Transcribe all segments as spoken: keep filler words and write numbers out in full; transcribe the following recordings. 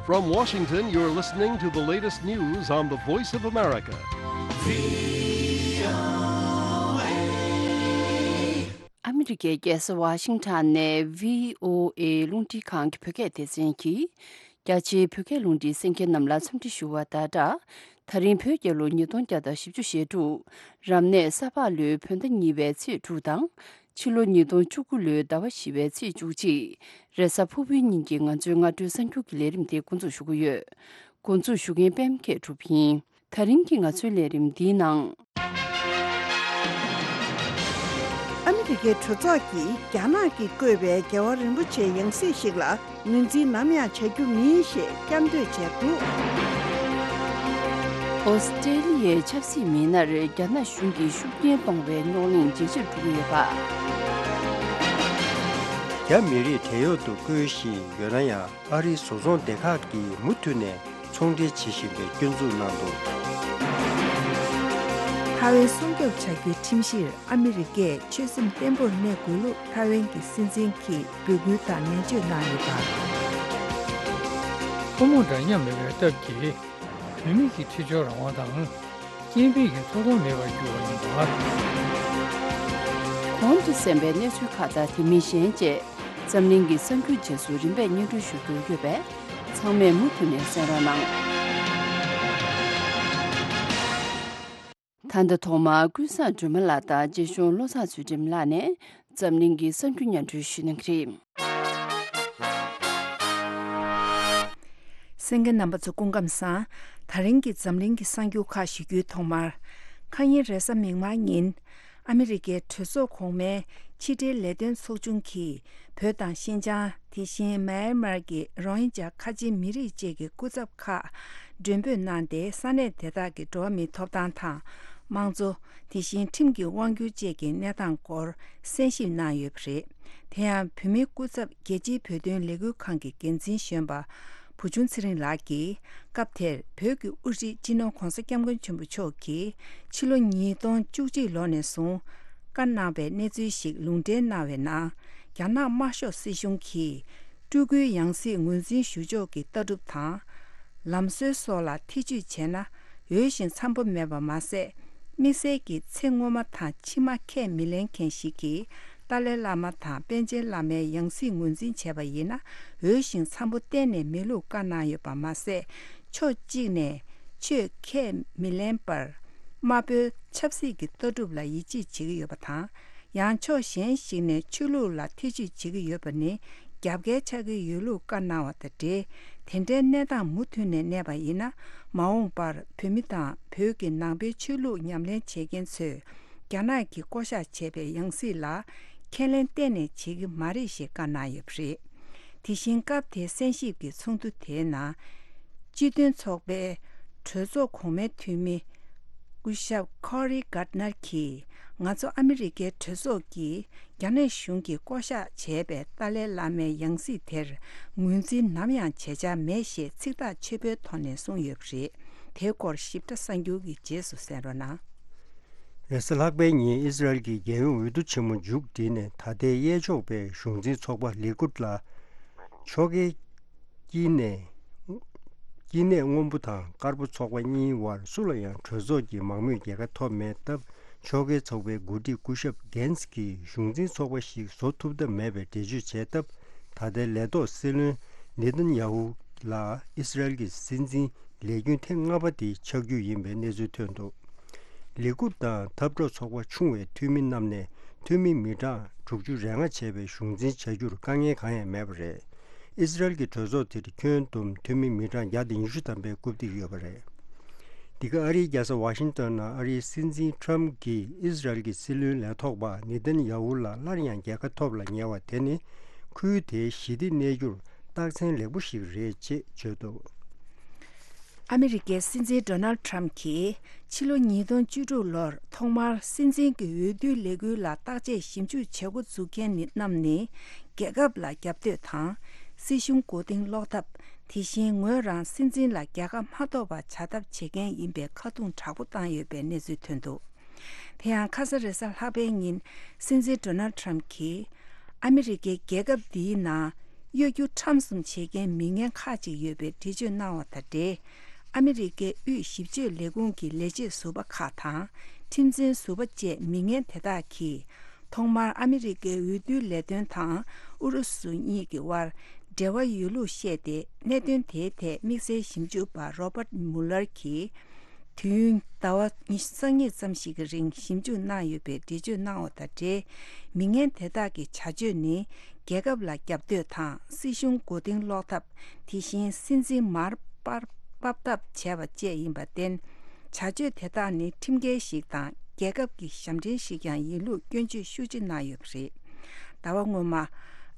From Washington, you're listening to the latest news on the Voice of America. ཨ་མི་རི་ཀའི་རྒྱལ་ས་ཝ་ཤིང་ཊོན་ནས་བྷི་ཨོ་ཨེ་རླུང་འཕྲིན་ཁང་གི་བོད་སྐད་སྡེ་ཚན་གྱིས། རྒྱ་ཆེའི་བོད་སྐད་རླུང་འཕྲིན་གསན་མཁན་རྣམས་ལ་འཚམས་འདྲི་ཞུ་བ་དང་སྦྲགས། ད་རིང་བོད་རྒྱལ་ལོ་ཉིས་སྟོང་བརྒྱ་དང་བཞི་བཅུ་ཞེ་དྲུག་རབ་གནས་ས་ཕག་ལོའི་བོད་ཟླ་གཉིས་པའི་ཚེས་དྲུག་དང་། ཕྱི་ལོ་ཉིས་སྟོང་བཅུ་དགུ་ལོའི་ཟླ་བ་བཞི་བའི་ཚེས་བཅུ་གཅིག་རེས་གཟའ་ཕུར་བུའི་ཉིན་གྱི་ང་ཚོའི་སྔ་དྲོའི་གསར་འགྱུར་གྱི་ལས་རིམ་དེ་འགོ་འཛུགས་ཞུ་གི་ཡོད། འགོ་འཛུགས་ཞུ་མཁན་པད་མ་སྐྱིད་གྲུབ་ཡིན། ད་རིང་གི་ང་ཚོའི་ལས་རིམ་འདིའི་ནང་། ཨ་མི་རི་ཀའི་གྲོས་ཚོགས་ཀྱིས་རྒྱ་ནག་གིས་བརྐོས་པའི་རྒྱལ་བ་རིན་པོ་ཆེའི་ཡང་སྲིད་ཞིག་ལ་ངོས་འཛིན་ནམ་ཡང་བྱ་རྒྱུ་མིན་ཞེས་བསྐྱར་ཟློས་བྱས་འདུག་ཨོ་སི་ཀྲེ་ལི་ཡའི་ཆབ་སྲིད་མི་སྣར་རྒྱ་ནག་གཞུང་གིས་ཤུགས་རྐྱེན་གཏོང་བའི་རྙོག་གླེང་ཇེ་ཆེར་འགྲོ་གི་ཡོད་པ། རྒྱ་མི་རིགས་བྲན་གཡོག་ཏུ་བཀོལ་བཞིན་ཡོད་ན་ཡང་། ཨ་རིའི་བཟོ་ཚོང་སྡེ་ཁག་གིས་མུ་མཐུད་ནས་ཚོང་འབྲེལ་བྱེད་བཞིན་པའི་སྐྱོན་འཛུགས་གནང་འདུག་ཐའེ་ཝན་སྲུང་སྐྱོབ་བྱ་རྒྱུའི་ཁྲིམས་གཞིར་ཨ་མི་རི་ཀས་ཆོད་སེམས་བརྟན་པོར་གནས་དགོས་ལུགས་ཐའེ་ཝན་གྱི་སྲིད་འཛིན་གྱིས་འབོད་སྐུལ་དང་ནན་བརྗོད་གནང་ཡོད་པ། ཕོ་མོ་འདྲ་མཉམ་མེད་པའི་སྟབས་ཀྱིས། བུད་མེད་ཀྱི་འཁྲིས་སྦྱོར་རང་དབང་དང་། སྐྱེས་འཕེལ་གྱི་ཐོབ་ཐང་མེད་པར་གྱུར་བ་ཡིན་པ། གོང་དུ་གསན་པའི་གནས་ཚུལ་ཁག་དང་དེ་མིན་གཞན་བཅས་འཛམ་གླིང་གི་གསར་འགྱུར་རྗེས་སུ་རིམ་པས་སྙན་སྒྲོན་ཞུ་རྒྱུ་ཡོད་པས། ཚང་མས་མུ་མཐུད་ནས་གསན་རོགས་གནང་། ད་ལྟ་ཐོག་མར་ཀུན་བཟང་སྒྲོལ་མ་ལགས་དང་རྗེ་གཞུང་བློ་བཟང་ཚུལ་ཁྲིམས་ལགས་ནས་འཛམ་གླིང་གི་གསར་འགྱུར་སྙན་སྒྲོན་ཞུ་གནང་གི་རེད། གསན་མཁན་རྣམ་པ་ཚོ་སྐུ་ཁམས་བཟང་། ད་རིང་གི་འཛམ་གླིང་གི་གསར་འགྱུར་ཁག་ཞུ་རྒྱུའི་ཐོག་མར། ཁ་ཉིན་རེས་གཟའ་མིག་དམར་ཉིན། ཨ་མི་རི་ཀའི་གྲོས་ཚོགས་གོང་མའི་ཕྱི་འབྲེལ་ལས་དོན་ཚོགས་ཆུང་གིས་བོད་དང་ཤིན་ཅང་། དེ་བཞིན་མཱ་ཡན་མར་གྱི་རོ་ཧིན་ཇཱ་ཁ་ཆེ་མི་རིགས་བཅས་ཀྱི་སྐུ་ཚབ་ཁག་མགྲོན་འབོད་གནང་སྟེ། ས་གནས་དེ་དག་གི་འགྲོ་བ་མིའི་ཐོབ་ཐང་དང་། དམངས་གཙོ། དེ་བཞིན་ཁྲིམས་ཀྱི་དབང་སྒྱུར་བཅས་ཀྱི་གནས་སྟངས་སྐོར་གསན་ཞིབ་གནང་ཡོད་པ་རེད། དེ་ཡང་བོད་མིའི་སྐུ་ཚབ་རྒྱལ་སྤྱིའི་བོད་དོན་ལས་འགུལ་ཁང་གི་འགན་འཛིན་གཞོན་པ་བུ་ཆུང་ཚེ་རིང་ལགས་ཀྱིས། སྐབས་དེར་བོད་ཀྱི་དབུ་ཁྲིད་སྤྱི་ནོར་༧གོང་ས་༧སྐྱབས་མགོན་ཆེན་པོ་མཆོག་གིས་ཕྱི་ལོ་ཉིས་སྟོང་བཅུ་གཅིག་ལོ་ནས་བཟུང་བཀའ་གནང་བའི་གནས་ཚུལ་ཞིག་ལུང་འདྲེན་གནང་བའི་ནང་། རྒྱ་ནག་དམར་ཤོག་སྲིད་གཞུང་གིས་སྤྲུལ་སྐུའི་ཡང་སྲིད་ངོས་འཛིན་ཞུ་ཕྱོགས་ཀྱི་ལྟ་གྲུབ་དང་། ལམ་སྲོལ་སོགས་ལ་ཐེ་ཇུས་བྱས་ན། འོས་ཤིང་འཚམ་པོ་མེད་པ་མ་ཟད། དམིགས་བསལ་གྱི་ཚེ་སྔོན་མ་དང་ཕྱི་མ་ཁས་མི་ལེན་མཁན་ཞིག་གིས། ཏཱ་ལའི་བླ་མ་དང་པཎ་ཆེན་བླ་མའི་ཡང་སྲིད་ངོས་འཛིན་བྱས་པ་ཡིན་ན། འོས་ཤིང་འཚམ་པོ་གཏན་ནས་མེད་ལུགས་བཀའ་གནང་ཡོད་པ་མ་ཟད། ཕྱོགས་གཅིག་ནས་ཆོས་ཁས་མི་ལེན་པར། དམར་པོའི་ཆབ་སྲིད་ཀྱི་ལྟ་གྲུབ་ལ་ཡིད་ཆེས་བྱེད་ཀྱི་ཡོད་པ་དང་། ཡང་ཕྱོགས་གཞན་ཞིག་ནས་ཆོས་ལུགས་ལ་ཐེ་ཇུས་བྱེད་ཀྱི་ཡོད་པ་ནི་རྒྱབ་འགལ་ཆགས་ཀྱི་ཡོད་ལུགས་བཀའ་གནང་བ་དང་འབྲེལ། དེ་འདྲའི་གནས་སྟངས་མུ་མཐུད་ནས་གནས་པ་ཡིན་ན། མ་འོངས་པར་བོད་མི་དང་བོད་ཀྱི་ནང་པའི་ཆོས་ལུགས་ཉམས་ལེན་བྱེད་མཁན་ཚོས་རྒྱ་ནག་གིས་བསྐོ་གཞག་བྱས་པའི་ཡང་སྲིད་ལ་ཁས་ལེན་གཏན་ནས་བྱེད་ཀྱི་མ་རེད་ཞེས་བཀའ་གནང་ཡོད་པ་རེད། དེ་བཞིན་སྐབས་དེའི་གསན་ཞིབ་ཀྱི་ཚོགས་འདུ་དེའི་ནང་། སྤྱི་མཐུན་ཚོགས་པའི་གྲོས་ཚོགས་གོང་མའི་འཐུས་མི་སྐུ་ཞབས་ཁོ་རི་གྷར་ནར་གྱིས། ང་ཚོ་ཨ་མི་རི་ཀའི་གྲོས་ཚོགས་ཀྱིས་རྒྱ་ནག་གཞུང་གིས་བསྐོ་གཞག་བྱས་པའི་ཏཱ་ལའི་བླ་མའི་ཡང་སྲིད་དེར་ངོས་འཛིན་ནམ་ཡང་བྱེད་འཆར་མེད་ཞེས་ཚིག་ཐག་ཆོད་པོའི་ཐོག་ནས་གསུངས་ཡོད་པ་རེད། དེའི་སྐོར་ཞིབ་ཕྲ་གསར་འགྱུར་གྱི་རྗེས་སུ་གསན་རོགས་གནང་། རེས་གཟའ་ལྷག་པའི་ཉིན་ཨི་སི་རལ་གྱི་རྒྱལ་ཡོངས་འོས་བསྡུ་ཆེན་མོ་མཇུག་བསྒྲིལ་ནས། ད་ལྟའི་གཡས་ཕྱོགས་པའི་གཞུང་འཛིན་ཚོགས་པ་ལི་ཀུད་ལ་ཕྱོགས་འགལ་དཀྱིལ་ནས། དཀྱིལ་ནས་སྔོན་པོ་དང་དཀར་པོ་ཚོགས་པ་གཉིས་བར་སུ་ལ་ཡང་གྲོས་ཚོགས་ཀྱི་མང་མོས་རྒྱལ་ཁ་ཐོབ་མེད་སྟབས། ཕྱོགས་འགལ་ཚོགས་པའི་འགོ་ཁྲིད་སྐུ་ཞབས་གྷན་སི་གིས་གཞུང་འཛིན་ཚོགས་པ་ཞིག་བཟོ་ཐུབ་ཐབས་མེད་པའི་འགྲེལ་བརྗོད་བྱས་སྟབས། ད་ལྟའི་ལས་ཐོག་སྲིད་བློན་ནེ་ཐན་ཡ་ཧུ་ལ་ཨི་སི་རལ་གྱི་སྲིད་འཛིན་ལས་རྒྱུན་ཐེངས་ལྔ་པ་དེ་ཆགས་རྒྱུ་ཡིན་པའི་གནས་ཚུལ་ཐོན་འདུག་ལི་ཀུད་དང་འཐབ་གྲོགས་ཚོགས་པ་ཆུང་བའི་འཐུས་མི་རྣམས་ནས་འཐུས་མི་མི་གྲངས་དྲུག་ཅུ་རེ་ལྔ་བྱས་པའི་གཞུང་འཛིན་བྱ་རྒྱུར་དཀའ་ངལ་གང་ཡང་མེད་པ་རེད། ཨི་སི་རལ་གྱི་གྲོས་ཚོགས་དེར་ཁྱོན་བསྡོམས་འཐུས་མི་མི་གྲངས་བརྒྱ་དང་ཉི་ཤུ་ཐམ་པའི་རྐུབ་སྟེགས་ཡོད་པ་རེད། འདི་ག་ཨ་རིའི་རྒྱལ་ས་ཝ་ཤིང་ཏོན་ནང་ཨ་རིའི་སྲིད་འཛིན་ཁྲམ་གྱིས་ཨི་སི་རལ་གྱི་སྲིད་བློན་ལས་ཐོག་པ་ནེ་ཐན་ཡ་ཧུ་ལ་སླར་ཡང་རྒྱལ་ཁ་ཐོབ་ལ་ཉེ་བ་དེ་ནི། ཁུལ་དེའི་ཞི་བདེ་གནས་རྒྱུར་རྟགས་མཚན་ལེགས་པོ་ཞིག་རེད་ཅེས་བརྗོད་འདུག་ཨ་མི་རི་ཀའི་སྲིད་འཛིན་ཌོ་ནལ་ཁྲམ་གྱིས་ཕྱི་ལོ་ཉིས་སྟོང་བཅུ་དྲུག་ལོར་ཐོག་མར་སྲིད་འཛིན་གྱི་འོས་བསྡུའི་ལས་འགུལ་ལ་བརྟག་དཔྱད་ཞིབ་འཇུག་བྱེད་འགོ་འཛུགས་མཁན་ནི་རྣམས་ནི་རྒྱལ་ཁབ་ལ་རྒྱབ་གཏོད་དང་། སྲིད་གཞུང་མགོ་རྟིང་སློག་ཐབས། དེ་བཞིན་ངོས་རང་སྲིད་འཛིན་ལ་རྒྱལ་ཁ་མ་ཐོབ་པ་བྱ་ཐབས་བྱེད་མཁན་ཡིན་པའི་ཁ་རྡུང་དྲག་པོ་བཏང་ཡོད་པའི་གནས་ཚུལ་ཐོན་འདུག་དེ་ཡང་ཁ་ས་རེས་གཟའ་ལྷག་པའི་ཉིན་སྲིད་འཛིན་ཌོ་ནལ་ཁྲམ་གྱིས་ཨ་མི་རི་ཀའི་རྒྱལ་ཁབ་འདིའི་ནང་ གཡོ་སྒྱུ་ཁྲམ་གསུམ་བྱེད་མཁན་མི་ངན་ཁག་ཅིག་ཡོད་པའི་འགྲེལ་བརྗོད་གནང་བ་དང་འབྲེལ། ཨ་མི་རི་ཀའི་དབུས་ཞིབ་དཔྱོད་ལས་ཁུངས་ཀྱི་ལས་བྱེད་ཟུར་པ་ཁག་དང་ཁྲིམས་འཛིན་ཟུར་པ་བཅས་མི་ངན་དེ་དག་གིས། ཐོག་མར་ཨ་མི་རི་ཀའི་འོས་བསྡུའི་ལས་དོན་དང་ཨུ་རུ་སུ་གཉིས་ཀྱི་དབར་འབྲེལ་བ་ཡོད་ལུགས་བཤད་དེ། གནད་དོན་དེའི་ཐད་དམིགས་བསལ་ཞིབ་འཇུག་པ་Robert Mueller གྱིས། དུས་ཡུན་ཟླ་བ་ཉི་ཤུ་རྩ་གཉིས་ཙམ་ཞིག་གི་རིང་ཞིབ་འཇུག་གནང་ཡོད་པའི་འགྲེལ་བརྗོད་གནང་བ་དང་འབྲེལ། མི་ངན་དེ་དག་གི་བྱ་སྤྱོད་ནི་རྒྱལ་ཁབ་ལ་རྒྱབ་གཏོད་དང་སྲིད་གཞུང་མགོ་རྟིང་སློག་ཐབས། དེ་བཞིན་སྲིད་འཛིན་མར་པར་ཕབ་ཐབས་བྱས་པ་བཅས་ཡིན་པར་བརྟེན། བྱ་སྤྱོད་དེ་དག་ནི་ཁྲིམས་འགལ་ཞིག་དང་རྒྱལ་ཁབ་ཀྱི་ཞབས་འདྲེན་ཞིག་ཀྱང་ཡིན་ལུགས་སྐྱོན་བརྗོད་ཤུགས་ཆེ་གནང་ཡོད་པ་རེད། ཟླ་བ་སྔོན་མ།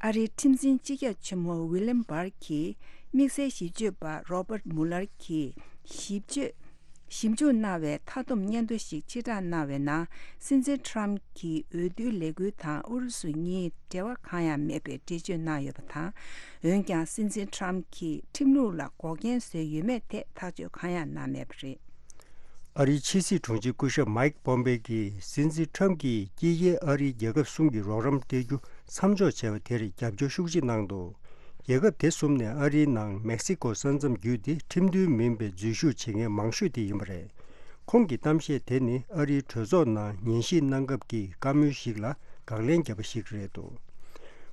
ཨ་རིའི་ཁྲིམས་འཛིན་སྤྱི་ཁྱབ་ཆེན་མོ་William Barr གྱིས་དམིགས་བསལ་ཞིབ་དཔྱོད་པ་Robert Mueller གྱིས་ཞིབ་དཔྱོད། ཞིབ་འཇུག་གནང་བའི་མཐའ་སྡོམ་སྙན་ཐོ་ཞིག་ཕྱིར་བསྒྲགས་གནང་བའི་ནང་། སྲིད་འཛིན་ཊམ་གྱི་འོས་བསྡུའི་ལས་འགུལ་དང་ཨུ་རུ་སུ་གཉིས་འབྲེལ་བ་གང་ཡང་མེད་པའི་འགྲེལ་བརྗོད་གནང་ཡོད་པ་དང་། འོན་ཀྱང་སྲིད་འཛིན་ཊམ་གྱིས་ཁྲིམས་ལུགས་ལ་འགོག་རྐྱེན་བཟོས་ཡོད་མེད་ཐད་ཐག་གཅོད་གང་ཡང་གནང་མེད་པ་རེད། ཨ་རིའི་ཕྱི་སྲིད་དྲུང་ཆེ་སྐུ་ཞབས་མའིག་པོམ་པེ་གྱིས་སྲིད་འཛིན་ཊམ་གྱིས་དཀྱིལ་ཁའི་ཨ་རིའི་རྒྱལ་ཁབ་གསུམ་གྱི་རོགས་རམ་སྤྲད་རྒྱུ་མཚམས་འཇོག་བྱས་པ་དེར་རྒྱབ་སྐྱོར་ཤུགས་ཆེ་གནང་འདུག་རྒྱལ་ཁབ་དེ་གསུམ་ནས་ཨ་རིའི་ནང་མེག་སི་ཀོ་ས་མཚམས་བརྒྱུད་དེ་ཁྲིམས་མཐུན་མིན་པའི་འཛུལ་ཞུགས་བྱེད་མཁན་མང་ཤོས་དེ་ཡིན་པ་རེད། ཁོང་གི་གཏམ་བཤད་དེ་ནི་ཨ་རིའི་གྲོས་ཚོགས་ནང་ཉན་ཞིབ་གནང་སྐབས་ཀྱི་བཀའ་མོལ་ཞིག་ལ་དགག་ལན་བརྒྱབ་པ་ཞིག་རེད་འདུག་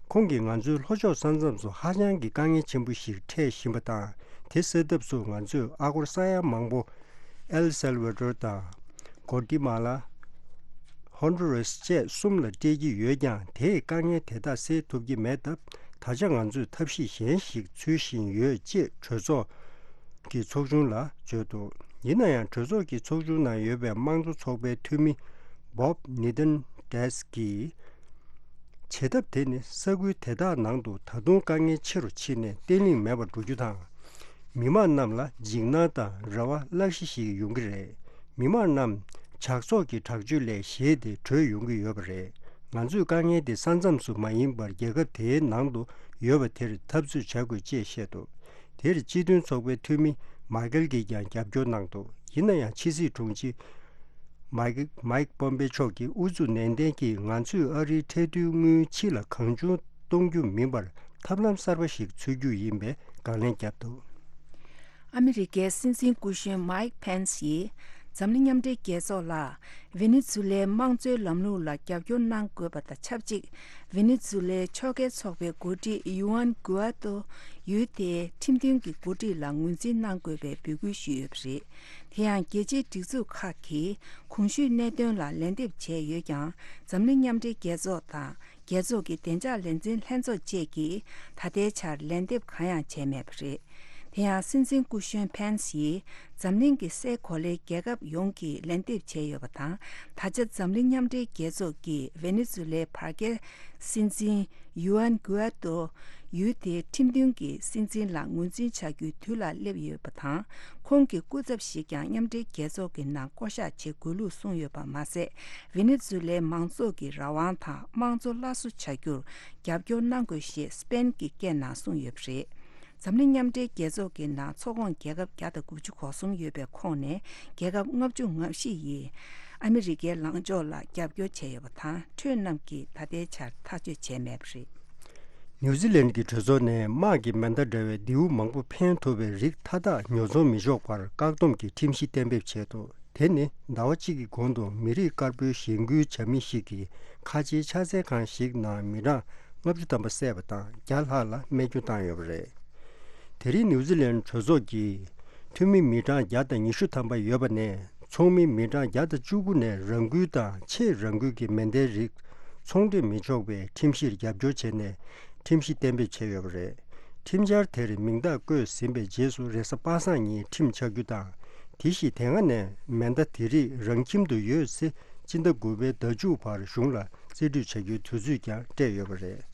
ཁོང་གིས་ང་ཚོའི་ལྷོ་ཕྱོགས་ས་མཚམས་སུ་ཧ་ཅང་གི་དཀའ་ངལ་ཆེན་པོ་ཞིག་འཕྲད་བཞིན་པ་དང་། དེ་སེལ་ཐབས་སུ་ང་ཚོས་ཨ་སྒོར་ས་ཡ་མང་པོ་ཨེལ་སེལ་ཝ་ཌོར་དང་། གོ་ཏི་མ་ལ། ཧོན་ཌུ་རེས་བཅས་གསུམ་ལ་སྤྲད་ཀྱི་ཡོད་ཀྱང་། དེས་དཀའ་ངལ་དེ་དག་སེལ་ཐུབ་ཀྱི་མེད་སྟབས། ད་ཆ་ང་ཚོས་ཐབས་ཤེས་གཞན་ཞིག་འཚོལ་བཞིན་ཡོད་ཅེས་གྲོས་ཚོགས་ཀྱི་ཚོགས་ཆུང་ལ་བརྗོད་འདུག་ཡིན་ན་ཡང་། གྲོས་ཚོགས་ཀྱི་ཚོགས་ཆུང་ནང་ཡོད་པའི་དམངས་གཙོ་ཚོགས་པའི་འཐུས་མི་Bob Menendez གྱིས། བྱེད་ཐབས་དེ་ནི་ས་ཁུལ་དེ་དག་ནང་དུ་ད་དུང་དཀའ་ངལ་ཆེ་རུ་ཕྱིན་ནས་བརྟན་ལྷིང་མེད་པར་འགྲོ་རྒྱུ་དང་། མི་དམངས་རྣམས་ལ་འཇིགས་སྣང་དང་རེ་བ་བརླག་གཞི་ཞིག་ཡོང་གི་རེད། མི་དམངས་རྣམས་ཇག་ཚོགས་ཀྱི་དྲག་སྤྱོད་ལས་ཞེད་དེ་བྲོས་ཡོང་གི་ཡོད་པ་རེད། ང་ཚོས་དཀའ་ངལ་དེ་ས་མཚམས་སུ་མ་ཡིན་པར་རྒྱལ་ཁབ་དེའི་ནང་དུ་ཡོད་པ་དེར་འཐབ་རྩོད་བྱ་དགོས་ཅེས་བཤད་འདུག་དེར་སྤྱི་མཐུན་ཚོགས་པའི་འཐུས་མི་མཱི་ཀལ་གྱིས་ཀྱང་རྒྱབ་སྐྱོར་གནང་འདུག་ཡིན་ན་ཡང་། ཕྱི་སྲིད་དྲུང་ཆེ་མཱིག་མཱིག་པོམ་པེ་མཆོག་གིས་ཨུ་ཚུགས་ནན་ཏན་གྱིས་ང་ཚོས་ཨ་རིའི་ཁྲལ་བསྡུའི་དངུལ་ཕྱི་ལ་གང་བྱུང་གཏོང་རྒྱུ་མིན་པར་ཐབས་ལམ་གསར་པ་ཞིག་འཚོལ་རྒྱུ་ཡིན་པའི་དགག་ལན་བརྒྱབ་འདུག་ཨ་མི་རི་ཀའི་སྲིད་འཛིན་སྐུ་གཞོན་མཱིག་ཕེན་སི་ཡིས་འཛམ་གླིང་མཉམ་འབྲེལ་རྒྱལ་ཚོགས་ལ། ཝེ་ནེ་ཛུ་ལའི་དམངས་གཙོའི་ལམ་ལུགས་ལ་རྒྱབ་སྐྱོར་གནང་དགོས་པ་དང་ཆབས་ཅིག་ཝེ་ནེ་ཛུ་ལའི་ཕྱོགས་འགལ་ཚོགས་པའི་འགོ་ཁྲིད་ཡུ་ཨན་གུ་ཨ་ཏོ་ཡུལ་དེའི་ཁྲིམས་མཐུན་གྱི་འགོ་ཁྲིད་ལ་ངོས་འཛིན་གནང་དགོས་པའི་འབོད་སྐུལ་ཞུས་ཡོད་པ་རེད། དེ་ཡང་རྒྱལ་སྤྱིའི་སྒྲིག་འཛུགས་ཁག་གིས་གོང་ཞུས་གནད་དོན་ལ་ལན་འདེབས་བྱས་ཡོད་ཀྱང་། འཛམ་གླིང་མཉམ་འབྲེལ་རྒྱལ་ཚོགས་དང་། རྒྱལ་ཚོགས་ཀྱི་བདེ་འཇགས་ལས་འཛིན་ལྷན་ཚོགས་བཅས་ཀྱིས་ད་ལྟའི་ཆར་ལན་འདེབས་གང་ཡང་བྱས་མེད་པ་རེད། དེ་ཡང་སྲིད་འཛིན་སྐུ་གཞོན་ཕན་སི་ཡིས་འཛམ་གླིང་གི་སའི་གོ་ལའི་རྒྱལ་ཁབ་ཡོངས་ཀྱིས་ལན་འདེབས་བྱས་ཡོད་པ་དང་། ད་ཆ་འཛམ་གླིང་མཉམ་འབྲེལ་རྒྱལ་ཚོགས་ཀྱིས་ཝེ་ནེ་ཛུ་ལའི་བར་བརྒལ་སྲིད་འཛིན་ཡུ་ཨན་གུ་ཨ་ཏོ་ཡུལ་དེའི་ཁྲིམས་མཐུན་གྱི་སྲིད་འཛིན་ལ་ངོས་འཛིན་བྱ་རྒྱུའི་དུས་ལ་སླེབས་ཡོད་པ་དང་། ཁོང་གི་སྐུ་ཚབ་ཞིག་ཀྱང་མཉམ་འབྲེལ་རྒྱལ་ཚོགས་ཀྱི་ནང་བསྐོ་གཞག་བྱེད་དགོས་ལུགས་གསུངས་ཡོད་པ་མ་ཟད། ཝེ་ནེ་ཛུ་ལའི་མང་ཚོགས་ཀྱི་རང་དབང་དང་དམངས་གཙོ་སླར་གསོ་བྱ་རྒྱུར་རྒྱབ་སྐྱོར་གནང་དགོས་ཞེས་སི་པེན་གྱི་སྐད་ནང་གསུངས་ཡོད་པ་རེད། འཛམ་གླིང་མཉམ་འབྲེལ་རྒྱལ་ཚོགས་ཀྱི་ནང་ཚོགས་ཁོངས་རྒྱལ་ཁབ་བརྒྱ་དང་དགུ་བཅུ་གོ་གསུམ་ཡོད་པའི་ཁོངས་ནས། རྒྱལ་ཁབ་ལྔ་བཅུ་ང་བཞི་ཡིས་ཨ་མི་རི་ཀའི་ལངས་ཕྱོགས་ལ་རྒྱབ་སྐྱོར་བྱས་ཡོད་པ་དང་། ཁྲོད་རྣམས་ཀྱིས་ད་ལྟའི་ཆར་ཐག་གཅོད་བྱས་མེད་པ་རེད། ནིའུ་ཛི་ལན་གྱི་གྲོས་ཚོགས་ནས་དམག་གི་མེ་མདའ་འདྲ་བའི་མདེའུ་མང་པོ་འཕེན་ཐུབ་པའི་རིགས་མཐའ་དག་ཉོ་ཚོང་མི་ཆོག་པར་བཀག་སྡོམ་གྱི་ཁྲིམས་གཞི་གཏན་འབེབས་བྱས་འདུག་དེ་ནི་ཟླ་བ་གཅིག་གི་གོང་དུ་མི་རིགས་དཀར་པོའི་གཞེན་སྐུལ་བྱ་མི་ཞིག་གིས་ཁ་ཆེའི་ཕྱག་འཚལ་ཁང་ཞིག་ནང་མི་གྲངས་ལྔ་བཅུ་ཐམ་པ་བསད་པ་དང་། བརྒྱ་ལྷག་ལ་རྨས་སྐྱོན་བཏང་ཡོད་པ་རེད། དེ་རིང་ནིའུ་ཛི་ལན་གྲོས་ཚོགས་ཀྱི་འཐུས་མི་མི་གྲངས་བརྒྱ་དང་ཉི་ཤུ་ཐམ་པ་ཡོད་པ་ནས། ཚོགས་མི་མི་གྲངས་བརྒྱ་དང་བཅུ་དགུ་ནས་རང་འགུལ་དང་ཕྱེད་རང་འགུལ་གྱི་མེ་མདའི་རིགས་ཚོང་འབྲེལ་མི་ཆོག་པའི་ཁྲིམས་གཞིར་རྒྱབ་སྐྱོར་བྱས་ནས་ཁྲིམས་གཞི་གཏན་འབེབས་བྱས་ཡོད་པ་རེད། ཁྲིམས་འཆར་དེར་མིང་རྟགས་བཀོད་ཟིན་པའི་རྗེས་སུ། རེས་གཟའ་པ་སངས་ཉིན་ཁྲིམས་ཆགས་རྒྱུ་དང་། དེ་བཞིན་དེ་སྔ་ནས་མེ་མདའ་དེ་རིགས་རང་ཁྱིམ་དུ་ཡོད་ཚེ། སྤྱི་ཟླ་དགུ་པའི་ཟླ་མཇུག་བར་གཞུང་ལ་རྩིས་སྤྲོད་བྱ་རྒྱུའི་དུས་ཚོད་ཀྱང་སྤྲད་ཡོད་པ་རེད།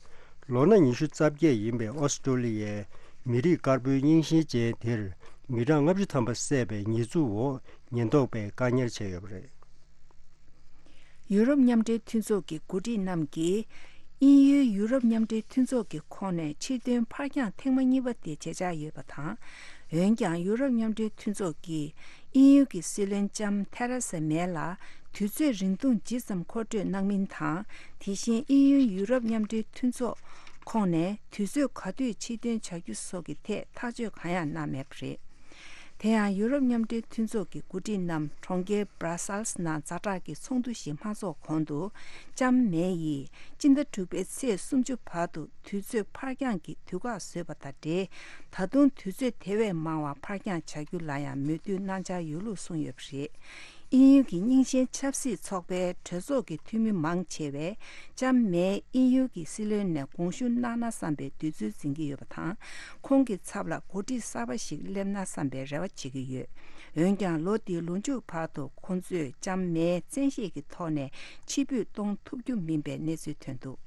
ལོ་ན་ཉི་ཤུ་རྩ་བརྒྱད་ཡིན་པའི་ཨོ་སི་ཀྲོ་ལི་ཡའི་མི་རིགས་དཀར་པོའི་རྙིང་ཞེན་ཅན་དེར་མི་གྲངས་ལྔ་བཅུ་ཐམ་པ་བསད་པའི་ཉེས་འཛུགས་འོག་ཉེན་རྟོག་པས་བཀག་ཉར་བྱས་ཡོད་པ་རེད། ཡུ་རོབ་མཉམ་འབྲེལ་མཐུན་ཚོགས་ཀྱི་འགོ་ཁྲིད་རྣམས་ཀྱིས། དབྱིན་ཡུལ་ཡུ་རོབ་མཉམ་འབྲེལ་མཐུན་ཚོགས་ཀྱི་ཁོངས་ནས་ཕྱིར་ཐོན་ཕར་འགྱངས་ཐེངས་མ་གཉིས་པ་དེ་བྱེད་འཆར་ཡོད་པ་དང་། འོན་ཀྱང་། ཡུ་རོབ་མཉམ་འབྲེལ་མཐུན་ཚོགས་ཀྱིས་དབྱིན་ཡུལ་གྱི་སྲིད་བློན་ལྕམ་ཐེ་རེ་ས་མེ་ལ་དུས་ཚོད་རིང་ཐུང་ཇི་ཙམ་མཁོ་སྤྲོད་གནང་མིན་དང་། དེ་བཞིན་དབྱིན་ཡུལ་ཡུ་རོབ་མཉམ་འབྲེལ་མཐུན་ཚོགས་ ཁོངས་ནས་དུས་ཚོད་ག་དུས་ཕྱིར་འདོན་བྱ་རྒྱུ་སོགས་ཀྱི་ཐད་ཐག་གཅོད་གང་ཡང་གནང་མེད་པ་རེད། དེ་ཡང་ཡུ་རོབ་མཉམ་འབྲེལ་མཐུན་ཚོགས་ཀྱི་འགོ་ཁྲིད་རྣམས་གྲོང་ཁྱེར་Brussels་ནང་ཛ་དྲག་གི་ཚོགས་འདུ་ཞིག་མ་འཚོགས་གོང་དུ་ལྕམ་མེ་ཡིས་སྤྱི་ཟླ་དྲུག་པའི་ཚེས་སུམ་ཅུ་བར་དུ་དུས་ཚོད་ཕར་འགྱངས་ཀྱི་དུས་བཀག་བཟོས་པ་དང་འབྲེལ། ད་དུང་དུས་ཚོད་དེ་བས་མང་བ་ཕར་འགྱངས་བྱ་རྒྱུ་ལ་ཡང་མོས་མཐུན་གནང་འཆར་ཡོད་ལུགས་གསུངས་ཡོད་པ་རེད། དབྱིན་ཡུལ་གྱི་རྙིང་ཞེན་ཆབ་སྲིད་ཚོགས་པའི་གྲོས་ཚོགས་ཀྱི་འཐུས་མི་མང་ཆེ་བས་ལྕམ་མེ་དབྱིན་ཡུལ་གྱི་སྲིད་བློན་ནས་དགོངས་ཞུ་གནང་ན་བསམ་པའི་འདོད་ཚུལ་འཛིན་གྱི་ཡོད་པ་དང་། ཁོང་གི་ཚབ་ལ་འགོ་ཁྲིད་གསར་པ་ཞིག་སླེབས་ན་བསམ་པའི་རེ་བ་བྱེད་ཀྱི་ཡོད། འོན་ཀྱང་ལོ་འདིའི་ལོ་མཇུག་བར་དུ་ཁོང་ཚོས་ལྕམ་མེ་བཙན་ཤེད་ཀྱི་ཐོག་ནས་ཕྱིར་འབུད་གཏོང་ཐུབ་རྒྱུ་མིན་པའི་གནས་ཚུལ་ཐོན་འདུག།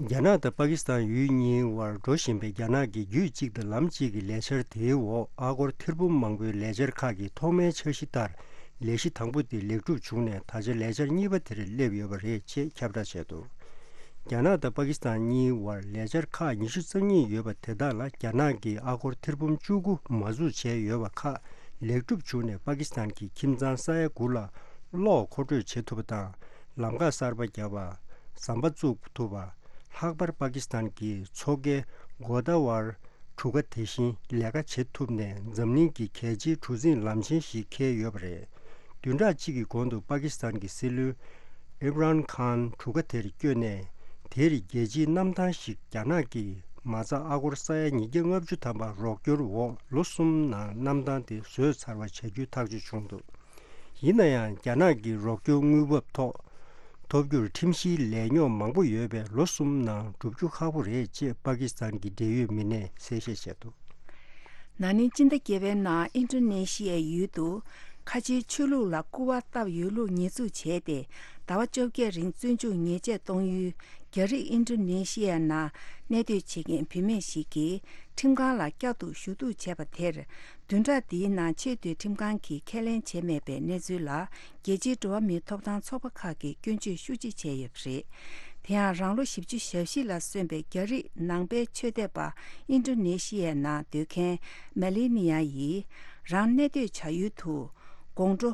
རྒྱ་ནག་དང་པ་ཀི་སི་ཐན་ཡུལ་གཉིས་དབར་འགྲོ་བཞིན་པའི་རྒྱ་ནག་གི་རྒྱུད་གཅིག་དང་ལམ་གཅིག་གི་ལས་འཆར་དེའི་འོག་ཨ་སྒོར་ཐེར་འབུམ་མང་པོའི་ལས་འཆར་ཁག་གི་ཐོག་མའི་འཆར་གཞི་ལྟར་ལས་གཞི་དང་པོ་དེ་ལེགས་གྲུབ་བྱུང་ནས། ད་ཆ་ལས་འཆར་གཉིས་པ་དེར་སླེབས་ཡོད་པ་རེད་ཅེས་ཁྱབ་བསྒྲགས་བྱས་འདུག། རྒྱ་ནག་དང་པ་ཀི་སི་ཐན་གཉིས་དབར་ལས་འཆར་ཁག་ཉི་ཤུ་རྩ་གཉིས་ཡོད་པ་དེ་དག་ལ་རྒྱ་ནག་གིས་ཨ་སྒོར་ཐེར་འབུམ་བཅུ་དགུ་མ་འཛུགས་བྱས་ཡོད་པ་ཁག་ལེགས་གྲུབ་བྱུང་ནས། པ་ཀི་སི་ཐན་གྱི་ཁྱིམ་ཚང་ས་ཡ་དགུ་ལ་གློག་མཁོ་སྤྲོད་བྱེད་ཐུབ་པ་དང་། ལམ་ཁ་གསར་པ་བརྒྱབ་པ། ཟམ་པ་བཙུགས་ཐུབ་པ། ལྷག་པར་པ་ཀི་སི་ཐན་གྱི་མཚོ་ཁའི་གོ་ད་ཝར་གྲུ་ཁ་དེ་བཞིན་ལས་ཀ་བྱེད་ཐུབ་ནས། འཛམ་གླིང་གི་གལ་ཆེའི་གྲུ་གཟིངས་ལམ་ཆེན་ཞིག་འཁེལ་ཡོད་པ་རེད། བདུན་ཕྲག་གཅིག་གི་གོང་དུ་པ་ཀི་སི་ཐན་གྱི་སྲིད་བློན་ཨིམ་རཱན་ཁཱན་གྲུ་ཁ་དེར་བསྐྱོད་ནས། དེར་རྒྱལ་སྤྱིའི་གནམ་ཐང་ཞིག་རྒྱ་ནག་གིས་མ་རྩ་ཨ་སྒོར་ས་ཡ་ཉིས་བརྒྱ་ལྔ་བཅུ་ཐམ་པ་རོགས་སྐྱོར་འོག་ལོ་གསུམ་ནང་གནམ་ཐང་དེ་བཟོས་ཚར་བ་བྱ་རྒྱུའི་ཐག་གཅོད་བྱུང་འདུག། ཡིན་ན་ཡང་རྒྱ་ནག་གི་རོགས་སྐྱོར་དངུལ་འབབ་ཐོག་ཐོབ་རྒྱུར་ཁྲིམས་གཞིའི་ལས་རྙོག་མང་པོ་ཡོད་པས། ལོ་གསུམ་ནང་འགྲུབ་རྒྱུ་ཁག་པོ་རེད་ཅེས་པ་ཀི་སི་ཐན་གྱི་འབྲེལ་ཡོད་མི་སྣས་གསལ་བཤད་བྱས་འདུག། ན་ནིང་སྤྱི་ཟླ་བརྒྱད་པའི་ནང་ཨིན་ཌོ་ནེ་ཤི་ཡའི་ཡུལ་དུ་ཁ་ཆེའི་ཆོས་ལུགས་ལ་སྐུར་བ་བཏབ་ཡོད་ལུགས་ཉེས་འཛུགས་བྱས་ཏེ། ཟླ་བ་བཅོ་བརྒྱད་རིང་བཙོན་འཇུག་ཉེས་ཆད་གཏོང་ཡུལ་རྒྱ་རིགས་ཨིན་ཌོ་ནེ་ཤི་ཡའི་ནང་གནས་སྡོད་བྱེད་མཁན་བུད་མེད་ཞིག་གིས་ཁྲིམས་ཁང་ལ་བསྐྱར་དུ་ཞུ་གཏུག་བྱས་པ་དེར། བདུན་ཕྲག་འདིའི་ནང་ཆེས་མཐོའི་ཁྲིམས་ཁང་གིས་ཁས་ལེན་བྱས་མེད་པའི་གནས་ཚུལ་ལ། རྒྱལ་སྤྱིའི་འགྲོ་བ་མིའི་ཐོབ་ཐང་ཚོགས་པ་ཁག་གིས་སྐྱོན་བརྗོད་ཤུགས་ཆེ་བྱས་ཡོད་པ་རེད། དེ་ཡང་རང་ལོ་བཞི་བཅུ་ཞེ་བཞི་ལ་སོན་པའི་རྒྱ་རིགས་ནང་པའི་ཆོས་དད་པ་ཨིན་ཌོ་ནེ་ཤི་ཡའི་ནང་སྡོད་མཁན་མེ་ལི་ནི་ཡ་ཡིས་རང་གནས་སྡོད་བྱ་ཡུལ་དུ་དགོང་དྲོ་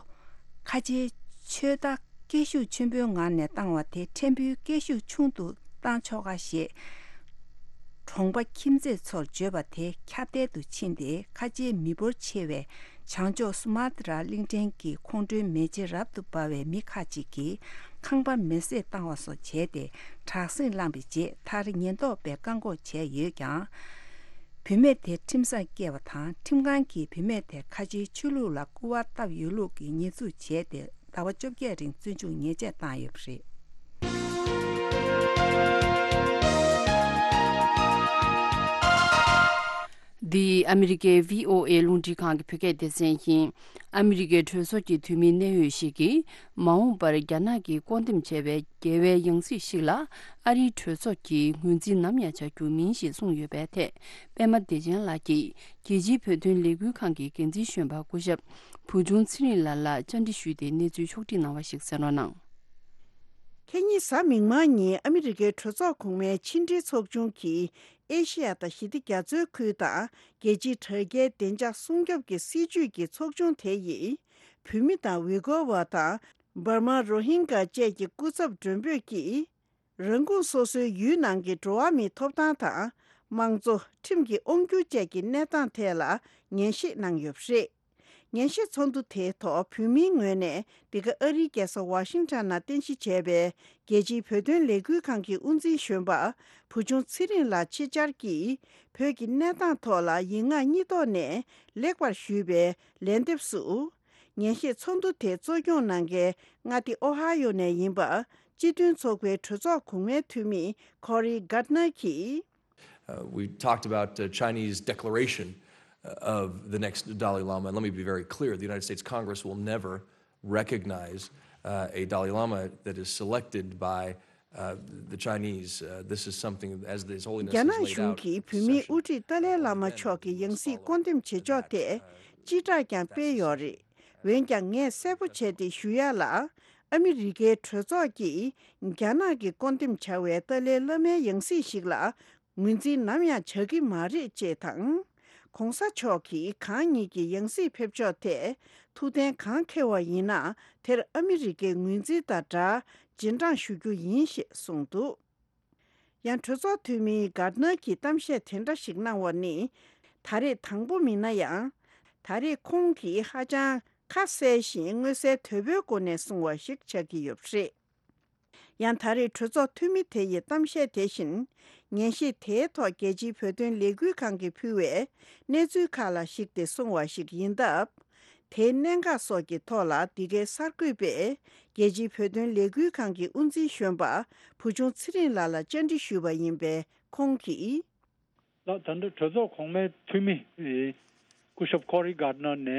ཁ་ཆེའི་ཆོས་བདག་སྐད་ཤུགས་ཆེན་པོའི་ངང་ནས་བཏང་བ་དེ་ཕྲན་བུའི་སྐད་ཤུགས་ཆུང་དུ་བཏང་ཆོག་ག་ཞེས། གྲོང་པ་ཁྱིམ་མཚེས་ཚོར་བརྗོད་པ་དེ་ཁྱབ་གདལ་དུ་ཕྱིན་ཏེ། ཁ་ཆེའི་མི་འབོར་ཆེ་བའི་བྱང་ཕྱོགས་སུ་མ་ཏི་ར་གླིང་ཕྲན་གྱི་ཁོང་ཁྲོའི་མེ་ལྕེ་རབ་ཏུ་འབར་བའི་མི་ཁག་ཅིག་གིས་ཁང་པ་མེ་བསྲེགས་བཏང་བ་སོགས་བྱས་ཏེ། དྲག་ཟིང་བསླངས་པའི་རྗེས། མཐར་ཉེན་རྟོག་པས་བཀག་འགོག་བྱས་ཡོད་ཀྱང་། བུད་མེད་དེ་ཁྲིམས་སར་བསྐྱལ་བ་དང་། ཁྲིམས་ཁང་གིས་བུད་མེད་དེ་ཁ་ཆེའི་ཆོས་ལུགས་ལ་སྐུར་བ་བཏབ་ཡོད་ལུགས་ཀྱི་ཉེས་འཛུགས་བྱས་ཏེ། ཟླ་བ་བཅོ་བརྒྱད་རིང་བཙོན་འཇུག་ཉེས་ཆད་བཏང་ཡོད་པ་རེད། འདི་ཨ་མི་རི་ཀའི་བྷི་ཨོ་ཨེ་རླུང་འཕྲིན་ཁང་གི་བོད་སྐད་སྡེ་ཚན་ཡིན། ཨ་མི་རི་ཀའི་གྲོས་ཚོགས་ཀྱི་འཐུས་མིའི་གནད་ཡོད་ཞིག་གིས། མ་འོངས་པར་རྒྱ་ནག་གིས་བསྐོ་འདེམས་བྱས་པའི་རྒྱལ་བའི་ཡང་སྲིད་ཞིག་ལ། ཨ་རིའི་གྲོས་ཚོགས་ཀྱིས་ངོས་འཛིན་ནམ་ཡང་བྱ་རྒྱུ་མིན་ཞེས་གསུངས་ཡོད་པའི་ཐད། པད་མ་བདེ་ཆེན་ལགས་ཀྱིས། རྒྱལ་སྤྱིའི་བོད་དོན་ལས་འགུལ་ཁང་གི་འགན་འཛིན་གཞོན་པ་སྐུ་ཞབས་བུ་ཆུང་ཚེ་རིང་ལགས་ལ་བཅར་འདྲི་ཞུས་ཏེ་གནས་ཚུལ་ཕྱོགས་བསྒྲིགས་གནང་བ་ཞིག་གསན་རོགས་གནང་། ཁ་ཉིན་གཟའ་མིག་དམར་ཉིན་ཨ་མི་རི་ཀའི་གྲོས་ཚོགས་གོང་མའི་ཕྱི་འབྲེལ་ཚོགས་ཆུང་གིས། ཨེ་ཤེ་ཡ་དང་ཞི་བདེ་རྒྱ་མཚོའི་ཁུལ་དང་། རྒྱལ་སྤྱིའི་དྲ་རྒྱའི་བདེ་འཇགས་སྲུང་སྐྱོབ་ཀྱི་སྲིད་ཇུས་ཀྱི་ཚོགས་ཆུང་དེ་ཡིས། བོད་མི་དང་ཝི་གོ་བ་དང་། འབར་མ་རོ་ཧིན་གྷ་བཅས་ཀྱི་སྐུ་ཚབ་མགྲོན་འབོད་ཀྱིས། རང་ཁོངས་སོ་སོའི་ཡུལ་ནང་གི་འགྲོ་བ་མིའི་ཐོབ་ཐང་དང་། དམངས་གཙོ། ཁྲིམས་ཀྱི་དབང་སྒྱུར་བཅས་ཀྱི་གནས་སྟངས་ཐད་ལ་ཉན་ཞིབ་གནང་ཡོད་པ་རེད། ཉན་ཞིབ་ཚོགས་འདུ་དེའི་ཐོག་བོད་མིའི་ངོས་ནས། འདི་ག་ཨ་རིའི་རྒྱལ་ས་ཝ་ཤིང་ཊོན་ནང་རྟེན་གཞི་བྱས་པའི་རྒྱལ་སྤྱིའི་བོད་དོན་ལས་འགུལ་ཁང་གི་དབུ་འཛིན་གཞོན་པ་བུ་ཆུང་ཚེ་རིང་ལགས་ཆེད་བཅར་གྱིས། བོད་ཀྱི་གནས་སྟངས་ཐོག་ལ་ཡིག་ངག་གཉིས་ཐོག་ནས་ལེགས་པར་ཞུས་པའི་ལན་འདེབས་སུ། ཉན་ཞིབ་ཚོགས་འདུ་དེ་གཙོ་སྐྱོང་གནང་མཁན་མངའ་སྡེ་ཨོ་ཧ་ཡོ་ནས་ཡིན་པ། སྤྱི་མཐུན་ཚོགས་པའི་གྲོས་ཚོགས་གོང་མའི་འཐུས་མི་Cory Gardner གྱིས། Uh, we talked about uh, Chinese declaration uh, of the next Dalai Lama. And let me be very clear, the United States Congress will never recognize uh, a Dalai Lama that is selected by uh, the Chinese. Uh, this is something, as His Holiness རྒྱ་ནག་གཞུང་གིས་བོད་མིའི་དབུ་ཁྲིད་ཏཱ་ལའི་བླ་མ་མཆོག་གི་ཡང་སྲིད་བསྐོ་འདེམས་བྱེད་ཕྱོགས་ཐད་སྤྱི་བསྒྲགས་ཀྱང་སྤེལ་ཡོད་རེད། འོན་ཀྱང་ངས་གསལ་པོ་བྱས་ཏེ་ཞུ་ཡ་ལ། ཨ་མི་རི་ཀའི་གྲོས་ཚོགས་ཀྱིས་རྒྱ་ནག་གིས་བསྐོ་འདེམས་བྱ་བའི་ཏཱ་ལའི་བླ་མའི་ཡང་སྲིད་ཞིག་ལ་ངོས་འཛིན་ནམ་ཡང་བྱ་གི་མ་རེད་ཅེས་དང་། ྋགོང་ས་མཆོག་གིས་གང་ཉིད་ཀྱི་ཡང་སྲིད་ཕེབས་ཕྱོགས་ཐད་ཐུགས་གཏན་གང་འཁེལ་བ་ཡིན་ན། དེར་ཨ་མི་རི་ཀའི་ངོས་འཛིན་དང་སྦྲགས་རྗེས་འབྲང་ཞུ་རྒྱུ་ཡིན་ཞེས་གསུངས་འདུག། ཡང་གྲོས་ཚོགས་འཐུས་མི་གར་ནར་གྱིས་གཏམ་བཤད་དེ་འདྲ་ཞིག་གནང་བ་ནི། ད་རེས་དང་པོ་མིན་ན་ཡང་། ད་རེས་ཁོང་གིས་ཧ་ཅང་ཁ་གསལ་ཞིང་མངོན་གསལ་དོད་པོའི་སྒོ་ནས་གསུངས་པ་ཞིག་ཆགས་ཀྱི་ཡོད་པ་རེད། ཡང་ད་རེས་གྲོས་ཚོགས་འཐུས་མི་དེ་ཡི་གཏམ་བཤད་དེ་བཞིན། ཉན་ཞིབ་དེའི་ཐོག་རྒྱལ་སྤྱིའི་བོད་དོན་ལས་འགུལ་ཁང་གིས་ཕུལ་བའི་གནས་ཚུལ་ཁག་ལ་གཞིགས་ཏེ་གསུངས་པ་ཞིག་ཡིན་སྟབས། དེའི་གནད་འགག་སོགས་ཀྱི་ཐོག་ལ། འདི་གའི་གསར་འགོད་པས་རྒྱལ་སྤྱིའི་བོད་དོན་ལས་འགུལ་ཁང་གི་དབུ་འཛིན་གཞོན་པ་བུ་ཆུང་ཚེ་རིང་ལགས་ལ་བཅར་འདྲི་ཞུས་པ་ཡིན་པས། ཁོང་གིས། ལགས། ད་ལྟ་གྲོས་ཚོགས་གོང་མའི་འཐུས་མི་ཨེ་སྐུ་ཞབས་ཀོ་རི་གར་ནར་ནས་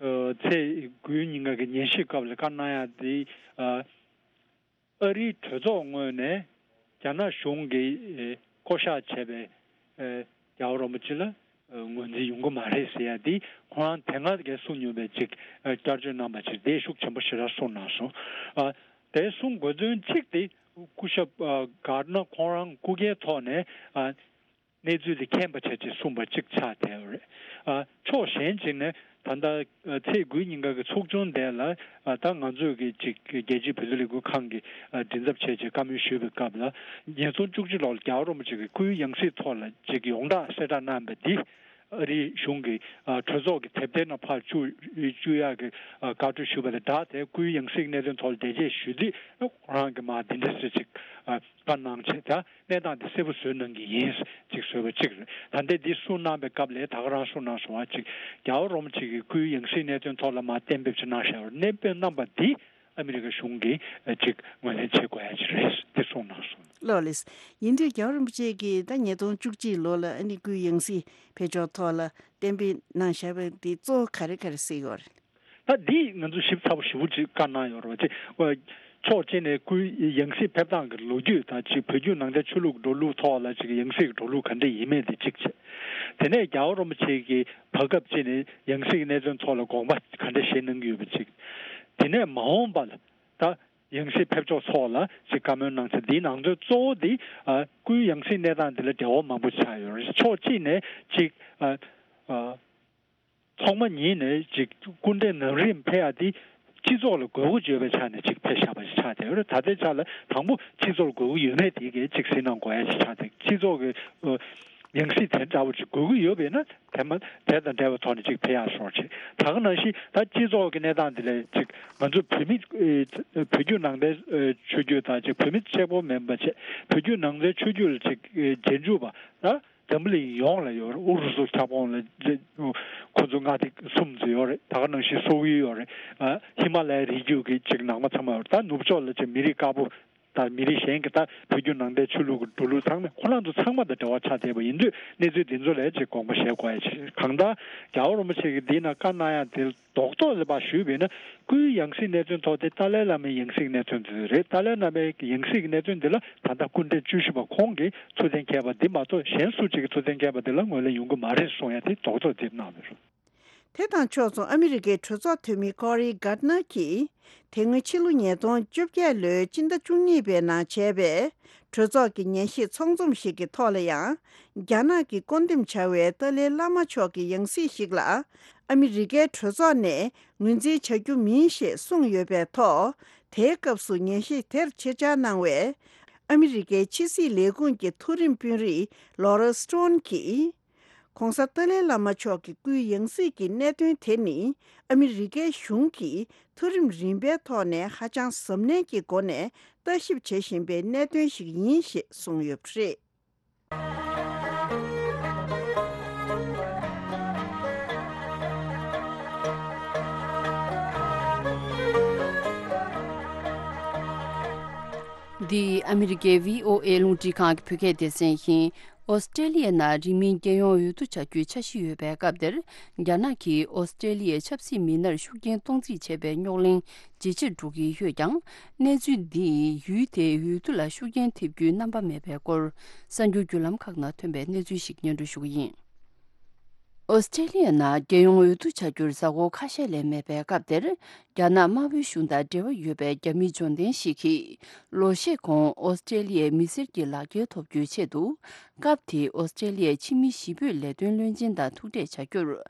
ཨེ་ཚེས་དགུའི་ཉིན་ཀ་གི་ཉན་ཞིབ་སྐབས་ལ་བཀའ་གནང་ཡག་དེ། ཨ་ཨ་རིའི་གྲོས་ཚོགས་ངོས་ནས་རྒྱ་ནག་གཞུང་གིས་ཨེ་བསྐོ་གཞག་བྱས་པའི་ཨེ་རྒྱལ་བ་རིན་པོ་ཆེ་ལ་ཨེ་ངོས་འཛིན་ཡོང་གི་མ་རེད་ཟེར་ཡ་དེ། ཁོ་རང་དེ་སྔ་གས་གསུངས་མྱོང་བའི་ཅིག་ཨེ་བསྐྱར་བཅོས་གནང་པ་ཅིག་དེ་ཤུགས་ཆེན་པོ་ཞེ་དྲག་གསུངས་གནང་སོང་། ཨ་དེ་གསུང་དགོས་དོན་གཅིག་དེ། སྐུ་ཞབས་ཨ་གར་ནར་ཁོང་རང་སྐུ་སྒེར་ཐོག་ནས་ཨ་གནས་ཚུལ་དེ་མཁྱེན་པ་བྱས་ཅེས་གསུངས་པ་གཅིག་ཆགས་བསྡད་ཡོད་རེད། ཨ་ཕྱོགས་གཞན་གཅིག་ནས་ད་ལྟ་ཨ་ཚེས་དགུའི་ཉིན་ཀ་གི་ཚོགས་ཆུང་དེ་ལ་ཨ་ད་ང་ཚོས་ཀྱི་ཅིག་རྒྱལ་སྤྱིའི་བོད་དོན་ལས་འགུལ་ཁང་གི་ཨ་མགྲིན་ཚབ་བྱས་ཅེས་བཀའ་མོལ་ཞུས་པའི་སྐབས་ལ། ཉིས་སྟོང་བཅུ་གཅིག་ལོར་རྒྱལ་བ་རིན་པོ་ཆེ་གི་སྐུའི་ཡང་སྲིད་ཐོག་ལ་ཅིག་ཡོངས་གྲགས་གསལ་བསྒྲགས་གནང་བ་འདི། ཨ་རིའི་གཞུང་གིས་ཨ་གྲོས་ཚོགས་ཀྱི་དེབ་ཐེར་ནང་ཕར་བཅུག་བཅུག་ཡག་གི་ཨ་བཀའ་འཁྲོལ་ཞུས་པ་དང་སྦྲགས་ཏེ། སྐུའི་ཡང་སྲིད་གནད་དོན་ཐོག་ལ་འགྲེལ་བརྗོད་ཞུས་དུས། ཁོ་རང་གིས་མར་འདི་འདྲ་ཟེར་ཅིག་ཨ་བཀའ་གནང་བྱས། ད་གནས་སྟངས་འདི་གསལ་པོ་བཟོས་གནང་གི་ཡིན་ཅིག་བཟོས་པ་གཅིག་རེད། ད་ལྟའི་འདི་གསུངས་གནང་བའི་སྐབས་ལ་ད་ག་རང་གསུངས་གནང་སོང་བ་ཅིག་རྒྱལ་བ་རིན་པོ་ཆེ་གི་སྐུའི་ཡང་སྲིད་གནད་དོན་ཐོག་ལ་མར་གཏན་འབེབས་ཅིག་གནང་བཞག་པ་རེད། གནས་དཔེ་གནང་བ་འདི་ཨ་མི་རི་ཀ་གཞུང་གིས་ཅིག་ངོས་ལེན་བྱེད་དགོས་ཡ་ཅིག་རེད། དེ་གསུངས་གནང་སོང་། ལགས་ལགས། ཡིན་དུས་རྒྱལ་བ་རིན་པོ་ཆེ་གིས་ད་ཉིས་སྟོང་བཅུ་གཅིག་ལོ་ལ་ཨ་ནི་སྐུའི་ཡང་སྲིད་ཕེབས་ཕྱོགས་ཐོག་ལ་གཏན་འབེབས་གནང་བཞག་པ་འདི་གཙོ་བོ་ག་རེ་ག་རེ་གཟིགས་ཡོད་རེད། ད་འདི་ང་ཚོས་ཞིབ་ཚགས་པོ་ཞེ་པོ་ཅིག་བཀའ་གནང་ཡོད་རེད་བ། ཅིག་ཕྱོགས་གཅིག་ནས་སྐུའི་ཡང་སྲིད་ཕེབས་སྟངས་ཀྱི་ལོ་རྒྱུས་དང་། ཅིག་བོད་བརྒྱུད་ནང་བསྟན་ཆོས་ལུགས་འགྲོ་ལུགས་ཐོག་ལ་ཅིག་ཡང་སྲིད་ཀྱི་འགྲོ་ལུགས་ག་འདྲ་ཡིན་མིན་དེ་གཅིག་བྱས། དེ་ནས་རྒྱལ་བ་རིན་པོ་ཆེ་གིས་བར་སྐབས་གཅིག་ནས་ཡང་སྲིད་ཀྱི་གནད་དོན་ཐོག་ལ་དགོངས་པ་ག་འདྲ་བཞེས་གནང་གི་ཡོད་པ་གཅིག་དེ་ནས་མ་འོངས་པ་ལ་ད་ཡང་སྲིད་ཕེབས་ཕྱོགས་ཐོག་ལ་ཅིག་བཀའ་མོལ་གནང་ཚེ། འདིའི་ནང་དོན་གཙོ་བོ་འདི་ཨ་སྐུའི་ཡང་སྲིད་གནས་སྟངས་འདི་ལ་འབྲེལ་བ་མང་པོ་ཆགས་ཡོད་རེད། ཕྱོགས་གཅིག་ནས་ཅིག་ཨ་ཨ་ཐོག་མ་ཉིད་ནས་ཅིག་སྐུ་ཕྲེང་ནམ་རིམ་ཕེབས་ཡ་འདི་སྤྱི་ཚོགས་ལ་དགོས་མཁོ་ཡོད་པའི་ཆ་ནས་ཅིག་ཕེབས་བཞག་པ་ཞིག་ཆགས་བསྡད་ཡོད་རེད། ད་ལྟའི་ཆ་ལ་དང་པོ་སྤྱི་ཚོགས་ལ་དགོས་མཁོ་ཡོད་མེད་དེ་གའི་ཅིག་གཟིགས་གནང་དགོས་ཡ་ཞིག་ཆགས་བསྡད། སྤྱི་ཚོགས་ཀྱི་ཨ་ཡང་སྲིད་དེ་འདྲ་བོ་ཅིག་དགོས་ཀྱི་ཡོད་པས་ན། དེ་མ་དེ་དང་འབྲེལ་བའི་ཐོག་ནས་ཅིག་ཕེབས་ཡག་སོགས་བྱས། ད་ག་ནང་བཞིན་ད་སྤྱི་ཚོགས་ཀྱི་གནས་སྟངས་འདི་ལས་ཅིག་ང་ཚོ་བོད་མི་ཨེ་བོད་བརྒྱུད་ནང་བསྟན་ཨེ་ཆོས་བརྒྱུད་དང་། ཅིག་བོད་མི་གཅིག་པོ་མིན་པ་བྱས། བོད་བརྒྱུད་ནང་བསྟན་ཆོས་བརྒྱུད་ལ་ཅིག་ཨེ་རྗེས་འཇུག་པ་ད་འཛམ་བུ་གླིང་ཡོངས་ལ་ཡོད་རེད། ཨུ་རུ་སུ་ཁྱབ་ཁོངས་ལ་ཅིག་ཁོ་ཚོ་མངའ་སྡེ་གསུམ་ཙམ་ཡོད་རེད། ད་ག་ནང་བཞིན་སོག་ཡུལ་ཡོད་རེད། ཨ་ཧི་མ་ལ་ཡའི་རི་རྒྱུད་ཀྱི་ཅིག་ནང་མ་ཚང་མ་ཡོད་རེད། ད་ནུབ་ཕྱོགས་ལ་ཅིག་མི་རིགས་དཀར་པོ་དང་མི་རིགས་གཞན་གྱི་ད་བོད་བརྒྱུད་ནང་བསྟན་ཆོས་ལུགས་ཀྱི་འགྲོ་ལུགས་ཚང་མ་ཁོ་རང་ཚོ་ཚང་མ་དང་འབྲེལ་བ་ཆགས་བསྡད་པ་ཡིན་དུས། གནས་ཚུལ་འདི་ཚོ་ལ་ཅིག་དགོངས་པ་བཞེས་དགོས་ཡ་ཅིག་གང་ལྟར་རྒྱལ་བ་རིན་པོ་ཆེ་གིས་འདི་ན་བཀའ་གནང་ཡ་དེ་རྡོག་རྡོག་ལ་ཕར་ཞུས་པས་ན། སྐུའི་ཡང་སྲིད་གནད་དོན་ཐོག་དེ་ཏཱ་ལའི་བླ་མའི་ཡང་སྲིད་གནད་དོན་དེ་རེད། ཏཱ་ལའི་བླ་མའི་ཡང་སྲིད་ཀྱི་གནད་དོན་འདི་ལ་ད་ལྟ་སྐུ་ཕྲེང་བཅུ་བཞི་པ་ཁོང་གིས་ཐུགས་གཏན་འཁེལ་བ་འདི་མ་གཏོགས། གཞན་སུ་གཅིག་གིས་ཐུགས་གཏན་འཁེལ་བ་འདི་ལ་ངོས་ལེན་ཡོང་གི་མ་རེད་གསུང་ཡ་དེ་རྡོག་རྡོག་འདི་གནང་བ་རེད། དེ་དང་ཕྱོགས་མཚུངས། ཨ་མི་རི་ཀའི་གྲོས་ཚོགས་འཐུས་མི་ཀོ་རི་གར་ནར་གྱིས། དེ་སྔོན་ཕྱི་ལོ་ཉིས་སྟོང་བཅོ་བརྒྱད་ལོའི་སྤྱི་ཟླ་བཅུ་གཉིས་པའི་ནང་བྱས་པའི་གྲོས་ཚོགས་ཀྱི་ཉན་ཞིབ་ཚོགས་འཛོམས་ཤིག་གི་ཐོག་ལ་ཡང་། རྒྱ་ནག་གིས་བསྐོ་འདེམས་བྱ་བའི་ཏཱ་ལའི་བླ་མ་མཆོག་གི་ཡང་སྲིད་ཞིག་ལ་ཨ་མི་རི་ཀའི་གྲོས་ཚོགས་ནས་ངོས་འཛིན་བྱ་རྒྱུ་མིན་ཞེས་གསུངས་ཡོད་པའི་ཐོག་དེའི་སྐབས་སུ་ཉན་ཞིབ་དེར་ཆེད་བཅར་གནང་བའི་ཨ་མི་རི་ཀའི་ཕྱི་སྲིད་ལས་ཁུངས་ཀྱི་མཐོ་རིམ་དཔོན་རིགས་ལོ་ར་སི་ཊོན་གྱིས། ྋགོང་ས་ཏཱ་ལའི་བླ་མ་མཆོག་གི་སྐུའི་ཡང་སྲིད་ཀྱི་གནད་དོན་དེ་ནི། ཨ་མི་རི་ཀའི་གཞུང་གིས་མཐོ་རིམ་རིམ་པའི་ཐོག་ནས་ཧ་ཅང་གཟབ་ནན་གྱི་སྒོ་ནས་ལྟ་ཞིབ་བྱེད་བཞིན་པའི་གནད་དོན་ཞིག་ཡིན་ཞེས་གསུངས་ཡོད་པ་རེད། འདི་ཨ་མི་རི་ཀའི་བྷི་ཨོ་ཨེ་རླུང་འཕྲིན་ཁང་གི་བོད་སྐད་སྡེ་ཚན་ཡིན། ཨོ་སི་ཀྲེ་ལི་ཡའི་ནང་རིང་མིན་རྒྱལ་ཡོངས་འོས་བསྡུ་བྱ་རྒྱུའི་འཆར་གཞི་ཡོད་པའི་སྐབས་དེར། རྒྱ་ནག་གིས་ཨོ་སི་ཀྲེ་ལི་ཡའི་ཆབ་སྲིད་མི་སྣར་ཤུགས་རྐྱེན་གཏོང་རྩིས་བྱས་པའི་རྙོག་གླེང་ཇེ་ཆེར་འགྲོ་གི་ཡོད་ཀྱང་། གནས་ཚུལ་འདིས་ཡུལ་དེའི་འོས་བསྡུ་ལ་ཤུགས་རྐྱེན་ཐེབས་རྒྱུའི་རྣམ་པ་མེད་པའི་སྐོར། གསར་འགྱུར་བརྒྱུད་ལམ་ཁག་ནང་ཐོན་པའི་གནས་ཚུལ་ཞིག་སྙན་སྒྲོན་ཞུ་གི་ཡིན། ཨོ་སི་ཀྲེ་ལི་ཡའི་ནང་རྒྱལ་ཡོངས་འོས་བསྡུ་བྱ་རྒྱུར་གཟའ་འཁོར་ཁ་ཤས་ལས་མེད་པའི་སྐབས་དེར། རྒྱ་ནག་དམར་པོའི་གཞུང་དང་འབྲེལ་བ་ཡོད་པའི་རྒྱ་མི་འབྱོར་ལྡན་ཞིག་གིས། ལོ་ཤས་གོང་ཨོ་སི་ཀྲེ་ལི་ཡའི་མི་སེར་གྱི་ལག་འཁྱེར་ཐོབ་རྒྱུའི་ཆེད་དུ། སྐབས་དེའི་ཨོ་སི་ཀྲེ་ལི་ཡའི་ཕྱི་མི་གཞིས་སྤོས་ལས་དོན་བློན་ཆེན་དང་ཐུག་འཕྲད་བྱ་རྒྱུར།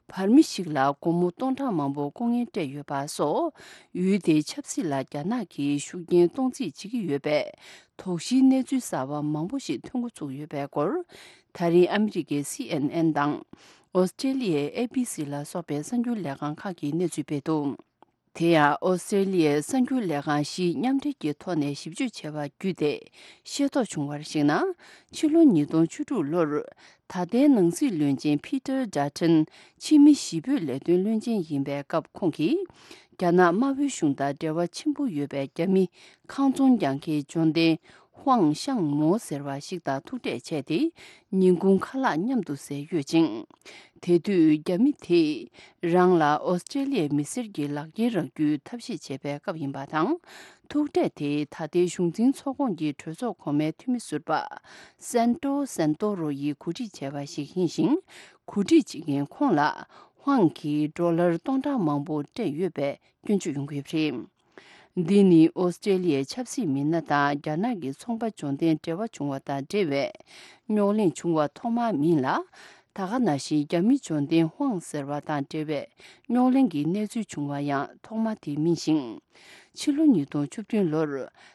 བར་མི་ཞིག་ལ་སྒོར་མོ་སྟོང་ཕྲག་མང་པོ་ལྐོག་རྔན་སྤྲད་ཡོད་པ་སོགས། ཡུལ་དེའི་ཆབ་སྲིད་ལ་རྒྱ་ནག་གིས་ཤུགས་རྐྱེན་གཏོང་རྩིས་བྱེད་ཀྱི་ཡོད་པའི་དོགས་གཞིའི་གནས་ཚུལ་གསར་པ་མང་པོ་ཞིག་ཐོན་འགོ་ཚུགས་ཡོད་པའི་སྐོར། ད་རིང་ཨ་མི་རི་ཀའི་སི་ཨེན་ཨེན་དང་། ཨོ་སི་ཀྲེ་ལི་ཡའི་ཨེ་བྷི་སི་ལ་སོགས་པའི་གསར་འགྱུར་ལས་ཁང་ཁག་གིས་གནས་ཚུལ་སྤེལ་འདུག་དེ་ཡང་ཨོ་སི་ཀྲེ་ལི་ཡའི་གསར་འགྱུར་ལས་ཁང་བཞིས་མཉམ་འབྲེལ་གྱི་ཐོག་ནས་ཞིབ་འཇུག་བྱས་པ་བརྒྱུད་དེ་ཤེས་རྟོགས་བྱུང་བར་གཞིགས་ན། ཕྱི་ལོ་ཉིས་སྟོང་བཅུ་དྲུག་ལོར་ད་ལྟའི་ནང་སྲིད་བློན་ཆེན་ཕི་ཏར་ཌ་ཊན་ཕྱི་མི་ཞི་སྤོས་ལས་དོན་བློན་ཆེན་ཡིན་པའི་སྐབས། ཁོང་གིས་རྒྱ་ནག་དམར་པོའི་གཞུང་དང་འབྲེལ་བ་ཆེན་པོ་ཡོད་པའི་རྒྱ་མི་ཁང་ཚོང་རྒྱག་མཁན་འབྱོར་ལྡན་ཧུའང་ཤང་མོ་ཟེར་བ་ཞིག་དང་ཐུག་འཕྲད་བྱས་ཏེ། ཉིན་གུང་ཁ་ལག་མཉམ་དུ་ཟས་ཡོད་ཅིང་། དེ་དུས་རྒྱ་མི་དེས་རང་ལ་ཨོ་སི་ཀྲེ་ལི་ཡའི་མི་སེར་གྱི་ལག་འཁྱེར་རག་རྒྱུའི་ཐབས་ཤེས་བྱས་པའི་སྐབས་ཡིན་པ་དང་། ཐུག་འཕྲད་དེ་ད་ལྟའི་གཞུང་འཛིན་ཚོགས་ཁོངས་ཀྱི་གྲོས་ཚོགས་གོང་མའི་འཐུས་མི་ཟུར་པ་སན་ཏོ་སན་ཏོ་རོ་ཡིས་གོ་སྒྲིག་བྱས་པ་ཞིག་ཡིན་ཞིང་། གོ་སྒྲིག་བྱེད་མཁན་ཁོང་ལ་ཧུའང་གིས་ཌོ་ལར་སྟོང་ཕྲག་མང་པོ་སྤྲད་ཡོད་པའི་སྐྱོན་བརྗོད་ཡོང་གི་ཡོད་པ་རེད། འདི་ནི་ཨོ་སི་ཀྲེ་ལི་ཡའི་ཆབ་སྲིད་མི་སྣ་དང་རྒྱ་ནག་གི་ཚོང་པ་འབྱོར་ལྡན་འབྲེལ་བ་བྱུང་བ་དང་འབྲེལ་བའི་རྙོག་གླེང་བྱུང་བ་ཐོག་མ་མིན་ལ། ད་ག་ནང་བཞིན་རྒྱ་མི་འབྱོར་ལྡན་ཧུའང་ཟེར་བ་དང་འབྲེལ་བའི་རྙོག་གླེང་གི་གནས་ཚུལ་བྱུང་བ་ཡང་ཐོག་མ་དེ་མིན་ཞིང་། ཕྱི་ལོ་ཉིས་སྟོང་བཅུ་བདུན་ལོར་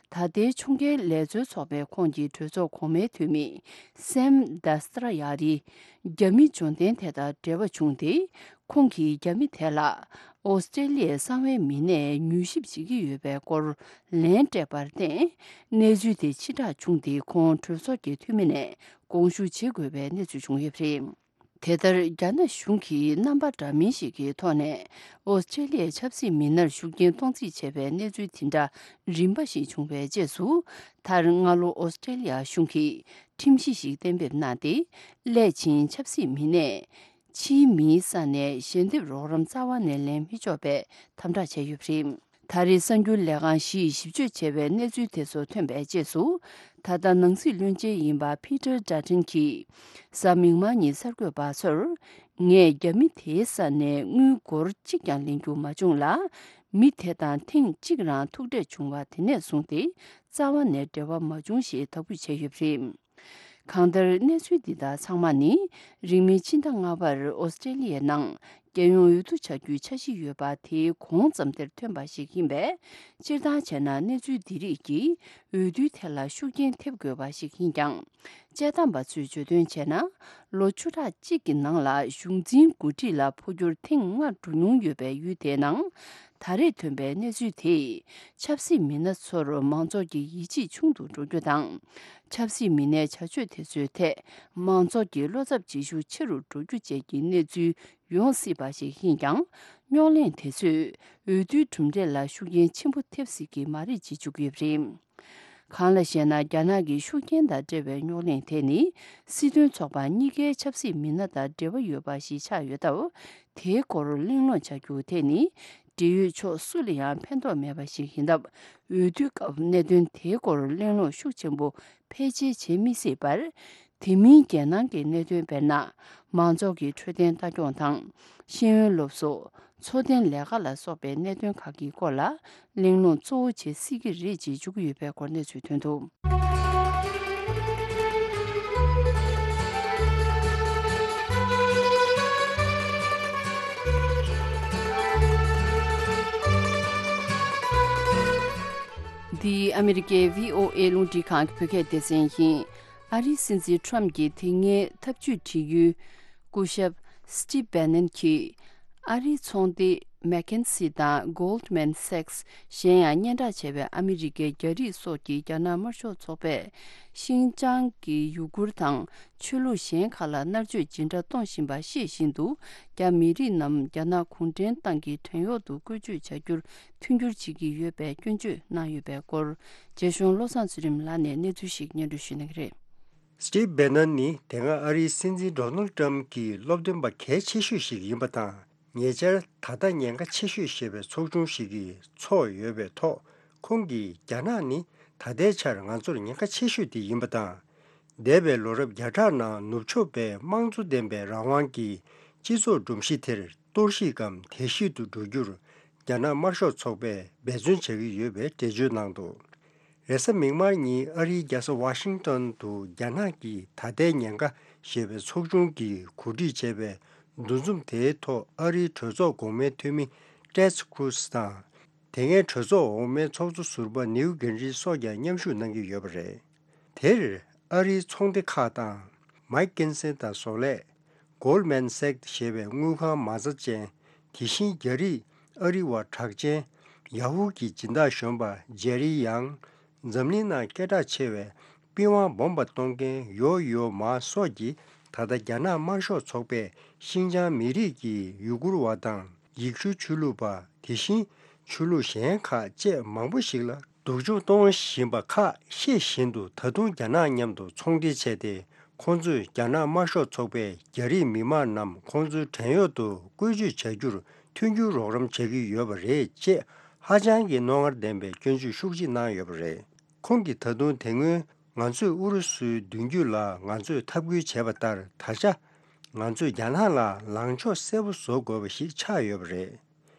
ད་ལྟའི་ཕྱོགས་འགལ་ལས་བཟོའི་ཚོགས་པའི་ཁོངས་ཀྱི་གྲོས་ཚོགས་གོང་མའི་འཐུས་མི་སེམ་དཱ་སི་ཏྲ་ཡ་རི་རྒྱ་མི་འབྱོར་ལྡན་དེ་དང་འབྲེལ་བ་བྱུང་སྟེ། ཁོང་གིས་རྒྱ་མི་དེ་ལ་ཨོ་སི་ཀྲེ་ལི་ཡའི་གསང་བའི་མི་སྣས་མྱུལ་ཞིབ་བྱེད་ཀྱི་ཡོད་པའི་སྐོར་ལན་སྤྲད་པར་བརྟེན། གནས་ཚུལ་དེ་ཕྱིར་བསྒྲགས་བྱུང་སྟེ། ཁོང་གྲོས་ཚོགས་ཀྱི་འཐུས་མི་ནས་དགོངས་ཞུ་བྱེད་དགོས་པའི་གནས་ཚུལ་བྱུང་ཡོད་པ་རེད། དེ་ལྟར་རྒྱ་ནག་གཞུང་གིས་རྣམ་པ་འདྲ་མིན་ཞིག་གི་ཐོག་ནས་ཨོ་སི་ཀྲེ་ལི་ཡའི་ཆབ་སྲིད་མི་སྣར་ཤུགས་རྐྱེན་གཏོང་རྩིས་བྱས་པའི་གནས་ཚུལ་དེ་འདྲ་རིམ་པ་ཞིག་བྱུང་བའི་རྗེས་སུ། མཐར་སྔ་ལོ་ཨོ་སི་ཀྲེ་ལི་ཡ་གཞུང་གིས་ཁྲིམས་གཞི་ཞིག་གཏན་འབེབས་གནང་སྟེ། སླད་ཕྱིན་ཆབ་སྲིད་མི་སྣས་ཕྱིའི་མིའི་ས་ནས་ཞལ་འདེབས་རོགས་རམ་རྩ་བ་ནས་ལེན་མི་ཆོག་པའི་དམ་དྲག་བྱས་ཡོད་པ་རེད། ད་རེས་གསར་འགྱུར་ལས་ཁང་བཞིས་ཞིབ་དཔྱོད་བྱས་པའི་གནས་ཚུལ་དེ་ཚོ་ཐོན་པའི་རྗེས་སུ། ད་ལྟ་ནང་སྲིད་བློན་ཆེན་ཡིན་པ་ཕི་ཏར་ཌ་ཊན་གྱིས་གཟའ་མིག་དམར་ཉིན་གསར་འགོད་པ་ཚོར། ངས་རྒྱ་མི་དེའི་ས་ནས་དངུལ་སྒོར་གཅིག་ཀྱང་ལེན་རྒྱུ་མ་བྱུང་ལ། མི་དེ་དང་ཐེངས་གཅིག་རང་ཐུག་འཕྲད་བྱུང་བ་དེ་ནས་བཟུང་སྟེ། རྩ་བ་ནས་འབྲེལ་བ་མ་བྱུང་ཞེས་དག་འབུལ་བྱས་ཡོད་པ་རེད། གང་ལྟར། གནས་ཚུལ་འདི་དག་ཚང་མ་ནི། རིང་མིན་ཕྱི་ཟླ་ལྔ་པར་ཨོ་སི་ཀྲེ་ལི་ཡའི་ནང་རྒྱལ་ཡོངས་འོས་བསྡུ་བྱ་རྒྱུའི་འཆར་གཞི་ཡོད་པ་དེའི་གོང་ཙམ་དེར་ཐོན་པ་ཞིག་ཡིན་པས། སྤྱིར་བཏང་བྱས་ན། གནས་ཚུལ་འདི་རིགས་ཀྱིས་འོས་བསྡུའི་ཐད་ལ་ཤུགས་རྐྱེན་ཐེབས་དགོས་པ་ཞིག་ཡིན་ཀྱང་། དཔྱད་གཏམ་པ་ཚོས་བརྗོད་དོན་བྱས་ན། ལོ་བཅུ་ཕྲག་གཅིག་གི་ནང་ལ་གཞུང་འཛིན་འགོ་ཁྲིད་ལ་འཕོ་འགྱུར་ཐེངས་ལྔ་འགྲོ་མྱོང་ཡོད་པའི་ཡུལ་དེའི་ནང་། ད་རེས་ཐོན་པའི་གནས་ཚུལ་དེས་ཆབ་སྲིད་མི་སྣ་ཚོར་མང་ཚོགས་ཀྱི་ཡིད་ཆེས་ཆུང་དུ་འགྲོ་རྒྱུ་དང་། ཆབ་སྲིད་མི་སྣའི་བྱ་སྤྱོད་དེ་ཚོའི་ཐད་མང་ཚོགས་ཀྱི་བློ་འཚབ་བྱེད་ཤུགས་ཆེ་རུ་འགྲོ་རྒྱུ་བཅས་ཀྱི་གནས་ཚུལ་ཡོང་སྲིད་པ་ཞིག་ཡིན་ཀྱང་། རྙོག་གླེང་དེ་ཚོས་འོས་བསྡུའི་གྲུབ་འབྲས་ལ་ཤུགས་རྐྱེན་ཆེན་པོ་ཐེབས་སྲིད་ཀྱི་མ་རེད་ཅེས་བརྗོད་ཀྱི་ཡོད་པ་རེད། གང་ལ་ཞེ་ན། རྒྱ་ནག་གི་ཤུགས་རྐྱེན་དང་འབྲེལ་བའི་རྙོག་གླེང་དེ་ནི། སྲིད་དོན་ཚོགས་པ་གཉིས་ཀའི་ཆབ་སྲིད་མི་སྣ་དང་འབྲེལ་བ་ཡོད་པ་ཞིག་ཆགས་ཡོད་སྟབས། དེའི་སྐོར་གླེང་སློང་བྱ་རྒྱུ་དེ་ནི། འབྲེལ་ཡོད་ཕྱོགས་སུ་ལ་ཡང་ཕན་ཐོགས་མེད་པ་ཞིག་ཡིན་སྟབས། འོས་བསྡུའི་སྐབས་གནད་དོན་དེའི་སྐོར་གླེང་སློང་ཤུགས་ཆེན་པོ་ཕལ་ཆེར་བྱེད་མི་སྲིད་པར། དེ་མིན་རྒྱལ་ནང་གི་གནད་དོན། དཔེར་ན། མང་ཚོགས་ཀྱི་འཕྲོད་བསྟེན་ལྟ་སྐྱོང་དང་། ཤེས་ཡོན་སློབ་གསོ། འཚོ་རྟེན་ལས་ཀ་ལ་སོགས་པའི་གནད་དོན་ཁག་གི་སྐོར་ལ་གླེང་སློང་གཙོ་བོ་བྱེད་སྲིད་ཀྱི་རེད་ཅེས་བརྗོད་ཀྱི་ཡོད་པའི་སྐོར་གནས་ཚུལ་ཐོན་འདུག། འདི་ཨ་མི་རི་ཀའི་བྷི་ཨོ་ཨེ་རླུང་འཕྲིན་ཁང་གི་བོད་སྐད་སྡེ་ཚན་ཡིན། ཨ་རིའི་སྲིད་འཛིན་ཁྲོམ་གྱི་དེ་སྔའི་ཐབས་ཇུས་དྲི་ཡུལ་སྐུ་ཞབས་སི་ཊིབ་བྷེ་ནན་གྱིས། ཨ་རིའི་ཚོང་སྡེ་མེ་ཁེན་སི་དང་གོལ་ཌ་མན་སེག་སི། གཞན་ཡང་སྙན་གྲགས་ཆེ་བའི་ཨ་མི་རི་ཀའི་རྒྱ་རིགས་སོགས་ཀྱི་རྒྱ་ནག་དམར་ཤོག་ཚོགས་པས། ཤིན་ཅང་གི་ཡུ་གུར་དང་ཆོས་ལུགས་གཞན་ཁག་ལ་མནར་གཅོད་ཇི་འདྲ་གཏོང་བཞིན་པ་ཤེས་བཞིན་དུ། རྒྱ་མི་རིགས་རྣམས་རྒྱ་ནག་གུང་ཁྲན་ཏང་གི་བྲན་གཡོག་ཏུ་བཀོལ་སྤྱོད་བྱ་རྒྱུར་མཐུན་འགྱུར་བྱེད་ཀྱི་ཡོད་པའི་སྐྱོན་བརྗོད་གནང་ཡོད་པའི་སྐོར། རྒྱ་གཞུང་བློ་བཟང་ཚུལ་ཁྲིམས་ལགས་ནས་གནས་ཚུལ་ཞིག་སྙན་སྒྲོན་ཞུ་གནང་གི་རེད། སི་ཊིབ་བྷེ་ནན་ནི་དེ་སྔ་ཨ་རིའི་སྲིད་འཛིན་ཌོ་ནལ་ཊམ་གྱི་སློབ་སྟོན་པ་གལ་ཆེ་ཤོས་ཤིག་ཡིན་པ་དང་། ཉེ་ཆར་ད་ལྟ་ཉེན་ཁ་ཆེ་ཤོས་ཞེས་པའི་ཚོགས་ཆུང་ཞིག་གིས་འཚོགས་ཡོད་པའི་ཐོག་ཁོང་གིས། རྒྱ་ནག་ནི་ད་ལྟའི་ཆར་ང་ཚོར་ཉེན་ཁ་ཆེ་ཤོས་དེ་ཡིན་པ་དང་། འདས་པའི་ལོ་རབས་བརྒྱ་ཕྲག་ནང་ནུབ་ཕྱོགས་པའི་དམངས་གཙོ་ལྡན་པའི་རང་དབང་གི་སྤྱི་ཚོགས་སྒྲོམ་གཞི་དེར་གཏོར་བཤིག་གམ་དལ་བཤིག་ཏུ་འགྲོ་རྒྱུར། རྒྱ་ནག་དམར་ཤོག་ཚོགས་པས་འབད་བརྩོན་བྱ་གི་ཡོད་པའི་འགྲེལ་བརྗོད་གནང་འདུག། རེས་གཟའ་མིག་དམར་ཉིན་ཨ་རིའི་རྒྱལ་ས་ཝ་ཤིང་ཏོན་དུ་རྒྱ་ནག་གི་ད་ལྟའི་ཉེན་ཁ་ཞེས་པའི་ཚོགས་ཆུང་གིས་གོ་སྒྲིག་བྱས་པའི་ འདུ་འཛོམས་དེའི་ཐོག་ཨ་རིའི་གྲོས་ཚོགས་གོང་མའི་འཐུས་མི་ཊེཌ་ཀྲུ་སི་དང་། དེ་སྔའི་གྲོས་ཚོགས་འོག་མའི་ཚོགས་གཙོ་ཟུར་པ་ནིའུ་གྷིན་རི་སོགས་ཀྱང་མཉམ་ཞུགས་གནང་གི་ཡོད་པ་རེད། དེར་ཨ་རིའི་ཚོང་སྡེ་ཁག་དང་། མཱིག་ཀིན་སན་དང་བཟོ་ལས། གོལ་མན་སེག་ཞེས་པའི་དངུལ་ཁང་མ་རྩ་ཅན། དེ་བཞིན་རྒྱ་རིགས་ཨ་རི་བ་གྲགས་ཅན། ཡ་ཧུ་གྱི་སྦྱིན་བདག་གཞོན་པ་ཇེ་རི་ཡང་། འཛམ་གླིང་ནང་སྐད་གྲགས་ཆེ་བའི་པི་ཝང་སྦོམ་པ་གཏོང་མཁན་ཡོ་ཡོ་མ་སོགས་ཀྱིས། ད་ལྟ་རྒྱ་ནག་དམར་ཤོག་ཚོགས་པས་ཤིན་ཅང་མི་རིགས་ཀྱི་ཡུ་གུར་བ་དང་། ཡེག་ཤུ་ཆོས་ལུགས་པ། དེ་བཞིན་ཆོས་ལུགས་གཞན་ཁག་བཅས་མང་པོ་ཞིག་ལ་སྡུག་སྦྱོང་གཏོང་བཞིན་པ་ཁག་ཤེས་བཞིན་དུ། ད་དུང་རྒྱ་ནག་མཉམ་དུ་ཚོང་འབྲེལ་བྱས་ཏེ། ཁོང་ཚོས་རྒྱ་ནག་དམར་ཤོག་ཚོགས་པས་རྒྱ་རིགས་མི་མང་རྣམས་ཁོང་ཚོའི་བྲན་གཡོག་ཏུ་བཀོལ་སྤྱོད་བྱ་རྒྱུར་མཐུན་འགྱུར་རོགས་རམ་བྱེད་ཀྱི་ཡོད་པ་རེད་ཅེས་ཧ་ཅང་གི་རྣོ་ངར་ལྡན་པའི་སྐྱོན་བརྗོད་ཤུགས་ཆེ་གནང་ཡོད་པ་རེད། ཁོང་གིས་ད་དུང་དེ་སྔོན་ང་ཚོས་ཨུ་རུ་སུའི་མདུན་སྐྱོད་ལ་ང་ཚོས་འཐབ་རྒོལ་བྱས་པ་ལྟར། ད་ཆ་ང་ཚོས་རྒྱ་ནག་ལ་ལངས་ཕྱོགས་གསལ་པོ་བཟོ་དགོས་པ་ཞིག་ཆགས་ཡོད་པ་རེད།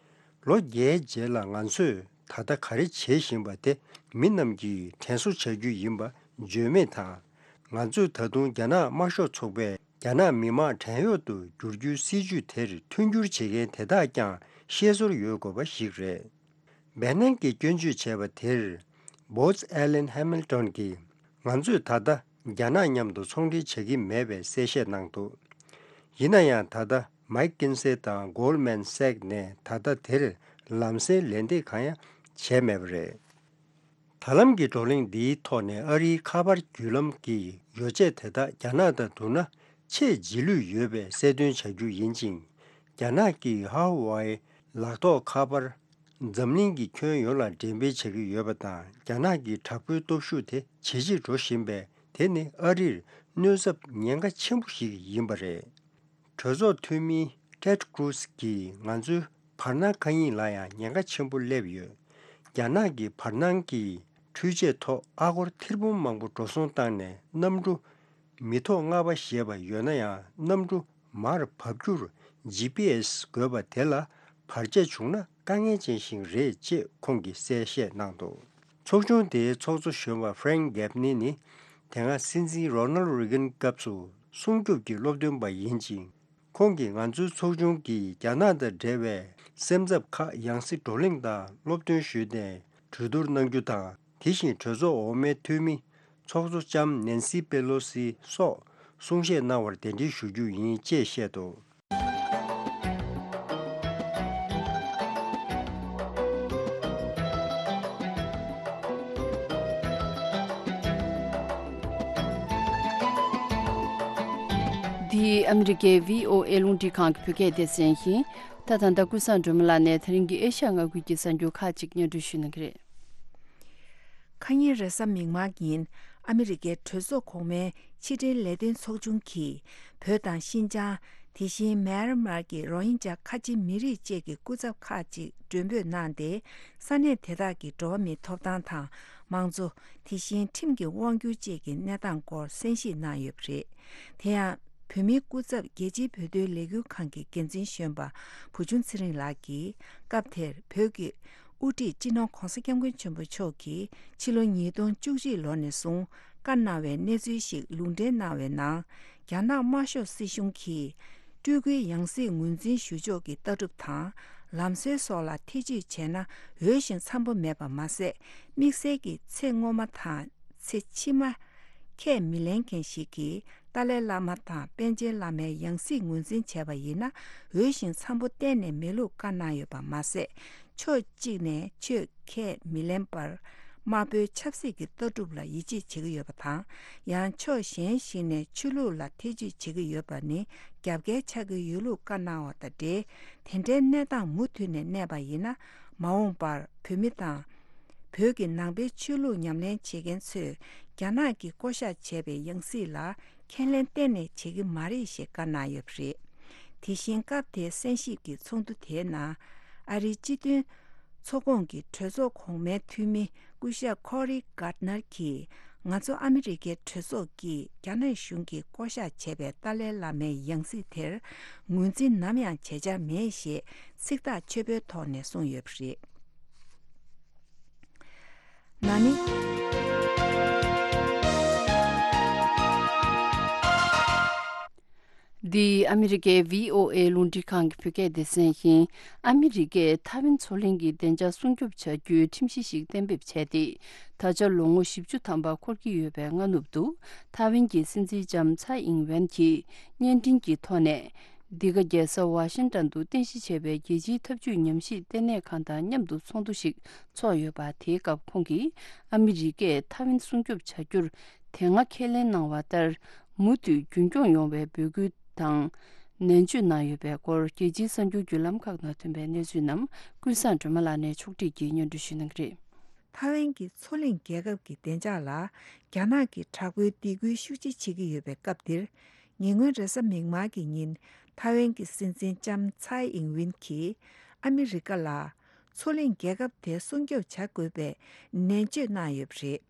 ལོ་བརྒྱད་རྗེས་ལ་ང་ཚོས་ད་ལྟ་ག་རེ་བྱེད་བཞིན་པ་དེ་མི་རྣམས་ཀྱིས་དྲན་གསོ་བྱ་རྒྱུ་ཡིན་པ་བརྗོད་མེད་དང་། ང་ཚོས་ད་དུང་རྒྱ་ནག་དམར་ཤོག་ཚོགས་པས་རྒྱ་ནག་མི་དམངས་བྲན་གཡོག་ཏུ་བསྒྱུར་རྒྱུའི་སྲིད་ཇུས་དེར་མཐུན་འགྱུར་བྱེད་མཁན་དེ་དག་ཀྱང་ཤེས་ཚོར་ཡོད་དགོས་པ་ཞིག་རེད། སྦེ་ནན་གྱིས་སྐྱོན་བརྗོད་བྱས་པ་དེར། བོ་ཙི་ཨེ་ལན་ཧེ་མིལ་ཏོན་གྱིས། ང་ཚོས་ད་ལྟ་རྒྱ་ནག་མཉམ་དུ་ཚོང་འབྲེལ་བྱེད་ཀྱི་མེད་པའི་གསལ་བཤད་གནང་འདུག་ཡིན་ན་ཡང་ད་ལྟ་མཱིག་ཀིན་སེ་དང་གོལ་མན་སེག་ནས་ད་ལྟ་དེར་ལམ་སེང་ལན་འདེབས་གང་ཡང་བྱས་མེད་པ་རེད། ད་ལམ་གྱི་བགྲོ་གླེང་འདིའི་ཐོག་ནས་ཨ་རིའི་ཁ་པར་བརྒྱུད་ལམ་གྱི་ཡོ་བྱད་དེ་དག་རྒྱ་ནག་དང་བསྡུར་ན་ཆེས་རྗེས་ལུས་ཡོད་པའི་གསལ་སྟོན་བྱ་རྒྱུ་ཡིན་ཅིང་། རྒྱ་ནག་གིས་ཧ་ཝའེ་ལག་ཐོགས་ཁ་པར། འཛམ་གླིང་གི་ཁྱོན་ཡོངས་ལ་འགྲེམས་སྤེལ་བྱེད་ཀྱི་ཡོད་པ་དང་། རྒྱ་ནག་གི་དྲག་པོའི་སྟོབས་ཤུགས་དེ་ཇེ་ཆེར་འགྲོ་བཞིན་པས། དེ་ནི་ཨ་རིར་གནོད་ཚབས་ཉེན་ཁ་ཆེན་པོ་ཞིག་ཡིན་པ་རེད། གྲོས་ཚོགས་འཐུས་མི་ཊེཌ་ཀྲུ་སི་གིས་ང་ཚོའི་བར་སྣང་མཁའ་དབྱིངས་ལ་ཡང་ཉེན་ཁ་ཆེན་པོ་སླེབས་ཡོད། རྒྱ་ནག་གི་བར་སྣང་གི་འཕྲུལ་ཆས་ཐོག་ཨ་སྒོར་ཐེར་འབུམ་མང་པོ་འགྲོ་སོང་བཏང་ནས། གནམ་གྲུ་མི་ཐོག་ལྔ་པ་ཞེས་པ་ཡོད་ན་ཡང་། གནམ་གྲུ་མར་བབས་རྒྱུར་ཇི་པི་ཨེ་སི་དགོས་པ་དེ་ལ་བར་ཆད་བྱུང་ན་དཀའ་ངལ་ཅན་ཞིག་རེད་ཅེས་ཁོང་གིས་གསལ་བཤད་གནང་འདུག་ཚོགས་ཆུང་དེའི་ཚོགས་གཙོ་གཞོན་པ་ཧྥ་རེང་གྷེབ་ནི་ནི། དེ་སྔ་སྲིད་འཛིན་རོ་ནལ་རེ་གན་སྐབས་སུ་སྲུང་སྐྱོབ་ཀྱི་སློབ་སྟོན་པ་ཡིན་ཅིང་། ཁོང་གིས་ང་ཚོའི་ཚོགས་ཆུང་གིས་རྒྱ་ནག་དང་འབྲེལ་བའི་སེམས་འཚབ་ཁག་ཡང་སེ་བགྲོ་གླེང་དང་སློབ་སྟོན་ཞུས་ནས་གྲོས་བསྡུར་གནང་རྒྱུ་དང་། དེ་བཞིན་གྲོས་ཚོགས་འོག་མའི་འཐུས་མི་ཚོགས་གཙོ་ལྕམ་ནན་སི་པེ་ལོ་སི་སོགས་གསུང་བཤད་གནང་བར་གདན་འདྲེན་ཞུ་རྒྱུ་ཡིན་ཅེས་བཤད་འདུག་འདི་ཨ་མི་རི་ཀའི་བྷི་ཨོ་ཨེ་རླུང་འཕྲིན་ཁང་གི་བོད་སྐད་སྡེ་ཚན་ཡིན། ད་ད་ལྟ་ཀུན་བཟང་སྒྲོལ་མ་ལགས་ནས་དེ་རིང་གི་ཨེ་ཤ་ཡ་མངའ་ཁུལ་གྱི་གསར་འགྱུར་ཁག་ཅིག་སྙན་སྒྲོན་ཞུ་གནང་གི་རེད། ཁ་ཉིན་རེས་གཟའ་མིག་དམར་ཉིན་ཨ་མི་རི་ཀའི་གྲོས་ཚོགས་གོང་མའི་ཕྱི་འབྲེལ་ལས་དོན་ཚོགས་ཆུང་གིས། བོད་དང་ཤིན་ཅང་། དེ་བཞིན་མེན་མར་གྱི་རོ་ཧིན་ཇཱ་ཁ་ཆེ་མི་རིགས་བཅས་ཀྱི་སྐུ་ཚབ་ཁག་ཅིག་མགྲོན་འབོད་གནང་སྟེ། ས་གནས་དེ་དག་གི་འགྲོ་བ་མིའི་ཐོབ་ཐང་དང་། མང་གཙོ། དེ་བཞིན་ཁྲིམས་ཀྱི་དབང་སྒྱུར་བཅས་ཀྱི་གནས་སྟངས་སྐོར་གསན་ཞིབ་གནང་ཡོད་པ་རེད། དེ་ཡང་། བོད་མིའི་སྐུ་ཚབ་རྒྱལ་སྤྱིའི་བོད་དོན་ལས་འགུལ་ཁང་གི་འགན་འཛིན་གཞོན་པ་བུ་ཆུང་ཚེ་རིང་ལགས་ཀྱིས། སྐབས་དེར་བོད་ཀྱི་དབུ་ཁྲིད་སྤྱི་ནོར་༧གོང་ས་༧སྐྱབས་མགོན་ཆེན་པོ་མཆོག་གིས་ཕྱི་ལོ་ཉིས་སྟོང་བཅུ་གཅིག་ལོ་ནས་བཟུང་བཀའ་གནང་བའི་གནས་ཚུལ་ཞིག་ལུང་འདྲེན་གནང་བའི་ནང་། རྒྱ་ནག་དམར་ཤོག་སྲིད་གཞུང་གིས། སྤྲུལ་སྐུའི་ཡང་སྲིད་ངོས་འཛིན་ཞུ་ཕྱོགས་ཀྱི་ལྟ་གྲུབ་དང་། ལམ་སྲོལ་སོགས་ལ་ཐེ་ཇུས་བྱས་ན། འོས་ཤིང་འཚམ་པོ་མེད་པ་མ་ཟད། དམིགས་བསལ་གྱི་ཚེ་སྔོན་མ་དང་། ཚེ་ཕྱི་མ། ཁས་མི་ལེན་མཁན་ཞིག་གིས། ཏཱ་ལའི་བླ་མ་དང་པཎ་ཆེན་བླ་མའི་ཡང་སྲིད་ངོས་འཛིན་བྱས་པ་ཡིན་ན། འོས་ཤིང་འཚམ་པོ་གཏན་ནས་མེད་ལུགས་བཀའ་གནང་ཡོད་པ་མ་ཟད། ཕྱོགས་གཅིག་ནས་ཆོས་ཁས་མི་ལེན་པར། དམར་པོའི་ཆབ་སྲིད་ཀྱི་ལྟ་གྲུབ་ལ་ཡིད་ཆེས་བྱེད་ཀྱི་ཡོད་པ་དང་། ཡང་ཕྱོགས་གཞན་ཞིག་ནས་ཆོས་ལུགས་ལ་ཐེ་ཇུས་བྱེད་ཀྱི་ཡོད་པ་ནི་རྒྱབ་འགལ་ཆགས་ཀྱི་ཡོད་ལུགས་བཀའ་གནང་བ་དང་འབྲེལ། དེ་འདྲའི་གནས་སྟངས་མུ་མཐུད་ནས་གནས་པ་ཡིན་ན། མ་འོངས་པར་བོད་མི་དང་། བོད་ཀྱི་ནང་པའི་ཆོས་ལུགས་ཉམས་ལེན་བྱེད་མཁན་ཚོས་རྒྱ་ནག་གིས་བསྐོ་བཞག་བྱས་པའི་ཡང་སྲིད་ལ་ཁས་ལེན་གཏན་ནས་བྱེད་ཀྱི་མ་རེད་ཞེས་བཀའ་གནང་ཡོད་པ་རེད། དེ་བཞིན་སྐབས་དེའི་གསན་ཞིབ་ཀྱི་ཚོགས་འདུ་དེའི་ནང་། ཨ་རིའི་སྤྱི་མཐུན་ཚོགས་ཁོངས་ཀྱི་གྲོས་ཚོགས་གོང་མའི་འཐུས་མི་སྐུ་ཞབས་ཁོ་རི་གྷར་ནར་གྱིས། ང་ཚོ་ཨ་མི་རི་ཀའི་གྲོས་ཚོགས་ཀྱིས་རྒྱ་ནག་གཞུང་གིས་བསྐོ་བཞག་བྱས་པའི་ཏཱ་ལའི་བླ་མའི་ཡང་སྲིད་དེར་ངོས་འཛིན་ནམ་ཡང་བྱེད་འཆར་མེད་ཞེས་ཚིག་ཐག་ཆོད་པོའི་ཐོག་ནས་གསུངས་ཡོད་པ་རེད། ན་ནི། འདི་ཨ་མི་རི་ཀའི་བྷི་ཨོ་ཨེ་རླུང་འཕྲིན་ཁང་གི་བོད་སྐད་སྡེ་ཚན་ཡིན། ཨ་མི་རི་ཀས་ཐའེ་ཝན་མཚོ་གླིང་གི་བདེ་འཇགས་སྲུང་སྐྱོབ་བྱ་རྒྱུའི་ཁྲིམས་གཞི་ཞིག་གཏན་འབེབས་བྱས་ཏེ། ད་ཆ་ལོ་ངོ་བཞི་བཅུ་ཐམ་པ་འཁོར་གྱི་ཡོད་པའི་སྔ་ནུབ་ཏུ། ཐའེ་ཝན་གྱི་སྲིད་འཛིན་ལྕམ་ཚའེ་ཨིང་ཝེན་གྱིས་བརྙན་འཕྲིན་གྱི་ཐོག་ནས། འདི་ག་རྒྱལ་ས་ཝ་ཤིང་ཏན་དུ་རྟེན་གཞི་བྱས་པའི་རྒྱལ་སྤྱིའི་འཐབ་ཇུས་ཉམས་ཞིབ་ལྟེ་གནས་ཁང་དང་མཉམ་དུ་ཚོགས་འདུ་ཞིག་ཚོགས་ཡོད་པ། དེའི་སྐབས་ཁོང་གིས་ཨ་མི་རི་ཀས་ཐའེ་ཝན་སྲུང་སྐྱོབ་བྱ་རྒྱུར་དེ་སྔ་ཁས་ལེན་གནང་བ་ལྟར། མུ་མཐུད་རྒྱུན་འཁྱོངས་ཡོང་བའི་འབོད་སྐུལ་དང་ནན་བརྗོད་གནང་ཡོད་པའི་སྐོར། རྒྱལ་སྤྱིའི་གསར་འགྱུར་བརྒྱུད་ལམ་ཁག་ནང་ཐོན་པའི་གནས་ཚུལ་རྣམས་ཀུན་བཟང་སྒྲོལ་མ་ལགས་ནས་ཕྱོགས་སྒྲིག་གིས་སྙན་སྒྲོན་ཞུ་གནང་གི་རེད། ཐའེ་ཝན་གྱི་མཚོ་གླིང་རྒྱལ་ཁབ་ཀྱི་བདེ་འཇགས་ལ་རྒྱ་ནག་གིས་དྲག་པོའི་སྡིགས་སྐུལ་ཤུགས་ཆེ་བྱེད་ཀྱི་ཡོད་པའི་སྐབས་འདིར། ཉེ་སྔོན་རེས་གཟའ་མིག་དམར་གྱི་ཉིན། ཐའེ་ཝན་གྱི་སྲིད་འཛིན་ལྕམ་ཚའེ་ཨིང་ཝིན་གྱིས་ཨ་མི་རི་ཀ་ལ་མཚོ་གླིང་རྒྱལ་ཁབ་དེ་སྲུང་སྐྱོབ་བྱ་དགོས་པའི་ནན་བརྗོད་གནང་ཡོད་པ་རེད།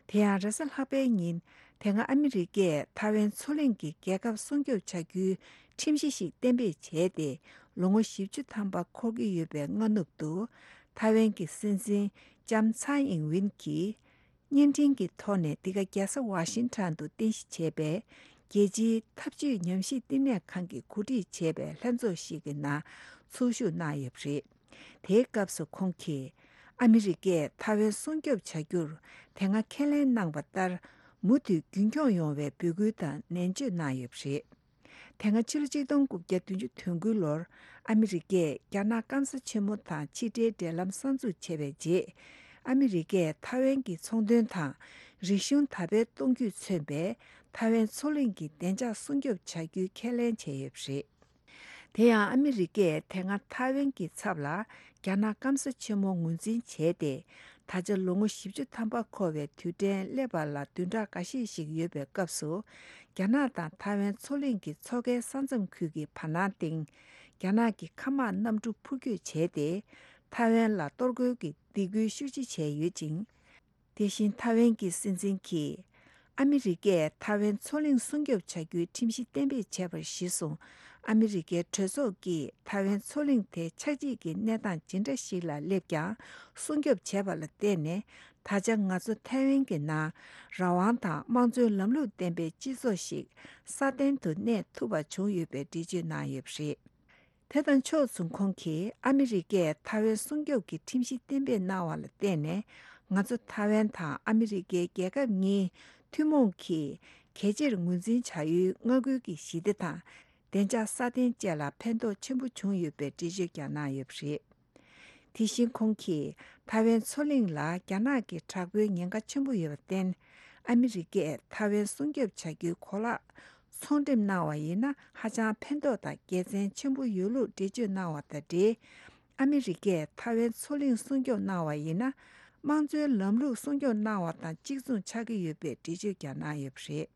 དེ་ཡང་རེས་གཟའ་ལྷག་པའི་ཉིན། དེ་སྔ་ཨ་མི་རི་ཀས་ཐའེ་ཝན་མཚོ་གླིང་གི་རྒྱལ་ཁབ་སྲུང་སྐྱོབ་བྱ་རྒྱུའི་ཁྲིམས་གཞི་ཞིག་གཏན་འབེབས་བྱས་ཏེ། ལོ་ངོ་བཞི་བཅུ་ཐམ་པ་འཁོར་གྱི་ཡོད་པའི་སྔ་ནུབ་ཏུ། ཐའེ་ཝན་གྱི་སྲིད་འཛིན་ལྕམ་ཚའེ་ཨིང་ཝིན་གྱིས་བརྙན་འཕྲིན་གྱི་ཐོག་ནས་འདི་ག་རྒྱལ་ས་ཝ་ཤིང་ཊོན་དུ་རྟེན་གཞི་བྱས་པའི་རྒྱལ་སྤྱིའི་འཐབ་ཇུས་ཉམས་ཞིབ་ལྟེ་གནས་ཁང་གིས་གོ་སྒྲིག་བྱས་པའི་ལྷན་ཚོགས་ཤིག་གི་ནང་ཚོགས་ཞུགས་གནང་ཡོད་པ་རེད། དེའི་སྐབས་སུ་ཁོང་གིས། ཨ་མི་རི་ཀས་ཐའེ་ཝན་སྲུང་སྐྱོབ་བྱ་རྒྱུར་དེ་སྔ་ཁས་ལེན་གནང་བ་ལྟར། མུ་མཐུད་རྒྱུན་འཁྱོངས་ཡོང་བའི་འབོད་སྐུལ་དང་ནན་བརྗོད་གནང་ཡོད་པ་རེད། དེ་སྔ་ཕྱི་ལོ་ཆིག་སྟོང་དགུ་བརྒྱ་བདུན་ཅུ་དོན་དགུ་ལོར། ཨ་མི་རི་ཀས་རྒྱ་ནག་སྐམ་ས་ཆེན་མོ་དང་ཕྱི་འབྲེལ་འབྲེལ་ལམ་གསར་འཛུགས་བྱས་པའི་རྗེས། ཨ་མི་རི་ཀས་ཐའེ་ཝན་གྱི་ཚོང་དོན་དང་རིག་གཞུང་དར་སྤེལ་གཏོང་རྒྱུས་མཚོན་པའི་ཐའེ་ཝན་མཚོ་གླིང་གི་བདེ་འཇགས་སྲུང་སྐྱོབ་བྱ་རྒྱུའི་ཁས་ལེན་བྱས་ཡོད་པ་རེད། དེ་ཡང་ཨ་མི་རི་ཀས་དེ་སྔ་ཐའེ་ཝན་གྱི་ཚབ་ལ་རྒྱ་ནག་སྐམ་ས་ཆེན་མོ་ངོས་འཛིན་བྱས་ཏེ། ད་ཆ་ལོ་ངོ་བཞི་བཅུ་ཐམ་པ་འཁོར་བའི་དུས་དྲན་སླེབས་པ་ལ་བདུན་ཕྲག་འགའ་ཤས་ཤིག་ཡོད་པའི་སྐབས་སུ། རྒྱ་ནག་དང་ཐའེ་ཝན་མཚོ་གླིང་གི་མཚོ་ཁའི་ས་མཚམས་ཁུལ་གྱི་བར་སྣང་སྟེང་། རྒྱ་ནག་གི་མཁའ་དམག་གནམ་གྲུ་འཕུར་སྐྱོད་བྱས་ཏེ། ཐའེ་ཝན་ལ་གཏོར་རྒོལ་གྱི་སྡིགས་སྐུལ་ཤུགས་ཆེ་བྱས་ཡོད་ཅིང་། དེ་བཞིན་ཐའེ་ཝན་གྱི་སྲིད་འཛིན་གྱིས། ཨ་མི་རི་ཀས་ཐའེ་ཝན་མཚོ་གླིང་སྲུང་སྐྱོབ་བྱ་རྒྱུའི་ཁྲིམས་གཞི་གཏན་འབེབས་བྱས་པར་གཞི་བཟུང་། ཨ་མི་རི་ཀའི་གྲོས་ཚོགས་ཀྱིས་ཐའེ་ཝན་མཚོ་གླིང་དེ་ཆགས་འཇིག་གི་གནས་སྟངས་ཇི་འདྲ་ཞིག་ལ་སླེབས་ཀྱང་སྲུང་སྐྱོབ་བྱས་པ་ལ་བརྟེན་ནས། ད་ཆ་ང་ཚོ་ཐའེ་ཝན་གྱི་ནང་རང་དབང་དང་དམངས་གཙོའི་ལམ་ལུགས་ལྡན་པའི་སྤྱི་ཚོགས་ཤིག་སྲ་བརྟན་དུ་གནས་ཐུབ་པ་བྱུང་ཡོད་པའི་འགྲེལ་བརྗོད་གནང་ཡོད་པ་རེད། དེ་དང་ཕྱོགས་མཚུངས་ཁོང་གིས་ཨ་མི་རི་ཀས་ཐའེ་ཝན་སྲུང་སྐྱོབ་ཀྱི་ཁྲིམས་གཞི་གཏན་འབེབས་གནང་བ་ལ་བརྟེན་ནས། ང་ཚོ་ཐའེ་ཝན་དང་ཨ་མི་རི་ཀའི་རྒྱལ་ཁབ་གཉིས་ཐུན་མོང་གིས་གལ་ཆེར་ངོས་འཛིན་བྱ་ཡུལ་མངའ་ཁུལ་གྱི་ཞི་བདེ་དང་བདེ་འཇགས་སྲ་བརྟན་བཅས་ལ་ཕན་ཐོགས་ཆེན་པོ་བྱུང་ཡོད་པའི་འགྲེལ་བརྗོད་ཀྱང་གནང་ཡོད་པ་རེད། དེ་བཞིན་ཁོང་གིས་ཐའེ་ཝན་མཚོ་གླིང་ལ་རྒྱ་ནག་གི་དྲག་པོའི་ཉེན་ཁ་ཆེན་པོ་ཡོད་པར་བརྟེན། ཨ་མི་རི་ཀས་ཐའེ་ཝན་སྲུང་སྐྱོབ་བྱ་རྒྱུའི་གོ་ལག་ཚོང་འགྲེམས་གནང་བ་ཡིན་ན་ཧ་ཅང་ཕན་ཐོགས་དང་དགེ་མཚན་ཆེན་པོ་ཡོད་ལུགས་འགྲེལ་བརྗོད་གནང་བ་དང་འབྲེལ། ཨ་མི་རི་ཀས་ཐའེ་ཝན་མཚོ་གླིང་སྲུང་སྐྱོབ་གནང་བ་ཡིན་ན། དམངས་གཙོའི་ལམ་ལུགས་སྲུང་སྐྱོབ་གནང་བ་དང་གཅིག་མཚུངས་ཆགས་ཀྱི་ཡོད་པའི་འགྲེལ་བརྗོད་ཀྱང་གནང་ཡོད་པ་རེད།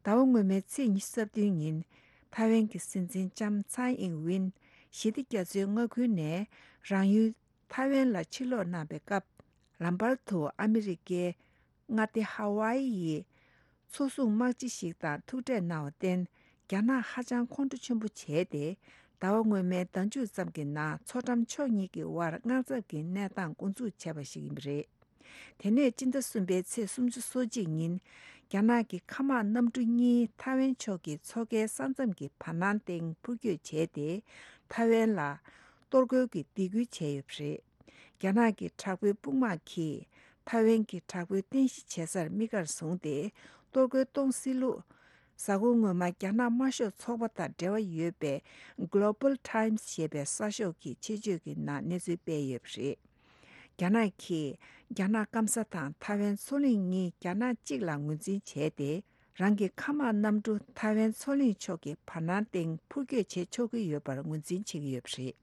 ཟླ་བ་སྔོན་མའི་ཚེས་ཉི་ཤུ་རྩ་བདུན་ཉིན། ཐའེ་ཝན་གྱི་སྲིད་འཛིན་ལྕམ་ཚའེ་ཨིང་ཝིན། ཞི་བདེ་རྒྱ་མཚོའི་མངའ་ཁུལ་ནས་རང་ཡུལ་ཐའེ་ཝན་ལ་ཕྱིར་ལོག་གནང་པའི་སྐབས། ལམ་བར་དུ་ཨ་མི་རི་ཀའི་མངའ་སྡེ་ཧ་ཝཱ་ཨི་ཡི་མཚོ་སྲུང་དམག་སྤྱི་ཞིག་དང་ཐུག་འཕྲད་གནང་བར་བརྟེན། རྒྱ་ནག་ཧ་ཅང་ཁོང་ཁྲོ་ཆེན་པོ་བྱས་ཏེ། ཟླ་བ་སྔོན་མའི་ཟླ་མཇུག་ཙམ་གྱི་ནང་མཚོ་འགྲམ་ཕྱོགས་གཉིས་ཀྱི་དབར་དམག་འཚབ་ཀྱི་གནས་སྟངས་འགོ་འཛུགས་བྱས་པ་ཞིག་ཡིན་པ་རེད། དེ་ནས་སྤྱི་ཟླ་གསུམ་པའི་ཚེས་སུམ་ཅུ་སོ་གཅིག་ཉིན། རྒྱ་ནག་གི་མཁའ་དམག་གནམ་གྲུ་གཉིས་ཐའེ་ཝན་ཕྱོགས་ཀྱི་མཚོ་ཁའི་ས་མཚམས་ཀྱི་བར་སྣང་སྟེང་འཕུར་སྐྱོད་བྱས་ཏེ། ཐའེ་ཝན་ལ་གཏོར་རྒོལ་གྱི་སྡིགས་སྐུལ་བྱས་ཡོད་པ་རེད། རྒྱ་ནག་གི་དྲག་པོའི་དཔུང་དམག་གིས་ཐའེ་ཝན་གྱི་དྲག་པོའི་རྟེན་གཞི་བྱེད་སར་དམིགས་བཀར་བཟུང་སྟེ་གཏོར་རྒོལ་གཏོང་སྲིད་ལུགས། གཟའ་འཁོར་སྔོན་མ་རྒྱ་ནག་དམར་ཤོག་ཚོགས་པ་དང་འབྲེལ་བ་ཡོད་པའི་Global Times ཞེས་པའི་གསར་ཤོག་གིས་ཆེད་བརྗོད་ཀྱི་ནང་གནས་ཚུལ་སྤེལ་ཡོད་པ་རེད། རྒྱ་ནག་གིས་རྒྱ་ནག་སྐམ་ས་དང་ཐའེ་ཝན་མཚོ་གླིང་གཉིས་རྒྱ་ནག་གཅིག་ལ་ངོས་འཛིན་བྱས་ཏེ། རང་གི་མཁའ་དམག་གནམ་གྲུ་ཐའེ་ཝན་མཚོ་གླིང་ཕྱོགས་ཀྱི་བར་སྣང་སྟེང་འཕུར་སྐྱོད་བྱེད་ཆོག་གི་ཡོད་པར་ངོས་འཛིན་བྱེད་ཀྱི་ཡོད་པ་རེད།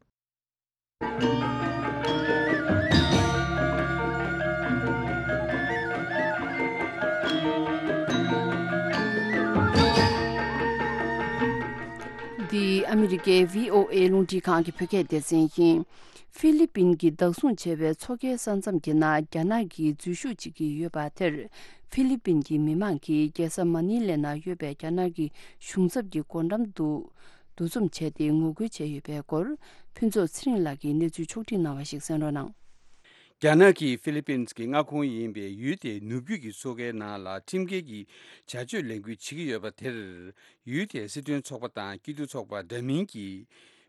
འདི་ཨ་མི་རི་ཀའི་བྷི་ཨོ་ཨེ་རླུང་འཕྲིན་ཁང་གི་བོད་སྐད་སྡེ་ཚན་ཡིན། ཧྥི་ལི་པིན་གྱིས་བདག་བཟུང་བྱས་པའི་མཚོ་ཁའི་ས་མཚམས་ཀྱི་ནང་རྒྱ་ནག་གིས་འཛུལ་ཞུགས་བྱེད་ཀྱི་ཡོད་པ་དེར། ཧྥི་ལི་པིན་གྱི་མི་མང་གིས་རྒྱལ་ས་མ་ནི་ལེ་ནང་ཡོད་པའི་རྒྱ་ནག་གི་གཞུང་ཚབ་ཀྱི་སྒོ་འགྲམ་དུ་འདུ་འཛོམས་བྱས་ཏེ་ངོ་རྒོལ་བྱས་ཡོད་པའི་སྐོར། ཕུན་ཚོགས་ཚེ་རིང་ལགས་ཀྱིས་གནས་ཚུལ་ཕྱོགས་སྒྲིག་གནང་བ་ཞིག་གསན་རོགས་གནང་། རྒྱ་ནག་གིས་ཧྥི་ལི་པིན་གྱི་མངའ་ཁོངས་ཡིན་པའི་ཡུལ་དེའི་ནུབ་རྒྱུད་ཀྱི་མཚོ་ཁའི་ནང་ལ་ཁྲིམས་འགལ་གྱི་བྱ་སྤྱོད་ལས་འགུལ་བྱེད་ཀྱི་ཡོད་པ་དེར། ཡུལ་དེའི་སྲིད་དོན་ཚོགས་པ་དང་སྐྱིད་སྡུག་ཚོགས་པ་འདྲ་མིན་གྱི་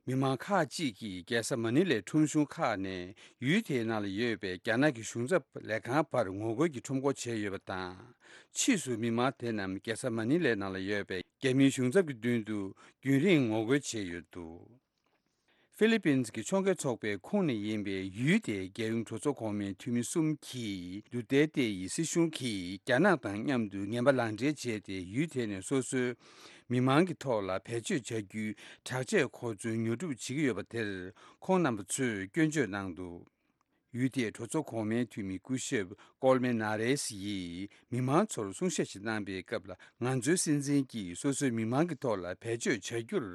མི་མང་ཁག་ཅིག་གིས་རྒྱལ་ས་མ་ནི་ལའི་ཁྲོམ་གཞུང་ཁག་ནས་ཡུལ་དེའི་ནང་ལ་ཡོད་པའི་རྒྱ་ནག་གི་གཞུང་ཚབ་ལས་ཁང་བར་ངོ་རྒོལ་གྱི་ཁྲོམ་སྐོར་བྱས་ཡོད་པ་དང་། ཕྱིས་སུ་མི་མང་དེ་རྣམས་རྒྱལ་ས་མ་ནི་ལའི་ནང་ལ་ཡོད་པའི་རྒྱ་མིའི་གཞུང་ཚབ་ཀྱི་མདུན་དུ་རྒྱུན་རིང་ངོ་རྒོལ་བྱས་ཡོད་འདུག་ཧྥི་ལི་པིན་གྱི་ཕྱོགས་འགལ་ཚོགས་པའི་ཁོངས་ནས་ཡིན་པའི་ཡུལ་དེའི་རྒྱལ་ཡོངས་གྲོས་ཚོགས་གོང་མའི་འཐུས་མི་གསུམ་གྱིས། ཌུ་ཏེར་ཏེ་ཡི་སྲིད་གཞུང་གིས་རྒྱ་ནག་དང་མཉམ་དུ་ངན་པ་ལག་འབྲེལ་བྱས་ཏེ། ཡུལ་དེ་ནས་སོ་སོའི་མི་མང་གི་ཐོག་ལ་བེད་སྤྱོད་བྱ་རྒྱུའི་དྲག་ཆས་གོ་མཚོན་ཉོ་སྒྲུབ་བྱེད་ཀྱི་ཡོད་པ་དེར། ཁོང་རྣམ་པ་ཚོས་སྐྱོན་བརྗོད་གནང་འདུག་ཡུལ་དེའི་གྲོས་ཚོགས་གོང་མའི་འཐུས་མི་སྐུ་ཞབས་ཀོལ་མེ་ན་རེས་ཡིས་མི་མང་ཚོར་གསུང་བཤད་ཞིག་གནང་པའི་སྐབས་ལ། ང་ཚོའི་སྲིད་འཛིན་གྱིས་སོ་སོའི་མི་མང་གི་ཐོག་ལ་བེད་སྤྱོད་བྱ་རྒྱུར།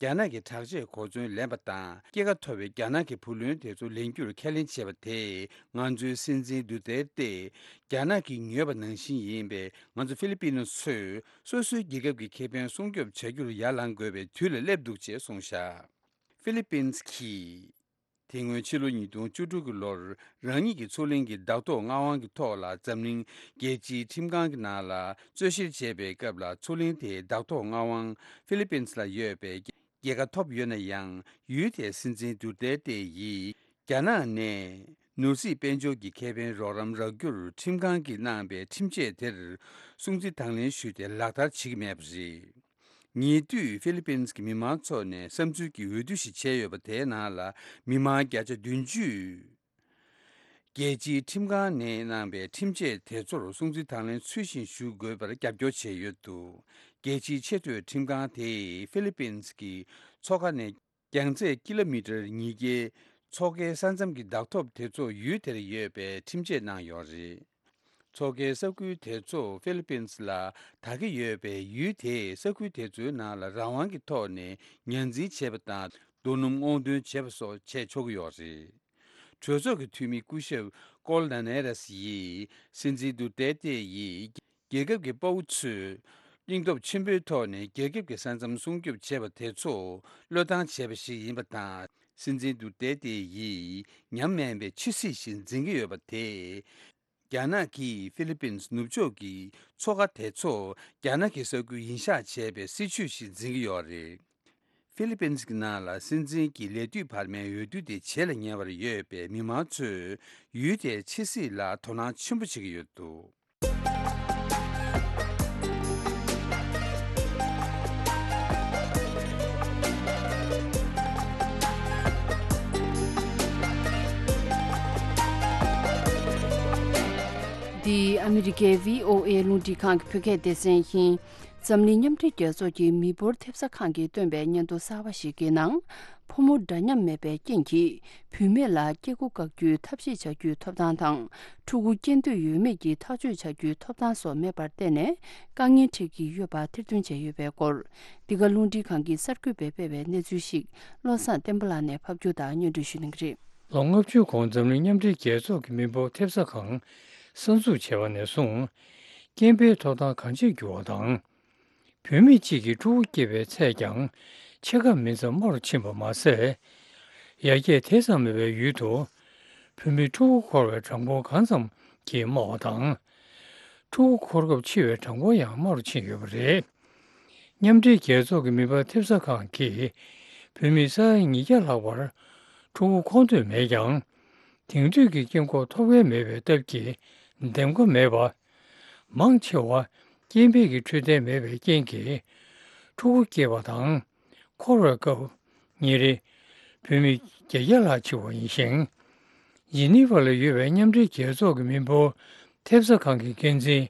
རྒྱ་ནག་གི་དྲག་ཆས་གོ་མཚོན་ལེན་པ་དང་། སྐྱེད་ཀ་མཐོ་བའི་རྒྱ་ནག་གི་བུ་ལོན་དེ་ཚོ་ལེན་རྒྱུར་ཁས་ལེན་བྱས་པ་དེས། ང་ཚོའི་སྲིད་འཛིན་ཌུ་ཏེར་ཏེ་རྒྱ་ནག་གིས་ཉོས་པ་ནང་བཞིན་ཡིན་པས། ང་ཚོ་ཧྥི་ལི་པིན་ཚོས་སོ་སོའི་རྒྱལ་ཁབ་ཀྱི་ཁེ་ཕན་སྲུང་སྐྱོབ་བྱ་རྒྱུར་ཡར་ལངས་དགོས་པའི་དུས་ལ་སླེབས་འདུག་ཅེས་གསུངས་བཞག་ཧྥི་ལི་པིན་གྱིས། དེ་སྔོན་ཕྱི་ལོ་ཉིས་སྟོང་བཅུ་དྲུག་གི་ལོར། རང་ཉིད་ཀྱི་མཚོ་གླིང་གི་བདག་ཐོག་མངའ་དབང་གི་ཐོག་ལ། འཛམ་གླིང་རྒྱལ་སྤྱིའི་ཁྲིམས་ཁང་གི་ནང་ལ་རྩོད་བཤེར་བྱས་པའི་སྐབས་ལ། མཚོ་གླིང་དེའི་བདག་ཐོག་མངའ་དབང་ཧྥི་ལི་པིན་ལ་ཡོད་པའི་རྒྱལ་ཁ་ཐོབ་ཡོད་ན་ཡང་། ཡུལ་དེའི་སྲིད་འཛིན་ཌུ་ཏེར་ཏེ་ཡིས། རྒྱ་ནག་ནས་ནོར་སྲིད་དཔལ་འབྱོར་གྱི་ཁེ་ཕན་རོགས་རམ་རག་རྒྱུར། ཁྲིམས་ཁང་གིས་གནང་པའི་ཁྲིམས་ཆད་དེར་སྲུང་བརྩི་དང་ལེན་ཞུས་ཏེ། ལག་བསྟར་བྱེད་ཀྱི་མེད་པ་རེད། ཉེ་དུས་ཧྥི་ལི་པིན་གྱི་མི་མང་ཚོ་ནས་བསམ་ཚུལ་གྱི་འོས་བསྡུ་ཞིག་བྱས་ཡོད་པ། དེའི་ནང་ལ་མི་མང་བརྒྱ་ཆ་བདུན་ཅུས་རྒྱལ་སྤྱིའི་ཁྲིམས་ཁང་ནས་གནང་པའི་ཁྲིམས་ཆད་དེ་ཚོར་སྲུང་བརྩི་དང་ལེན་ཚུལ་བཞིན་ཞུ་དགོས་པར་རྒྱབ་སྐྱོར་བྱས་ཡོད་འདུག་རྒྱལ་སྤྱིའི་ཆེས་མཐོའི་ཁྲིམས་ཁང་དེས་ཧྥི་ལི་པིན་གྱི་མཚོ་ཁ་ནས། རྒྱང་ཚད་ཀི་ལོ་མི་ཊར་ཉིས་བརྒྱའི་མཚོ་ཁའི་ས་མཚམས་ཀྱི་བདག་ཐོབ་དེ་ཚོ་ཡུལ་དེར་ཡོད་པའི་ཁྲིམས་ཆད་གནང་ཡོད་རེད། མཚོ་ཁའི་ས་ཁུལ་དེ་ཚོ་ཧྥི་ལི་པིན་ལ་དར་གྱི་ཡོད་པས། ཡུལ་དེས་ས་ཁུལ་དེ་ཚོའི་ནང་ལ་རང་དབང་གི་ཐོག་ནས་ཉར་འཛིན་བྱེད་པ་དང་། རྡོ་སྣུམ་སྔོག་འདོན་བྱེད་པ་སོགས་བྱས་ཆོག་གི་ཡོད་རེད། གྲོས་ཚོགས་ཀྱི་འཐུས་མི་སྐུ་ཞབས་ཀོལ་ན་ནེ་རེས་ཡིས། སྲིད་འཛིན་ཌུ་ཏེར་ཏེ་ཡིས། རྒྱལ་ཁབ་ཀྱི་དཔའ་བོ་ཚོས་སྙིང་སྟོབས་ཆེན་པོའི་ཐོག་ནས་རྒྱལ་ཁབ་ཀྱི་ས་མཚམས་སྲུང་སྐྱོབ་བྱས་པ་དེ་ཚོ་བློས་བཏང་བྱས་པ་ཞིག་ཡིན་པ་དང་། སྲིད་འཛིན་ཌུ་ཏེར་ཏེ་ཡིས་ཉམས་དམས་པའི་ཆབ་སྲིད་ཞིག་འཛིན་གྱི་ཡོད་པ་དེས། རྒྱ་ནག་གིས་ཧྥི་ལི་པིན་ནུབ་ཕྱོགས་ཀྱི་མཚོ་ཁ་དེ་ཚོ་རྒྱ་ནག་གི་ས་ཁུལ་ཡིན་ཤག་བྱས་པའི་སྲིད་བྱུས་ཤིག་འཛིན་གྱི་ཡོད་རེད། ཧྥི་ལི་པིན་གྱི་ནང་ལ་སྲིད་འཛིན་གྱི་ལས་དུས་བར་མའི་འོས་བསྡུ་དེ་བྱེད་ལ་ཉེ་བར་ཡོད་པས། མི་མང་ཚོས་ཡུལ་དེའི་ཕྱི་སྲིད་ལ་དོ་སྣང་ཆེན་པོ་བྱེད་ཀྱི་ཡོད་འདུག་འདི་ཨ་མི་རི་ཀའི་བྷི་ཨོ་ཨེ་རླུང་འཕྲིན་ཁང་གི་བོད་སྐད་སྡེ་ཚན་ཡིན། འཛམ་གླིང་མཉམ་འབྲེལ་རྒྱལ་ཚོགས་ཀྱི་མི་འབོར་ཐེབས་ས་ཁང་གིས་བཏོན་པའི་སྙན་ཐོ་གསར་བ་ཞིག་གི་ནང་། ཕོ་མོ་འདྲ་མཉམ་མེད་པའི་རྐྱེན་གྱིས། བུད་མེད་ལ་སྐྱེ་སྒོ་བཀག་རྒྱུའི་ཐབས་ཤེས་བྱ་རྒྱུའི་ཐོབ་ཐང་དང་། ཕྲུ་གུ་སྐྱེ་འདོད་ཡོད་མེད་ཀྱི་ཐག་གཅོད་བྱ་རྒྱུའི་ཐོབ་ཐང་སོགས་མེད་པར་བརྟེན་ནས། དཀའ་ངལ་འཕྲད་ཀྱི་ཡོད་པ་ཐེར་འདོན་བྱས་ཡོད་པའི་སྐོར། འདི་ག་རླུང་འཕྲིན་ཁང་གིས་གསར་འགོད་པས་སྤེལ་བའི་གནས་ཚུལ་ཞིག་བློ་བཟང་བསྟན་པ་ལགས་ནས་ཕབ་སྒྱུར་དང་སྙན་སྒྲོན་ཞུ་གནང་གི་རེད། ལོ་ལྔ་བཅུ་གོང་འཛམ་གླིང་མཉམ་འབྲེལ་རྒྱལ་ཚོགས་ཀྱི་མི་འབོར་ཐེབས་ས་ཁང་གསར་འཛུགས་བྱས་པ་ནས་བཟུང་། སྐྱེས་འཕེལ་ཐོབ་ཐང་གང་ཆེར་འགྱུར་བ་དང་། བུད་མེད་གཅིག་གིས་ཕྲུ་གུ་སྐྱེས་པའི་ཚད་ཀྱང་ཕྱེད་ཀ་མིན་ཙམ་དམའ་རུ་ཕྱིན་པ་མ་ཟད། ཡར་རྒྱས་དེ་ཙམ་མེད་པའི་ཡུལ་དུ། བུད་མེད་ཕྲུ་གུ་འཁོར་བའི་གྲངས་འབོར་གང་ཙམ་གྱིས་དམའ་བ་དང་། ཕྲུ་གུ་འཁོར་སྐབས་འཆི་བའི་གྲངས་འབོར་ཡང་དམའ་རུ་ཕྱིན་ཡོད་པ་རེད། མཉམ་འབྲེལ་རྒྱལ་ཚོགས་ཀྱི་མི་འབོར་ཐེབས་ས་ཁང་གིས། བུད་མེད་ས་ཡ་ཉིས་བརྒྱ་ལྷག་པར་ཕྲུ་གུ་འཁོར་འདོད་མེད་ཀྱང་། དེང་དུས་ཀྱི་སྐྱེས་འགོག་ཐོབ་མཁན་མེད་པའི་སྟབས་ཀྱིས་འདེམས་ཀ་མེད་པ། མང་ཆེ་བ་སྐྱེས་འཕེལ་གྱི་འཕྲོད་བསྟེན་མེད་པའི་རྐྱེན་གྱིས། ཕྲུ་གུ་སྐྱེས་པ་དང་། འཁོར་བའི་སྐབས་ཉིན་རེ་བུད་མེད་བརྒྱད་བརྒྱ་ལྷག་འཆི་བ་ཡིན་ཞིང་། ཇི་ནི་ཝ་ལ་ཡོད་པའི་མཉམ་འབྲེལ་རྒྱལ་ཚོགས་ཀྱི་མི་འབོར་ཐེབས་ས་ཁང་གི་འགན་འཛིན་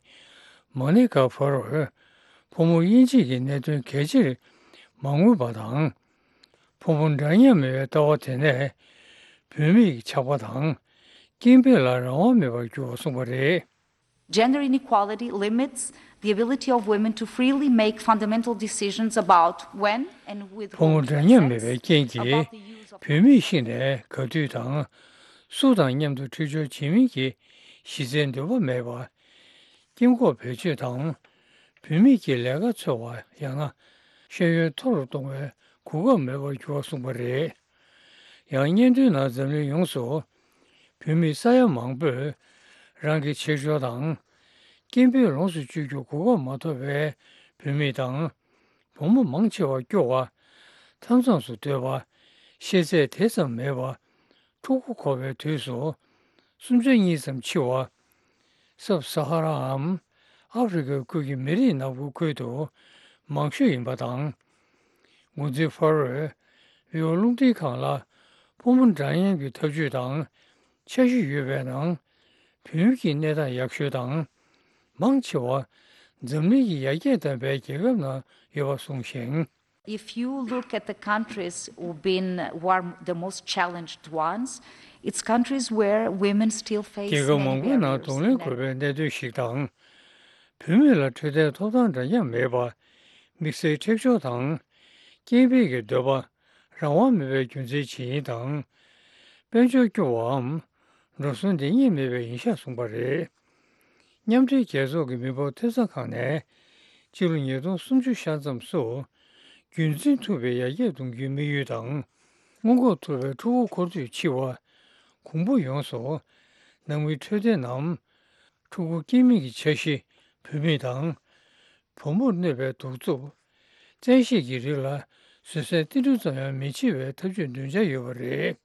མོ་ནི་ཀ་ཕ་རོས། ཕོ་མོ་དབྱེ་འབྱེད་ཀྱི་གནད་དོན་གལ་ཆེར་མ་མངོན་པ་དང་། ཕོ་མོ་འདྲ་མཉམ་མེད་པའི་ལྟ་བ་དེ་ནས་བུད་མེད་ཀྱི་ཆགས་པ་དང་སྐྱེ་འཕེལ་ལ་རང་དབང་མེད་པར་གྱུར་བ་གསུངས་པ་རེད། Gender inequality limits the ability of women to freely make fundamental decisions about when and with ཕོ་མོ་whom to འདྲ་མཉམ་མེད་པའི་རྐྱེན་གྱིས། བུད་མེད་ཤི་ནས་ག་དུས་དང་སུ་དང་མཉམ་དུ་འཕྲད་སྦྱོར་བྱེད་མིན་གྱི་གཞི་རྩའི་འདོད་པ་མེད་པ། སྐྱེ་འགོག་བེད་སྤྱོད་དང་། བུད་མེད་ཀྱི་ལས་ཀ་འཚོལ་བ་ཡང་ན་ཤེས་ཡོན་མཐོ་རུ་གཏོང་བའི་གོ་སྐབས་མེད་པར་གྱུར་བ་གསུངས་པ་རེད། ཡང་སྙན་ཐོའི་ནང་འཛམ་གླིང་ཡོངས་སུ་ བུད་མེད་ས་ཡ་མང་པོས་རང་གི་ཆེ་ཆུང་དང་། སྐད་འབོད་ལོངས་སུ་སྤྱོད་རྒྱུ་གོ་སྐབས་མ་ཐོབ་པའི་བུད་མེད་དང་། བུ་མོ་མང་ཆེ་བ་སྐྱོ་བ། མཐའ་མཚམས་སུ་སྡོད་པ། ཤེས་ཚད་དེ་ཙམ་མེད་པ། ཕྲུ་གུ་འཁོར་བའི་དུས་སུ་གསུམ་ཆ་གཉིས་ཙམ་འཆི་བ། སབ་སཱ་ཧ་ར་འམ་ཨ་ཧྥེ་རི་ཁའི་ཁུལ་གྱི་མི་རིགས་ནག་པོའི་ཁུལ་དུ་མང་ཤོས་ཡིན་པ་དང་། འགོ་འཛིན་ཕ་རོས་བྷི་ཨོ་རླུང་འཕྲིན་ཁང་ལ་ཕོ་མོ་འདྲ་མཉམ་གྱི་འཐབ་ཇུས་དང་འཆར་གཞི་ཡོད་པའི་ནང་། བོད་ཀྱི་གནས་སྟངས་ཡག་ཤོས་དང་། མང་ཆེ་བ་འཛམ་གླིང་གི་ཡར་རྒྱས་ལྡན་པའི་རྒྱལ་ཁབ་ནང་ཡོད་པ་གསུངས་ཤིང་། If you look at the countries who've been, who are the most challenged ones, it's countries where women still face རྒྱལ་ཁབ་many མང་པོའི་ནང་barriers གདོང་ལེན་in དགོས་པའི་གནད་དོན་ཞིག་དང་། བུད་མེད་ལ་འཕྲོད་བསྟེན་ཐོབ་ཐང་འདྲ་མཉམ་མེད་པ། དམིགས་བསལ་འཁྲིག་སྦྱོར་དང་། སྐྱེ་འཕེལ་གྱི་འདོད་པ་རང་དབང་མེད་པའི་རྒྱུ་མཚན་ཇི་ཡིན་དང་། དཔལ་འབྱོར་སྐྱོ་བའམ་འགྲོ་སོང་འདེང་ཉེན་མེད་པའི་ཡིན་ཤག་གསུངས་པ་རེད། མཉམ་འབྲེལ་རྒྱལ་ཚོགས་ཀྱི་མི་འབོར་ཐེབས་རྩ་ཁང་ནས་ཕྱི་ལོ་ཉིས་སྟོང་སུམ་ཅུ་ཤར་མཚམས་སུ་རྒྱུན་འཛིན་ཐུབ་པའི་ཡར་རྒྱས་གཏོང་རྒྱུའི་དམིགས་ཡུལ་དང་། སྔོན་འགོག་ཐུབ་པའི་ཕྲུ་གུ་འཁོར་དུས་འཆི་བ། གོང་བུ་ཡོངས་སུ་ནང་མིའི་འཕྲོད་བསྟེན་ནམ། ཕྲུ་གུ་སྐྱེ་མིན་གྱི་འཆར་གཞི། བུད་མེད་དང་། བུ་མོར་གནོད་པའི་གདུག་རྩུབ། བཙན་ཤེད་ཀྱི་རིགས་ལ་བཟོད་བསྲན་ཏིལ་འབྲུ་ཙམ་ཡང་མི་བྱེད་པའི་ཐབས་ཇུས་འདོན་འཆར་ཡོད་པ་རེད།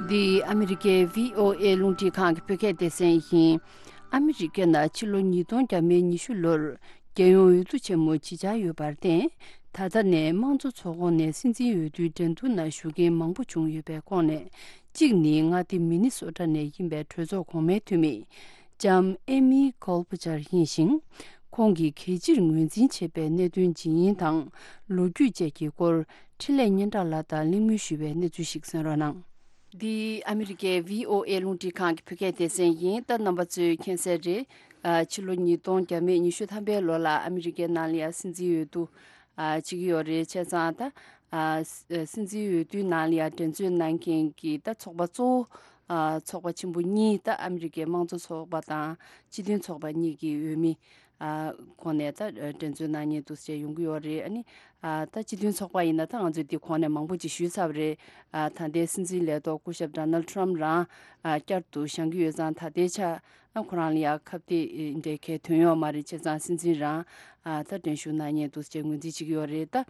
འདི་ཨ་མི་རི་ཀའི་བྷི་ཨོ་ཨེ་རླུང་འཕྲིན་ཁང་གི་བོད་སྐད་སྡེ་ཚན་ཡིན། ཨ་མི་རི་ཀའི་ནང་ཕྱི་ལོ་ཉིས་སྟོང་བརྒྱ་མེད་ཉི་ཤུ་ལོར་རྒྱལ་ཡོངས་འོས་བསྡུ་ཆེན་མོ་ཇི་ཆགས་ཡོད་པར་བརྟེན། ད་ལྟ་ནས་དམངས་གཙོ་ཚོགས་ཁོངས་ནས་སྲིད་འཛིན་འོས་བསྡུའི་འགྲན་བསྡུར་ནང་ཞུགས་མཁན་མང་པོ་བྱུང་ཡོད་པའི་ཁོངས་ནས། གཅིག་ནི་མངའ་སྡེ་མི་ནི་སོ་ཊ་ནས་ཡིན་པའི་གྲོས་ཚོགས་གོང་མའི་འཐུས་མི་ལྕམ་ཨེ་མི་ཁོལ་པ་ཆར་ཡིན་ཞིང་། ཁོང་གིས་གལ་ཆེར་ངོས་འཛིན་བྱེད་པའི་གནད་དོན་ཇི་ཡིན་དང་། ལོ་རྒྱུས་བཅས་ཀྱི་སྐོར་འཕྲིན་ལས་སྙན་གྲགས་ལགས་དང་གླེང་མོལ་ཞུས་པའི་གནས་ཚུལ་ཞིག་གསན་རོགས་གནང་། འདི་ཨ་མི་རི་ཀའི་བྷི་ཨོ་ཨེ་རླུང་འཕྲིན་ཁང་གི་བོད་སྐད་སྡེ་ཚན་ཡིན། ད་རྣམ་པ་ཚོས་མཁྱེན་གསལ་རེད། ཨ་ཕྱི་ལོ་ཉིས་སྟོང་བརྒྱ་མེད་ཉི་ཤུ་ཐམ་པའི་ལོ་ལ་ཨ་མི་རི་ཀའི་ནང་ལ་ཡང་སྲིད་འཛིན་འོས་བསྡུ་ཨ་བྱེད་ཀྱི་ཡོད་རེད། བྱས་ཙང་ད་ཨ་སྲིད་འཛིན་འོས་བསྡུའི་ནང་ལ་ཡང་འགྲན་རྩོད་གནང་མཁན་གྱི་ད་ཚོགས་པ་གཙོ་བོ་ཨ་ཚོགས་པ་ཆེན་པོ་གཉིས། ད་ཨ་མི་རི་ཀའི་དམངས་གཙོ་ཚོགས་པ་དང་སྤྱི་མཐུན་ཚོགས་པ་གཉིས་ཀྱི་འོས་མི་ཨ་ཁོངས་ནས་ད་འགྲན་རྩོད་གནང་མཁན་འདུག་ཅེས་ཡོང་གི་ཡོད་རེད། ཨ་ནི་ཨ་ད་སྤྱི་མཐུན་ཚོགས་པ་ཡིན་ན་ད་ང་ཚོས་འདི་གོང་ནས་མང་པོ་ཅིག་ཞུས་ཚར་བ་རེད། ཨ་ད་ལྟའི་སྲིད་འཛིན་ལས་ཐོག་སྐུ་ཞབས་ཌོ་ནལ་ཊམ་རང་ཨ་བསྐྱར་དུ་བཞེངས་ཀྱི་ཡོད་ཙང་། ད་ལྟའི་ཆ་ཨ་ཁོ་རང་ལ་ཡང་ཁ་གཏད་འདྲའི་གལ་ཐོན་ཡོད་མ་རེད། བྱས་ཙང་སྲིད་འཛིན་རང་ཨ་ད་འགྲན་ཞུགས་གནང་མཁན་འདུག་ཅེས་ངོས་འཛིན་བྱེད་ཀྱི་ཡོད་རེད། ད་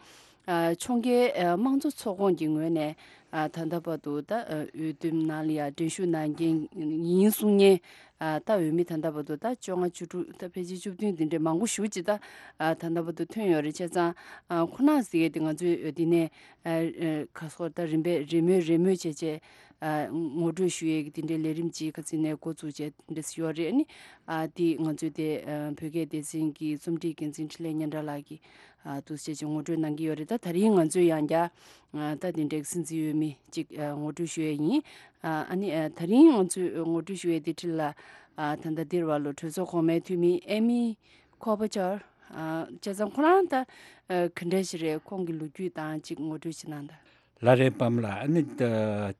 ཨ་ཕྱོགས་འགལ་ཨ་དམངས་གཙོ་ཚོགས་ཁོངས་ཀྱི་ངོས་ནས་ཨ་ད་ལྟ་བར་དུ་ད་ཨ་འོས་བསྡུ་ནང་ལ་ཡང་འགྲན་ཞུགས་གནང་མཁན་ཡིན་གསུང་མཁན་ཨ་ད་འོས་མི་ད་ལྟ་བར་དུ་ད་བཅོ་ལྔ་བཅུ་དྲུག་ད་ཕལ་ཆེར་བཅུ་བདུན་དེ་འདྲའི་མང་པོ་ཞེ་ཅིག་ད་ཨ་ད་ལྟ་བར་དུ་ཐོན་ཡོད་རེད། བྱས་ཙང་ཨ་ཁོ་ན་ཟེར་མཁན་དེ་ང་ཚོས་འདི་ནས་ཨ་ཨ་ག་སོགས་ད་རིམ་པས་རེས་མོས་རེས་མོས་བྱས་བྱས་ཨ་ངོ་སྤྲོད་ཞུ་ཡས་ཀྱི་དེ་འདྲའི་ལས་རིམ་ཅིག་ཁ་སང་ནས་འགོ་བཙུགས་བྱས་དེ་འདྲ་ཞིག་ཡོད་རེད། ཨ་ནི་ཨ་དེ་ང་ཚོའི་དེ་ཨ་བོད་སྐད་སྡེ་ཚན་གྱི་རྩོམ་སྒྲིག་འགན་འཛིན་འཕྲིན་ལས་སྙན་གྲགས་ལགས་ཀྱིས་ཨ་འདུག་སེ་ཅིག་ངོ་སྤྲོད་གནང་གི་ཡོད་རེད། ད་ད་རིང་ང་ཚོས་ཡང་བསྐྱར་ཨ་ད་དེ་འདྲའི་སྲིད་འཛིན་འོས་མི་ཅིག་ཨ་ངོ་སྤྲོད་ཞུ་ཡས་ཡིན། ཨ་ཨ་ནི་ཨ་ད་རིང་ང་ཚོས་ངོ་སྤྲོད་ཞུ་ཡས་དེ་འཕྲིན་ལ་ཨ་ད་ལྟ་འདིར་བ་ལོ་གྲོས་ཚོགས་གོང་མའི་འཐུས་མི་ཨེ་མི་ཁོ་པ་ཆར་ཨ་བྱས་ཙང་ཁོ་རང་ད་ཨ་ག་འདྲ་ཞིག་རེད། ཁོང་གི་ལོ་རྒྱུས་དང་ཅིག་ངོ་སྤྲོད་ཅིག་གནང་དང་། ལགས་རེད་པཱ་ལགས། ཨ་ནི་ད་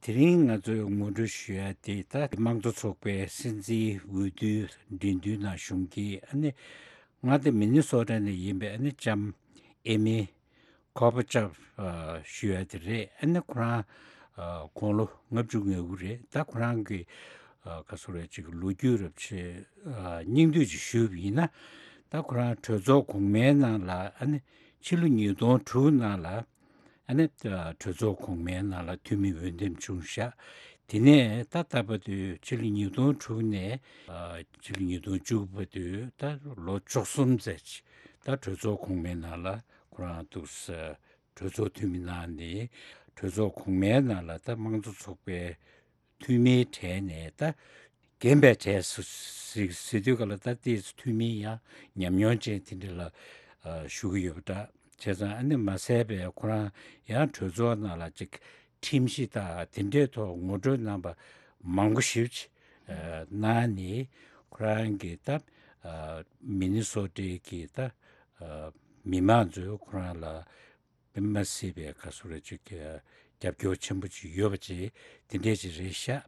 དེ་རིང་ང་ཚོས་ངོ་སྤྲོད་ཞུ་ཡ་དེ་ད་དམངས་གཙོ་ཚོགས་པའི་སྲིད་འཛིན་འོས་བསྡུའི་འགྲན་བསྡུར་ནང་ཞུགས་མཁན་ཨ་ནི་མངའ་སྡེ་མི་ནི་སོ་ཊ་ནས་ཡིན་པའི་ཨ་ནི་ལྕམ་ཨེ་མི་ཁོ་པ་ཆར་ཞུ་ཡ་དེ་རེད། ཨ་ནི་ཁོ་རང་དགུང་ལོ་ལྔ་བཅུ་ང་དགུ་རེད། ད་ཁོ་རང་གི་ག་ཚོད་རེད་ཅིག་ལོ་རྒྱུས་རབ་ཆེ་སྙིང་བསྡུས་ཅིག་ཞུས་པ་ཡིན་ན། ད་ཁོ་རང་གྲོས་ཚོགས་གོང་མའི་ནང་ལ་ཨ་ནི་ཕྱི་ལོ་ཉིས་སྟོང་དྲུག་ནང་ལ་ཨ་ནི་གྲོས་ཚོགས་གོང་མའི་ནང་ལ་འཐུས་མི་འོས་འདེམས་བྱུང་ཤག་དེ་ནས་ད་ལྟ་བར་དུ་ཕྱི་ལོ་ཉིས་སྟོང་དྲུག་ནས་ཕྱི་ལོ་ཉིས་སྟོང་བཅུ་བར་དུ་ད་ལོ་བཅུ་གསུམ་ཙམ་ཅིག་ད་གྲོས་ཚོགས་གོང་མའི་ནང་ལ་ཁོ་རང་འདུག་ས་གྲོས་ཚོགས་འཐུས་མི་གནང་ནས་གྲོས་ཚོགས་གོང་མའི་ནང་ལ་ད་དམངས་གཙོ་ཚོགས་པའི་འཐུས་མིའི་གྲས་ནས་ད་རྒན་པའི་གྲས་སུ་ཟེར་དུས་ག་ལ་ད་ལྟའི་འཐུས་མི་ཡང་ཉམས་མྱོང་ཅན་དེ་འདྲ་ལ་ཞུ་གི་ཡོད་པ་འདྲ། བྱས་ཙང་ཨ་ནི་མ་ཟད་པའི་ཁོ་རང་ཡང་གྲོས་ཚོགས་ནང་ལ་ཅིག་ཁྲིམས་གཞི་དང་དེ་འདྲའི་ཐོག་ངོ་སྤྲོད་གནང་པ་མང་པོ་ཞེ་ཅིག་གནང་ནས་ཁོ་རང་གིས་ད་མི་ནི་སོ་ཊའི་གི་ད་མི་མང་ཚོས་ཁོ་རང་ལ་དཔེ་མ་སྲིད་པའི་ག་ཚོད་རེ་ཅིག་གི་ རྒྱབ་སྐྱོར་ཆེན་པོ་ཅིག་ཡོད་པ་ཅིག་དེ་འདྲས་ཅིག་རེད་ཤག་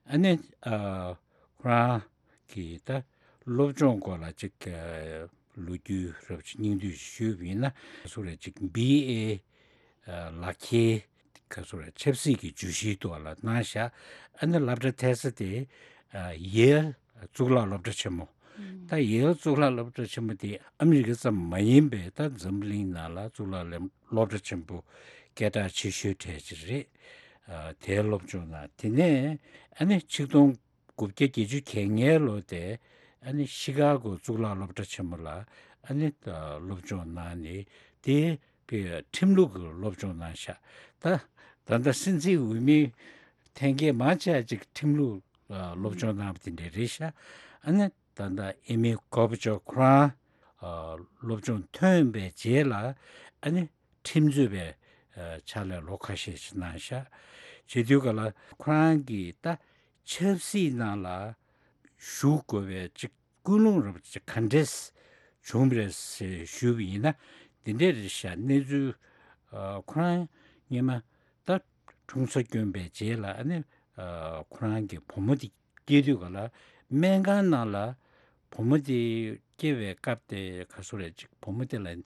ཨ་ནི་ཨ་ཁོ་རང་གི་ད་སློབ་སྦྱོང་སྐོར་ལ་ཅིག་ཨ་ལོ་རྒྱུས་རབ་ཅིག་སྙིང་བསྡུས་ཞུས་པ་ཡིན་ན་སུ་རེད་ཅིག་བི་ཨེ་ལག་ཁྱེར་ག་སུ་རེད་ཆབ་སྲིད་ཀྱི་བརྗོད་གཞིའི་ཐོག་ལ་གནང་ཤག་ཨ་ནི་སློབ་གྲྭ་འཐད་ས་དེ་ཡེལ་གཙུག་ལག་སློབ་གྲྭ་ཆེན་མོ། ད་ཡེལ་གཙུག་ལག་སློབ་གྲྭ་ཆེན་མོ་དེ་ཨ་མི་རི་ཀ་ཙམ་མ་ཡིན་པའི་ད་འཛམ་བུ་གླིང་ནང་ལ་གཙུག་ལག་སློབ་གྲྭ་ཆེན་པོ་སྐད་གྲགས་ཆེ་ཤོས་གྲས་ཅིག་རེད། དེའི་སློབ་སྦྱོང་གནང་། དེ་ནས་ཨ་ནི་ཆིག་སྟོང་དགུ་བརྒྱ་བརྒྱད་ཅུ་གྱ་ལྔའི་ལོ་དེ་ཨ་ནི་ཤི་ཀ་གོ་གཙུག་ལག་སློབ་གྲྭ་ཆེན་མོ་ལ་ཨ་ནི་སློབ་སྦྱོང་གནང་ནས་དེ་པའི་ཁྲིམས་ལུགས་ཀྱི་སློབ་སྦྱོང་གནང་ཤག་ད་ད་ལྟ་སྲིད་འཛིན་འོས་མི་འཐེན་མཁན་མང་ཆེ་བ་ཅིག་ཁྲིམས་ལུགས་ཨ་སློབ་སྦྱོང་གནང་བ་དེ་འདྲ་རེད་ཤག་ཨ་ནི་ད་ལྟ་ཨེ་མི་ཀོ་བ་ཅོབ་ཁོ་རང་ཨ་སློབ་སྦྱོང་ཐོན་པའི་རྗེས་ལ་ཨ་ནི་ཁྲིམས་རྩོད་པའི་ཨ་ཕྱག་ལས་ལོ་ཁ་ཤས་ཤིག་གནང་ཤག་བྱེད་དུས་ག་ལ་ཁོ་རང་གིས་ད་ཆབ་སྲིད་ནང་ལ་ཞུགས་དགོས་པའི་ཅིག་ཀུན་སློང་རབ་ཅིག་ག་འདྲས་བྱུང་བ་རེད་ཟེར་ཞུས་པ་ཡིན་ན་འདི་འདྲས་རེད་ཤག་གནས་ཚུལ་ཨ་ཁོ་རང་སྔོན་མ་ད་འཁྲུངས་ས་བསྐྱོན་པའི་རྗེས་ལ་ཨ་ནི་ཨ་ཁོ་རང་གི་བུ་མོ་དེ་སྐྱེས་དུས་ག་ལ་སྨན་ཁང་ནང་ལ་བུ་མོ་དེ་སྐྱེ་བའི་སྐབས་དེ་ག་སུ་རེད་ཅིག་བུ་མོ་དེ་ལ་ན་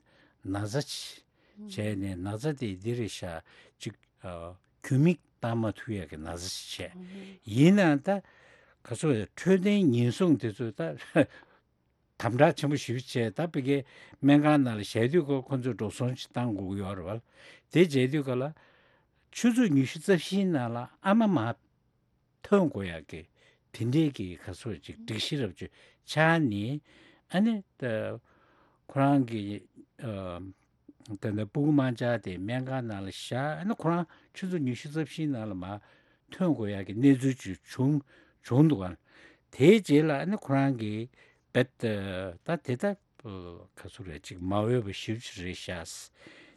ཚ་ཅིག་བྱས་ནས་ན་ཚ་དེ་འདི་རེད་ཤག་ཅིག་ཨ་རྒྱུ་མིག་བཏང་མ་ཐུབ་ཡག་གི་ན་ཚ་ཞིག་བྱས། ཡིན་ནའང་ད་ག་ཚོད་འཕྲོད་བསྟེན་ཉེན་སྲུང་དེ་ཚོས་ད་དམ་དྲག་ཆེན་པོ་ཞེ་པོ་བྱས། ད་ཕ་གིའི་སྨན་ཁང་ནང་ལ་བཞག་དུས་ཁོ་ཁོ་ཚོས་འགྲོ་སོང་ཞིག་བཏང་དགོས་ཀྱི་ཡོད་རེད་བ། དེ་བྱས་དུས་ག་ལ་ཆུ་ཚོད་ཉི་ཤུ་རྩ་བཞིའི་ནང་ལ་ཨ་མ་མར་ཐོན་དགོས་ཡག་གི་དེ་འདྲས་ཀྱི་ག་ཚོད་ཅིག་སྒྲིག་གཞི་རབ་ཅིག་ཆགས་ནས་ཨ་ནི་ད་ཁོ་རང་གི་ཨ། ད་ལྟ་སྤུ་གུ་དམར་འབྱར་དེ་སྨན་ཁང་ནང་ལ་བཞག་ཨ་ནི་ཁོ་རང་ཆུ་ཚོད་ཉི་ཤུ་རྩ་བཞིའི་ནང་ལ་མར་ཐོན་དགོས་ཡག་གི་གནས་ཚུལ་ཅིག་བྱུང་བྱུང་འདུག་ག་དེའི་རྗེས་ལ་ཨ་ནི་ཁོ་རང་གིས་བེད་ད་དེ་ད་ག་ཚོད་རེད་ཅིག་མ་འོས་པ་ཞེ་པོ་ཅིག་རེད་ཤག་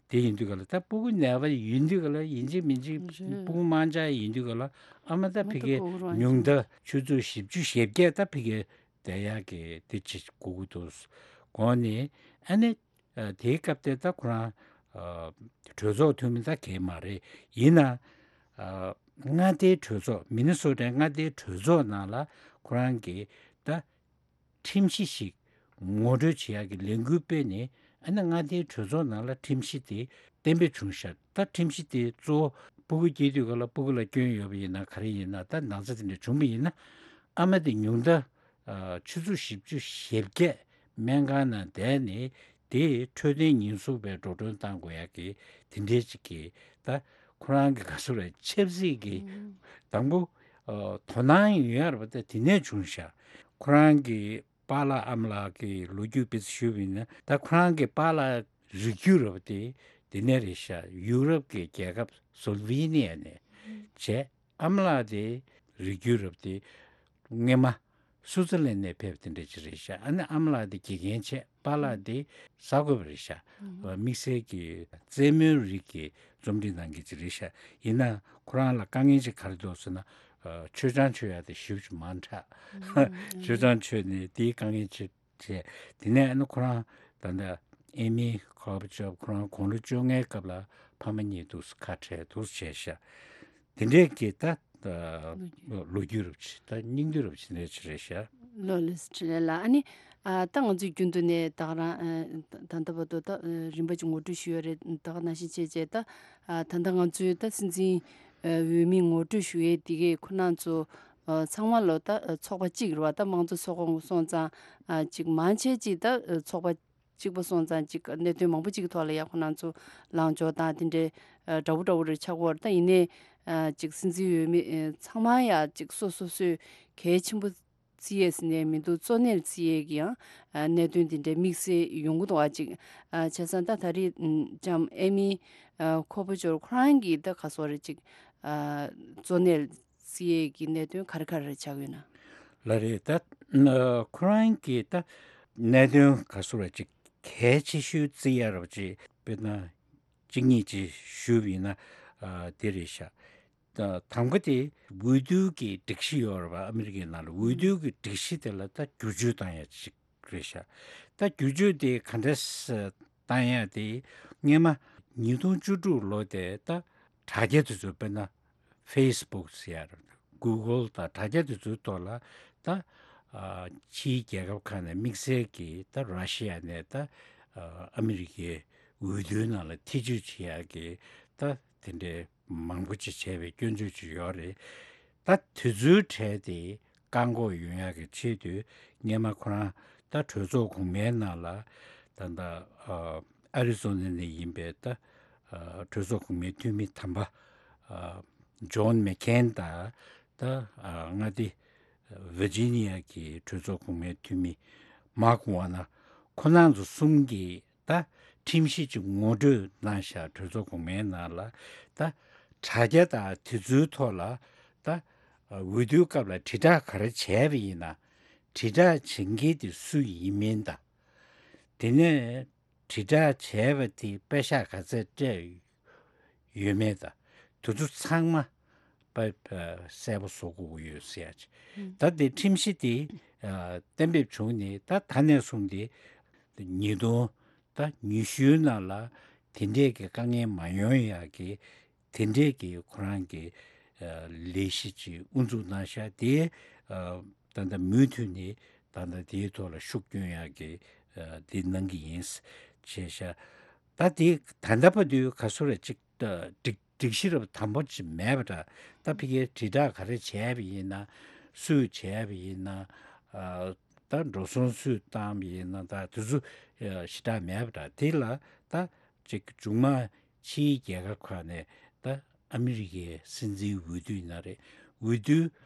དེ་ཡིན་དུས་ག་ལ་ད་སྤུ་གུ་ནད་པ་ཡིན་དུས་ག་ལ་ཡིན་གཅིག་མིན་གཅིག་སྤུ་གུ་དམར་འབྱར་ཡིན་དུས་ག་ལ་ཨ་མ་ད་ཕ་གི་ཉུང་མཐའ་ཆུ་ཚོད་བཞི་བཅུ་ཞེ་བརྒྱད་ད་ཕ་གི་བསྡད་ཡག་གི་དེ་ཅིག་དགོས་ཀྱི་འདུག་དགོངས་ནས་ཨ་ནི། ཨ་དེའི་སྐབས་དེ་ད་ཁོ་རང་ཨ་གྲོས་ཚོགས་འཐུས་མི་ད་གས་མ་རེད། ཡིན་ན་ཨ་མངའ་སྡེའི་གྲོས་ཚོགས་མི་ནི་སོ་ཊའི་མངའ་སྡེའི་གྲོས་ཚོགས་ནང་ལ་ཁོ་རང་གིས་ད་ཁྲིམས་གཞི་ཞིག་ངོ་སྤྲོད་བྱེད་ཡག་གི་ལས་འགུལ་སྤེལ་ནས་ཨ་ནི་མངའ་སྡེའི་གྲོས་ཚོགས་ནང་ལ་ཁྲིམས་གཞི་དེ་གཏན་འབེབས་བྱུང་ཤག་ད་ཁྲིམས་གཞི་དེ་གཙོ་བོ་སྤུ་གུ་སྐྱེས་དུས་ག་ལ་སྤུ་གུ་ལ་སྐྱོན་ཡོད་པ་ཡིན་ན་ག་རེ་ཡིན་ན་ད་ན་ཚ་དེ་འདྲ་བྱུང་བ་ཡིན་ན་ཨ་མ་དེ་ཉུང་མཐའ། ཨ་ཆུ་ཚོད་བཞི་བཅུ་ཞེ་བརྒྱད་སྨན་ཁང་ནང་བསྡད་ནས་དེ་འཕྲོད་བསྟེན་ཉེན་སྲུང་པས་འགྲོ་གྲོན་བཏང་དགོས་ཡག་གི་དེ་འདྲའི་ཅིག་གི་ད་ཁོ་རང་གི་ག་ཚོད་རེད་ཆབ་སྲིད་ཀྱི་དང་པོ་ཨ་དོ་སྣང་ཡོད་ཡ་རེད་པ། ད་དེ་ནས་བྱུང་ཤག་ཁོ་རང་གི་པཱ་ལགས་ཨ་མ་ལགས་ཀྱི་ལོ་རྒྱུས་དཔེ་ཆ་ཞུས་པ་ཡིན་ན་ད་ཁོ་རང་གི་པཱ་ལགས་རིགས་རྒྱུད་རེད་པ་དེ་དེ་ནས་རེད་ཤག་ཡུ་རོབ་ཀྱི་རྒྱལ་ཁབ་སོ་ལོ་ཝེ་ནི་ཡ་ནས་བྱས། ཨ་མ་ལགས་དེ་རིགས་རྒྱུད་རབ་དེ་སྔོན་མ་སུའུ་ཙེར་ལན་ནས་ཕེབས་དེ་འདྲ་ཅིག་རེད་ཤག་ཨ་ནི་ཨ་མ་ལགས་དེ་དགེ་རྒན་བྱས། པཱ་ལགས་དེ་གསར་འགོད་པ་རེད་ཤག་དམིགས་བསལ་གྱི་རྩེད་མོའི་རིགས་ཀྱི་རྩོམ་སྒྲིག་གནང་མཁན་ཅིག་རེད་ཤག་ཡིན་ན་ཁོ་རང་ལ་དཀའ་ངལ་ཅིག་ག་རེ་འདུག་ཟེར་ན། མཆོད་ཆང་མཆོད་ཡག་དེ་ཞེ་པོ་ཅིག་མང་དྲགས། མཆོད་ཆང་མཆོད་ནས་དེའི་དཀའ་ངལ་ཅིག་བྱས། དེ་ནས་ཨ་ནི་ཁོ་རང་ད་ལྟ་ཨེ་མི་ཁོ་བ་ཅོབ་ཁོ་རང་དགུང་ལོ་བཅོ་ལྔའི་སྐབས་ལ་ཕ་མ་གཉིས་འདུག་སེ་ཁ་བྲལ་འདུག་སེ་བྱས་ཤག་དེ་འདྲའི་གི་ད་ལོ་རྒྱུས་རབ་ཅིག་ད་སྙིང་བསྡུས་རབ་ཅིག་འདྲ་ཅིག་རེད་ཤག་ལོ་ལེགས་འཕྲིན་ལས་ལགས། ཨ་ནི་ཨ་ད་ང་ཚོས་རྒྱུན་དུ་ནས་ད་ག་རང་ཨ་ད་ད་ལྟ་བར་དུ་ད་རིམ་པ་ཅིག་ངོ་སྤྲོད་ཞུས་ཡོད་རེད། ད་ག་ནང་བཞིན་བྱས་བྱས་ད་ཨ་ད་ལྟ་ང་ཚོའི་ད་སྲིད་འཛིན་འོས་མི་ངོ་སྤྲོད་ཞུ་ཡས་དེ་གས་ཁོ་རང་ཚོ་ཚང་མ་ལོ་ད་ཚོགས་པ་གཅིག་རེད་བ། ད་དམངས་གཙོ་ཚོགས་པ་སོང་ཙང་ཅིག་མང་ཆེ་ཅིག་ད་ཚོགས་པ་གཅིག་པ་སོང་ཙང་ཅིག་གནད་དོན་མང་པོ་ཅིག་གི་ཐོག་ལ་ཡ་ཁོ་རང་ཚོ་ལངས་ཕྱོགས་དང་དེ་འདྲའི་འདྲ་བོ་འདྲ་བོ་རེ་ཆགས་ཀྱི་ཡོད་རེད། ད་ཡིན་ནའི་ཅིག་སྲིད་འཛིན་འོས་མི་ཚང་མ་ཡ་ཅིག་སོ་སོ་སོས་གལ་ཆེན་པོ་བརྩི་ཡས་ཟེར་ནས་མི་འདུག་གཙོ་གནད་བརྩི་ཡས་ཀྱི་ཡང་གནད་དོན་དེ་འདྲའི་དམིགས་བསལ་ཡོང་གི་འདུག་བ། ཅིག་བྱས་ཙང་ད་ད་རེས་ལྕམ་ཨེ་མི་ཁོ་པོ་ཅོར་ཁོ་རང་གིས་ད་ག་སོ་རེ་ཅིག་གཙོ་གནད་བརྩི་ཡས་ཀྱི་གནད་དོན་ག་རེ་ག་རེ་ཆགས་ཡོད་ན། ལགས་རེད། ད་ཁོ་རང་གིས་ད་གནད་དོན་ག་སོ་རེ་ཅིག་གལ་ཆེ་ཤོས་བརྩི་ཡ་རབ་ཅིག་དཔེར་ན་གཅིག་གཉིས་ཅིག་ཞུས་པ་ཡིན་ན་དེ་རེད་ཤག་ད་དང་པོ་དེ་འོས་བསྡུ་གི་སྒྲིག་གཞི་ཡོད་རེད་པ། ཨ་མི་རི་ཀའི་ནང་ལ་འོས་བསྡུ་གི་སྒྲིག་གཞི་དེ་ལ་ད་བསྒྱུར་བཅོས་བཏང་ཡ་ཅིག་རེད་ཤག་ད་བསྒྱུར་བཅོས་དེ་ག་འདྲས་བཏང་ཡ་དེ་སྔོན་མ་ཉིས་སྟོང་བཅུ་དྲུག་ལོ་དེ་ད་ དྲ་རྒྱ་དེ་ཚོ་དཔེར་ན་ཕེ་སི་བུག་ཟེར་ཡ་རེད། གུ་གལ་དང་དྲ་རྒྱ་དེ་ཚོའི་ཐོག་ལ་ད་ཨ་ཕྱིའི་རྒྱལ་ཁབ་ཁག་ནས་དམིགས་བསལ་གྱིས་ད་ར་ཤི་ཡ་ནས་ད་ཨ་ཨ་མི་རི་ཀའི་འོས་བསྡུའི་ནང་ལ་ཐེ་བྱུས་བྱེད་ཡ་གི་ད་དེ་འདྲའི་མང་པོ་ཅིག་བྱས་པའི་སྐྱོན་བརྗོད་ཅིག་ཡོད་རེད། ད་དེ་ཚོའི་གྲས་དེ་བཀག་འགོག་ཡོང་ཡག་གི་ཆེད་དུ་སྔོན་མ་ཁོ་རང་ད་གྲོས་ཚོགས་གོང་མའི་ནང་ལ་ད་ལྟ་ཨ་ཨ་རི་ཛོ་ན་ནས་ཡིན་པའི་ད་ཨ་གྲོས་ཚོགས་གོང་མའི་འཐུས་མི་དམ་པ་ཨ་ཇོན་མེག་ཁེན་དང་ད་ཨ་མངའ་སྡེ་ཝི་ཇི་ནི་ཡ་གི་གྲོས་ཚོགས་གོང་མའི་འཐུས་མི་མཱག་ཝར་ནར། ཁོ་རང་ཚོ་གསུམ་གྱིས་ད་ཁྲིམས་གཞི་ཅིག་ངོ་སྤྲོད་གནང་ཤག་གྲོས་ཚོགས་གོང་མའི་ནང་ལ་ད་དྲ་རྒྱ་དང་དེ་ཚོའི་ཐོག་ལ་ད་འོས་བསྡུའི་སྐབས་ལ་དྲིལ་བསྒྲགས་ག་རེ་བྱས་པ་ཡིན་ན། དྲིལ་བསྒྲགས་བྱེད་མཁན་དེ་སུ་ཡིན་མིན་དང་། དེ་ནས་དྲིལ་བསྒྲགས་བྱས་པ་དེ་པེ་ཤག་ག་ཚད་སྤྲད་ཡོད་མེད་དང་། དེ་ཚོ་ཚང་མ་པ་པ་གསལ་པོ་བཟོ་དགོས་ཀྱི་ཡོད་ཟེར་ཡ་ཅིག་ད་དེ་ཁྲིམས་གཞི་དེ་ཨ་གཏན་འབེབས་བྱུང་ནས་ད་ད་ནས་བཟུང་སྟེ་ཉིས་སྟོང་ད་ཉི་ཤུའི་ནང་ལ་དེ་འདྲས་ཀྱི་དཀའ་ངལ་མ་ཡོང་ཡག་གི་དེ་འདྲས་ཀྱི་ཁོ་རང་གི་ཨ་ལས་གཞི་ཅིག་དབུ་འཛུགས་གནང་ཤག་དེ་ཨ་ད་ལྟ་མུ་མཐུད་ནས་ད་ལྟ་དེའི་ཐོག་ལ་ཤུགས་སྐྱོན་ཡག་གི་ཨ་དེ་གནང་གི་ཡིན་བྱས་ཤག་ད་དེ་ད་ལྟ་བར་དུ་ག་ཚོད་རེ་ཅིག་ད་སྒྲིག་སྒྲིག་གཞི་རབ་དམ་པོ་ཅིག་མེད་པ་འདྲ། ད་ཕ་གིའི་དྲིལ་བསྒྲགས་ག་རེ་བྱས་པ་ཡིན་ན། སུས་བྱས་པ་ཡིན་ན། ཨ་ད་འགྲོ་སོང་སུས་བཏང་པ་ཡིན་ན། ད་དེ་ཚོ་ཨ་ཞེ་དྲག་མེད་པ་འདྲ། དེ་ལ་ད་ཅིག་མཇུག་མ་ཕྱིའི་རྒྱལ་ཁབ་ཁག་ནས་ད་ཨ་མི་རི་ཀའི་སྲིད་འཛིན་འོས་བསྡུ་ཡིན་ན་རེད། འོས་བསྡུ་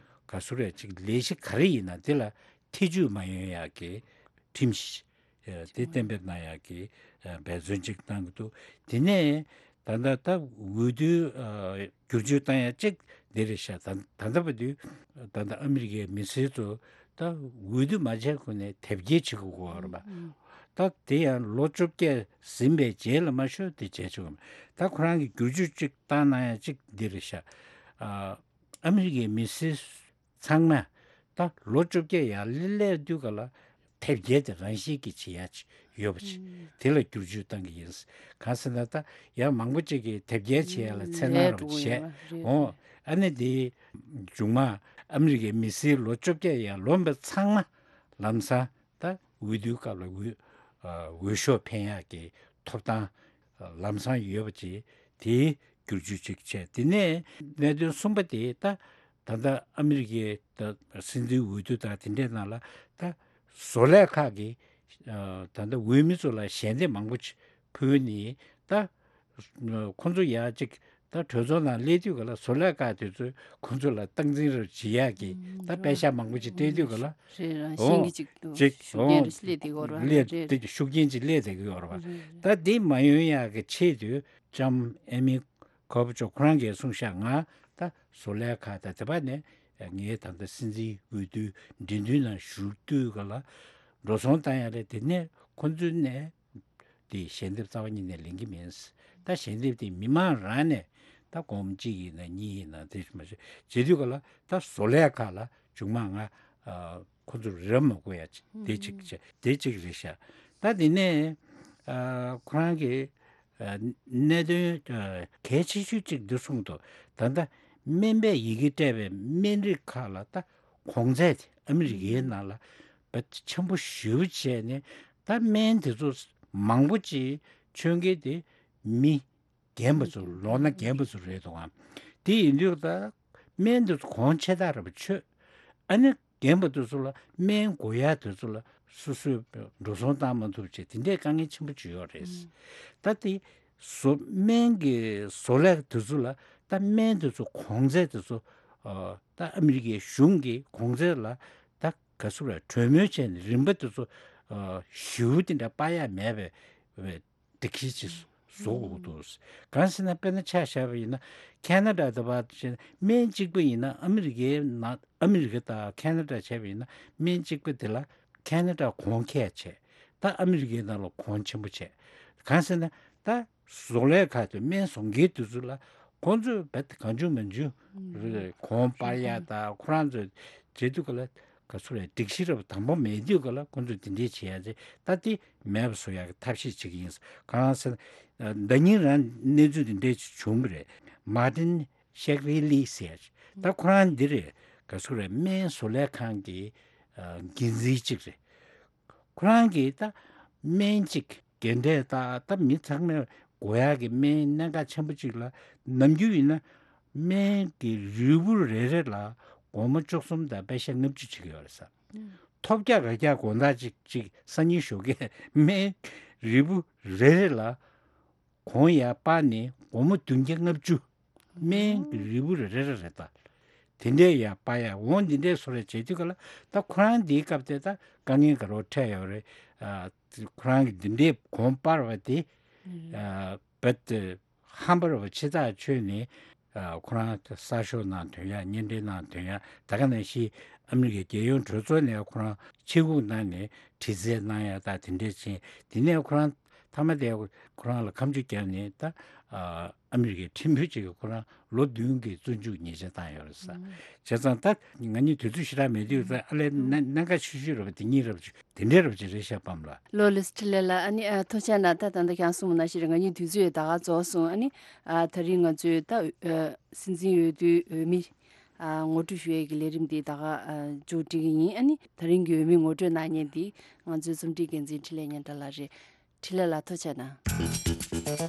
ག་ཚོད་རེ་ཅིག་ལས་གཞི་ག་རེ་ཡིན་ན་དེ་ལ་ཐེ་བྱུས་མ་ཡོང་ཡག་གི་ཁྲིམས་གཞི་ཨ་དེ་གཏན་འབེབས་གནང་ཡག་གི་ཨ་འབད་བརྩོན་ཅིག་གནང་གི་འདུག་དེ་ནས་ད་ལྟ་ད་འོས་བསྡུ་ཨ་བསྒྱུར་བཅོས་བཏང་ཡག་ཅིག་འདི་རེད་ཤག་ད་ད་ལྟ་བར་དུ་ད་ལྟ་ཨ་མི་རི་ཀའི་མི་སེར་ཚོ་ད་འོས་བསྡུ་མ་བྱས་གོང་ནས་དེབ་སྐྱེལ་བྱེད་དགོས་ཀྱི་ཡོད་རེད་པ། ད་དེ་ཡང་ལོ་བཅོ་བརྒྱད་ཟིན་པའི་རྗེས་ལ་མ་ཤོར་དེ་བྱས་ཆོག་གི་མ། ད་ཁོ་རང་གི་བསྒྱུར་བཅོས་ཅིག་བཏང་གནང་ཡག་ཅིག་འདི་རེད་ཤག་ཨ་ཨ་མི་རི་ཀའི་མི་སེར་ཚང་མས་ད་ལོ་བཅོ་བརྒྱད་ཡར་སླེབས་དུས་ག་ལ་དེབ་སྐྱེལ་དེ་རང་བཞིན་གྱིས་བྱེད་ཡ་ཅིག་ཡོད་པ་ཅིག་ཨུམ། དེ་ལ་བསྒྱུར་བཅོས་བཏང་གི་ཡིན། གང་ཟེར་ན་ད་ཡང་མང་པོ་ཅིག་གིས་དེབ་སྐྱེལ་བྱེད་ཡ་ལ་ཨུམ། འཚེར་སྣང་རབ་ལས་འགྲོ་གི་བྱས། ཡོད་པ་རེད། འོ་རེད། ཨ་ནི་དེ་མཇུག་མ་ཨ་མི་རི་ཀའི་མི་སེར་ལོ་བཅོ་བརྒྱད་ཡར་ལོངས་པ་ཚང་མ་ལམ་སང་ད་འོས་བསྡུའི་སྐབས་ལ་འོས་ཨ་འོས་ཤོག་འཕེན་ཡག་གི་ཐོབ་ཐང་ལམ་སང་ཡོད་པ་ཅིག་དེའི་བསྒྱུར་བཅོས་ཅིག་བྱས། དེ་ནས་གནད་དོན་གསུམ་པ་དེ་ད་ད་ལྟ་ཨ་མི་རི་ཀའི་ད་སྲིད་འཛིན་འོས་བསྡུ་དང་དེ་འདྲའི་ནང་ལ་ད་བཟོ་ལས་ཁག་གིས་ཨ་ད་ལྟ་འོས་མི་ཚོ་ལ་ཞལ་འདེབས་མང་པོ་ཅིག་ཕུལ་ནས་ད་ཁོང་ཚོ་ཡར་ཅིག་ད་གྲོས་ཚོགས་ནང་སླེབས་དུས་ག་ལ་བཟོ་ལས་ཁག་དེ་ཚོས་ཁོང་ཚོ་ལ་སྟངས་འཛིན་རེ་བྱེད་ཡག་གི་ཨུམ། ད་པད་ཤག་མང་པོ་ཅིག་སྤྲད་དུས་ག་ལ་རེད། རང་བཞིན་གྱི་ཨོ་ཅིག་ཏུ་ཅིག་ཤུགས་རྐྱེན་ཨོ་རེ་སླེབས་བསྡད་ཡོད་རེད་པ། སླེབས་རེད། བསྡད་ཤུགས་རྐྱེན་ཅིག་སླེབས་བསྡད་ཀྱི་ཡོད་རེད་པ། རེད་རེད། ད་འདི་མ་ཡོང་ཡག་གི་ཆེད་དུ་ལྕམ་ཨེ་མི་ཁོ་པ་ཅོ་ཁོ་རང་གིས་གསུངས་ཤག་ང་ད་བཟོ་ལས་ཁག་དང་དེ་བ་ནས་ངའི་ད་ལྟ་སྲིད་འཛིན་འོས་བསྡུའི་འགྲན་བསྡུར་ནང་ཞུགས་དུས་ག་ལ་འགྲོ་སོང་བཏང་ཡག་རེད། དེ་ནས་ཁོང་ཚོའི་ནས་དེ་ཞལ་འདེབས་རྩ་བ་ཉིད་ནས་ལེན་གྱི་མིན། ད་ཞལ་འདེབས་དེ་མི་མང་རང་ནས་ད་སྒོར་མོ་གཅིག་ཡིན་ན་གཉིས་ཡིན་ན་དེ་མ་བྱེད་བྱེད་དུས་ག་ལ་ད་བཟོ་ལས་ཁག་ལ་མཇུག་མ་ང་ཨ་ཁོ་ཚོར་རག་མ་དགོས་ཡ་ཅིག་དེ་གཅིག་བྱས། དེ་གཅིག་རེད་ཤག་ད་དེ་ནས་ཨ་ཁོ་རང་གི་ཨ་གནད་དོན་ཨ་གལ་ཆེ་ཤོས་གཅིག་འདི་གསུངས་འདུག་ད་ལྟ་སྨན་པས་ཡི་གེ་སྤྲད་པའི་སྨན་རིགས་ཁག་ལ་ད་གོང་ཚད་དེ་ཨ་མི་རི་ཀའི་ནང་ལ་བ་ཆེན་པོ་ཞེ་པོ་བྱས་ནས་ད་སྨན་དེ་ཚོ་མང་པོ་ཅིག་མཆོད་མཁན་དེ་མི་རྒན་པ་ཚོ་ལོ་ན་རྒན་པ་ཚོ་རེད་འདུག་ཨ། དེ་ཡིན་དུས་ད་སྨན་དེ་ཚོ་གོང་ཆེ་ཐག་རིང་པོ་ཆོད། ཨ་ནི་རྒན་པ་དེ་ཚོ་ལ་སྨན་དགོས་ཡ་དེ་ཚོ་ལ་སོ་སོས་འགྲོ་སོང་བཏང་མ་ཐུབ་བྱས་དེ་འདྲའི་དཀའ་ངལ་ཆེན་པོ་ཅིག་ཡོད་རེད། ཨང་། ད་དེ་བཟོ་སྨན་གྱི་བཟོ་ལས་དེ་ཚོ་ལ་ད་སྨན་དེ་ཚོ་གོང་ཚད་དེ་ཚོ་ཨ་ད་ཨ་མི་རི་ཀའི་གཞུང་གི་གོང་ཚད་ལ་ད་ག་ཚོད་རེད་གྲོས་མོལ་བྱས་ནས་རིན་པ་དེ་ཚོ་ཨ་ཞེ་པོ་དེ་འདྲ་སྤར་ཡ་མེད་པའི་སྒྲིག་གཞི་ཅིག་བཟོ་དགོས་འདུག་གང་ཟེར་ན་དཔེར་ན་ཆ་བཞག་པ་ཡིན་ན་ཁེ་ན་ཌ་དེ་བ་བྱས་ན་སྨན་གཅིག་པ་ཡིན་ན་ཨ་མི་རི་ཀའི་ནང་ཨ་མི་རི་ཀ་དང་ཁེ་ན་ཌ་བྱས་པ་ཡིན་ན་སྨན་གཅིག་པ་དེ་ལ་ཁེ་ན་ཌ་གོང་ཁེ་བྱས། ད་ཨ་མི་རི་ཀའི་ནང་ལ་གོང་ཆེན་པོ་བྱས། གང་ཟེར་ན་ད་བཟོ་ལས་ཁག་ཏུ་སྨན་བཟོ་མཁན་དེ་ཚོ་ལ་ཁོང་ཚོས་རྦད་དེ་གང་བྱུང་མང་བྱུང་ཨུམ། གོང་སྤར་ཡ་དང་ཁོ་རང་ཚོས་བྱེད་དུས་ག་ལ་ག་ཚོད་རེད་སྒྲིག་གཞི་རབ་དང་པོ་མེད་དུས་ག་ལ་ཁོང་ཚོས་དེ་འདྲས་བྱེད་ཡ་ཚེ་ད་དེ་མེད་པ་བཟོ་ཡ་གི་ཐབས་ཤེས་བྱེད་ཀྱི་ཡིན། གང་ཟེར་ན་ཟླ་ཉིན་རང་གནས་ཚུལ་དེ་འདྲས་བྱུང་བ་རེད། མར་ཏིན་ཤེག་རི་ལི་ཟེར་ཡ་ཅིག་ད་ཁོ་རང་འདི་རེད། ག་ཚོད་རེད། སྨན་བཟོ་ལས་ཁང་གི་ཨ་འགན་འཛིན་ཅིག་རེད། ཁོ་རང་གིས་ད་སྨན་གཅིག་རྒན་གྲས་ད་ད་མི་ཚང་མས་དགོས་ཡག་གི་སྨན་གནད་འགག་ཆེན་པོ་གཅིག་ལ། ནམ་རྒྱུན་ཡིན་ན་སྨན་གྱི་རིལ་བུ་རེ་རེ་ལ་སྒོར་མོ་བཅུ་གསུམ་དང་པད་ཤག་ལྔ་བཅུ་བྱེད་ཀྱི་ཡོད་རེད་ས། ཐོབ་རྒྱག་ག་རྒྱག་དགོང་དག་ཅིག་ཅིག་སང་ཉིན་ཞོགས་ཀས་སྨན་རིལ་བུ་རེ་རེ་ལ་གོང་ཡར་སྤར་ནས་སྒོར་མོ་བདུན་བརྒྱ་ལྔ་བཅུ། སྨན་གྱི་རིལ་བུ་རེ་རེ་རེ་རེ་ད། དེ་འདྲས་ཡར་སྤར་ཡ་འོང་། འདི་འདྲས་བཟོ་རེ་བྱེད་དུས་ག་ལ་ད་ཁོ་རང་འདིའི་སྐབས་དེ་ད་དཀའ་ངལ་ག་རེ་འཕྲད་ཡོད་རེད། ཨ་ཁོ་རང་གི་འདི་འདྲས་གོང་སྤར་བ་དེ་ཨ་བད་ཧམ་པ་རེད་པ། ཕྱི་ཐག་ཆོད་ནས་ཨ་ཁོ་རང་གསར་ཤོག་ནང་ཐོན་ཡ། བརྙན་འཕྲིན་ནང་ཐོན་ཡ། ད་ག་ནང་བཞིན་ཨ་མི་རི་ཀའི་རྒྱལ་ཡོངས་གྲོས་ཚོགས་ནས་ཁོ་རང་ཆེད་འགུག་གནང་ནས་དྲི་རྩད་གནང་ཡ་ད་དེ་འདྲས་ཕྱིན། དེ་ནས་ཁོ་རང་མཐའ་མ་དེ་ཁོ་རང་ལ་ཁ་མཆུ་བརྒྱབ་ནས་ད་ཨ་ཨ་མི་རི་ཀའི་ཁྲིམས་དཔོན་ཅིག་གིས་ཁོ་རང་ལོ་བདུན་གྱི་བཙོན་འཇུག་ཉེས་ཆད་བཏང་ཡོད་རེད་ས། བྱས་ཙང་ད་ང་གཉིས་དུས་ཚོད་ཞེ་དྲག་མེད་དུས་ད་ཨ་ལས་གནད་གནད་འགག་ཆེ་ཤོས་རེད་པ། དེ་གཉིས་རེད་པ། དེ་འདྲས་རེད་པ་ཅིག་རེད་ཤག་པམ་ལགས། ལོ་ལེགས་འཕྲིན་ལས་ལགས། ཨ་ནི་ཨ་ཐུགས་རྗེ་གནང་། ད་ད་ལྟ་ཁྱེད་རང་གསུངས་པ་ནང་བཞིན་རེད། ང་གཉིས་དུས་ཚོད་ད་ག་རྫོགས་སོང་། ཨ་ནི་ཨ་ད་རིང་ང་ཚོའི་ད་ཨ་སྲིད་འཛིན་འོས་བསྡུའི་འོས་མི་ཨ་ངོ་སྤྲོད་ཞུ་ཡས་ཀྱི་ལས་རིམ་འདི་ད་ག་ཨ་མཇུག་སྒྲིལ་གྱི་ཡིན། ཨ་ནི་ད་རིང་གི་འོས་མི་ངོ་སྤྲོད་གནང་མཁན་འདི་ང་ཚོའི་རྩོམ་སྒྲིག་འགན་འཛིན་འཕྲིན་ལས་སྙན་གྲགས་ལགས་རེད། འཕྲིན་ལས་ལགས་ཐུགས་རྗེ་གནང་།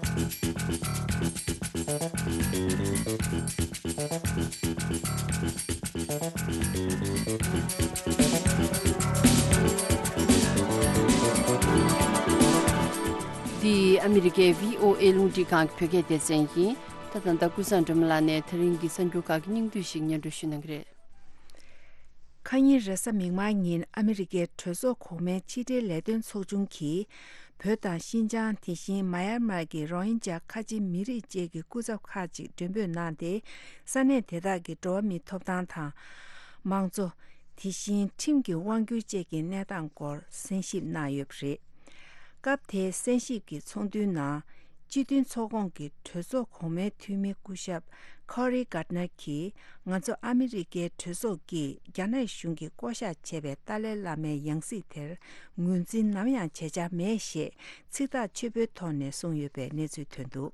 འདི་ཨ་མི་རི་ཀའི་བྷི་ཨོ་ཨེ་རླུང་འཕྲིན་ཁང་གི་བོད་སྐད་སྡེ་ཚན་ཡིན། ད་ད་ལྟ་ཀུན་བཟང་སྒྲོལ་མ་ལགས་ནས་ད་རིང་གི་གསར་འགྱུར་ཁག་གི་སྙིང་བསྡུས་ཤིག་སྙན་སྒྲོན་ཞུ་གནང་གི་རེད། ཁ་ཉིན་རེས་གཟའ་མིག་དམར་ཉིན་ཨ་མི་རི་ཀའི་གྲོས་ཚོགས་གོང་མའི་ཕྱི་འབྲེལ་ལས་དོན་ཚོགས་ཆུང་གིས་བོད་དང་ཤིན་ཅང་། དེ་བཞིན་མཱ་ཡར་མར་གྱི་རོ་ཧིན་ཇཱ་ཁ་ཆེ་མི་རིགས་བཅས་ཀྱི་སྐུ་ཚབ་ཁག་ཅིག་མགྲོན་འབོད་གནང་སྟེ། ས་གནས་དེ་དག་གི་འགྲོ་བ་མིའི་ཐོབ་ཐང་དང་། དམངས་གཙོ། དེ་བཞིན་ཁྲིམས་ཀྱི་དབང་སྒྱུར་བཅས་ཀྱི་གནས་སྟངས་སྐོར་གསན་ཞིབ་གནང་ཡོད་པ་རེད། སྐབས་དེའི་གསན་ཞིབ་ཀྱི་ཚོགས་འདུའི་ནང་། སྤྱི་མཐུན་ཚོགས་ཁོངས་ཀྱི་གྲོས་ཚོགས་གོང་མའི་འཐུས་མི་སྐུ་ཞབས་ཁོ་རི་གྷར་ནར་གྱིས། ང་ཚོ་ཨ་མི་རི་ཀའི་གྲོས་ཚོགས་ཀྱིས་རྒྱ་ནག་གཞུང་གིས་བསྐོ་གཞག་བྱས་པའི་ཏཱ་ལའི་བླ་མའི་ཡང་སྲིད་དེར་ངོས་འཛིན་ནམ་ཡང་བྱེད་འཆར་མེད་ཞེས་ཚིག་ཐག་ཆོད་པོའི་ཐོག་ནས་གསུངས་ཡོད་པའི་གནས་ཚུལ་ཐོན་འདུག་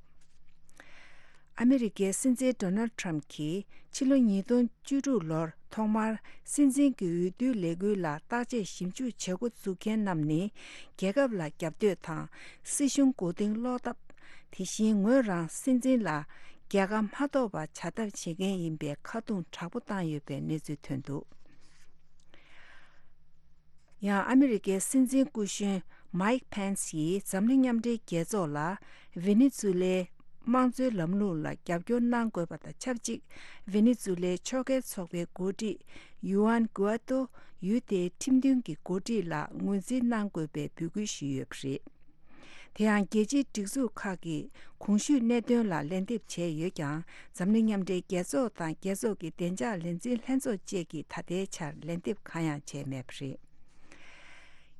ཨ་མི་རི་ཀའི་སྲིད་འཛིན་ཌོ་ནལ་ཊམ་གྱིས་ཕྱི་ལོ་ཉིས་སྟོང་བཅུ་དྲུག་ལོར་ཐོག་མར་སྲིད་འཛིན་གྱི་འོས་བསྡུའི་ལས་འགུལ་ལ་བརྟག་དཔྱད་ཞིབ་འཇུག་བྱེད་འགོ་འཛུགས་མཁན་རྣམས་ནི། རྒྱལ་ཁབ་ལ་རྒྱབ་གཏོད་དང་། སྲིད་གཞུང་མགོ་རྟིང་སློག་ཐབས། དེ་བཞིན་ངོས་རང་སྲིད་འཛིན་ལ་རྒྱལ་ཁ་མ་ཐོབ་པ་བྱ་ཐབས་བྱེད་མཁན་ཡིན་པའི་ཁ་རྡུང་དྲག་པོ་བཏང་ཡོད་པའི་གནས་ཚུལ་ཐོན་འདུག་ཡང་ཨ་མི་རི་ཀའི་སྲིད་འཛིན་སྐུ་གཞོན་མཱིག་ཕེན་སི་ཡིས་འཛམ་གླིང་མཉམ་འབྲེལ་རྒྱལ་ཚོགས་ལ་ཝེ་ནེ་ཛུ་ལའི་དམངས་གཙོའི་ལམ་ལུགས་ལ་རྒྱབ་སྐྱོར་གནང་དགོས་པ་དང་ཆབས་ཅིག་ཝེ་ནེ་ཛུ་ལའི་ཕྱོགས་འགལ་ཚོགས་པའི་འགོ་ཁྲིད་ཡུ་ཨན་གུ་ཨ་ཏོ། ཡུལ་དེའི་ཁྲིམས་མཐུན་གྱི་འགོ་ཁྲིད་ལ་ངོས་འཛིན་གནང་དགོས་པའི་འབོད་སྐུལ་ཞུས་ཡོད་པ་རེད། དེ་ཡང་རྒྱལ་སྤྱིའི་སྒྲིག་འཛུགས་ཁག་གིས་གོང་ཞུས་གནད་དོན་ལ་ལན་འདེབས་བྱས་ཡོད་ཀྱང་། འཛམ་གླིང་མཉམ་འབྲེལ་རྒྱལ་ཚོགས་དང་རྒྱལ་ཚོགས་ཀྱི་བདེ་འཇགས་ལས་འཛིན་ལྷན་ཚོགས་བཅས་ཀྱིས་ད་ལྟའི་ཆར་ལན་འདེབས་གང་ཡང་བྱས་མེད་པ་རེད།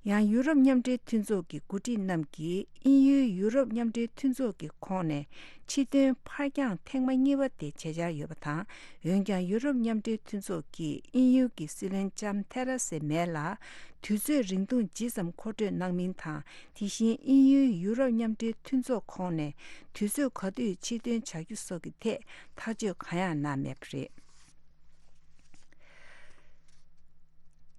ཡང་ཡུ་རོབ་མཉམ་འབྲེལ་མཐུན་ཚོགས་ཀྱི་འགོ་ཁྲིད་རྣམས་ཀྱིས་དབྱིན་ཡུལ་ཡུ་རོབ་མཉམ་འབྲེལ་མཐུན་ཚོགས་ཀྱི་ཁོངས་ནས་ཕྱིར་ཐོན་ཕར་འགྱངས་ཐེངས་མ་གཉིས་པ་དེ་བྱེད་འཆར་ཡོད་པ་དང་། འོན་ཀྱང་ཡུ་རོབ་མཉམ་འབྲེལ་མཐུན་ཚོགས་ཀྱིས་དབྱིན་ཡུལ་གྱི་སྲིད་བློན་ལྕམ་ཐེ་ར་སེ་མེ་ལ་དུས་ཚོད་རིང་ཐུང་ཇི་ཙམ་མཁོ་སྤྲོད་གནང་མིན་དང་། དེ་བཞིན་དབྱིན་ཡུལ་ཡུ་རོབ་མཉམ་འབྲེལ་མཐུན་ཚོགས་ཁོངས་ནས་དུས་ཚོད་ག་དུས་ཕྱིར་ཐོན་བྱ་རྒྱུ་སོགས་ཀྱི་ཐད་ཐག་གཅོད་གང་ཡང་གནང་མེད་པ་རེད།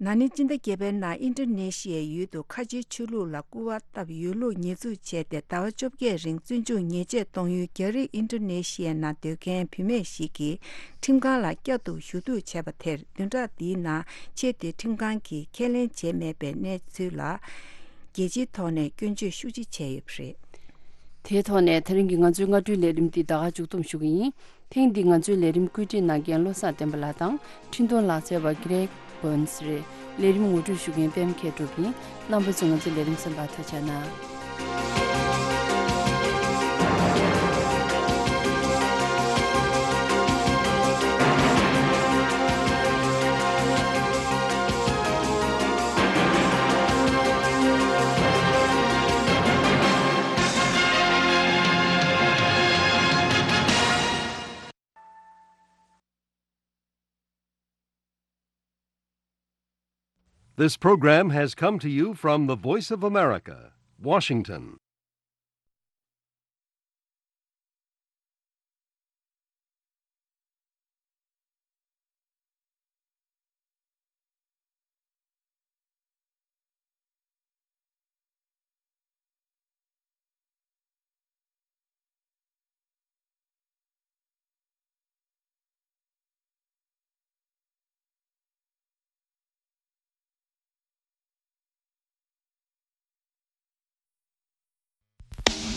ན་ནིང་སྤྱི་ཟླ་བརྒྱད་པའི་ནང་ཨིན་ཌོ་ནེ་ཤི་ཡའི་ཡུལ་དུ་ཁ་ཆེའི་ཆོས་ལུགས་ལ་སྐུར་བ་བཏབ་ཡོད་ལུགས་ཉེས་འཛུགས་བྱས་ཏེ། ཟླ་བ་བཅོ་བརྒྱད་རིང་བཙོན་འཇུག་ཉེས་ཆད་གཏོང་ཡུལ་རྒྱ་རིགས་ཨིན་ཌོ་ནེ་ཤི་ཡའི་ནང་སྡོད་མཁན་བུད་མེད་ཞིག་གིས་ཁྲིམས་ཁང་ལ་བསྐྱར་དུ་ཞུ་གཏུག་བྱས་པ་དེར། བདུན་ཕྲག་འདིའི་ནང་ཆེས་མཐོའི་ཁྲིམས་ཁང་གིས་ཁས་ལེན་བྱས་མེད་པའི་གནས་ཚུལ་ལ། རྒྱལ་སྤྱིའི་ཐོག་ནས་སྐྱོན་བརྗོད་ཤུགས་ཆེ་བྱས་ཡོད་པ་རེད། དེའི་ཐོག་ནས་དེ་རིང་གི་ང་ཚོའི་སྔ་དྲོའི་ལས་རིམ་འདི་ད་ག་མཇུག་བསྡོམས་ཞུ་གི་ཡིན། ཐེངས་འདིའི་ང་ཚོའི་ལས་རིམ་བཀོད་སྒྲིག་གནང་མཁན་བློ་བཟང་བསྟན་པ་ལགས་དང་། འཕྲིན་གཏོང་ལག་རྩལ་བ་གྷི་རེག་བྷོན་སི་རེད། ལས་རིམ་ངོ་སྤྲོད་ཞུ་མཁན་པད་མ་མཁས་གྲུབ་ཡིན། རྣམ་པ་ཚོས་ང་ཚོའི་ལས་རིམ་གསན་པར་ཐུགས་རྗེ་གནང་། This program has come to you from the Voice of America, Washington.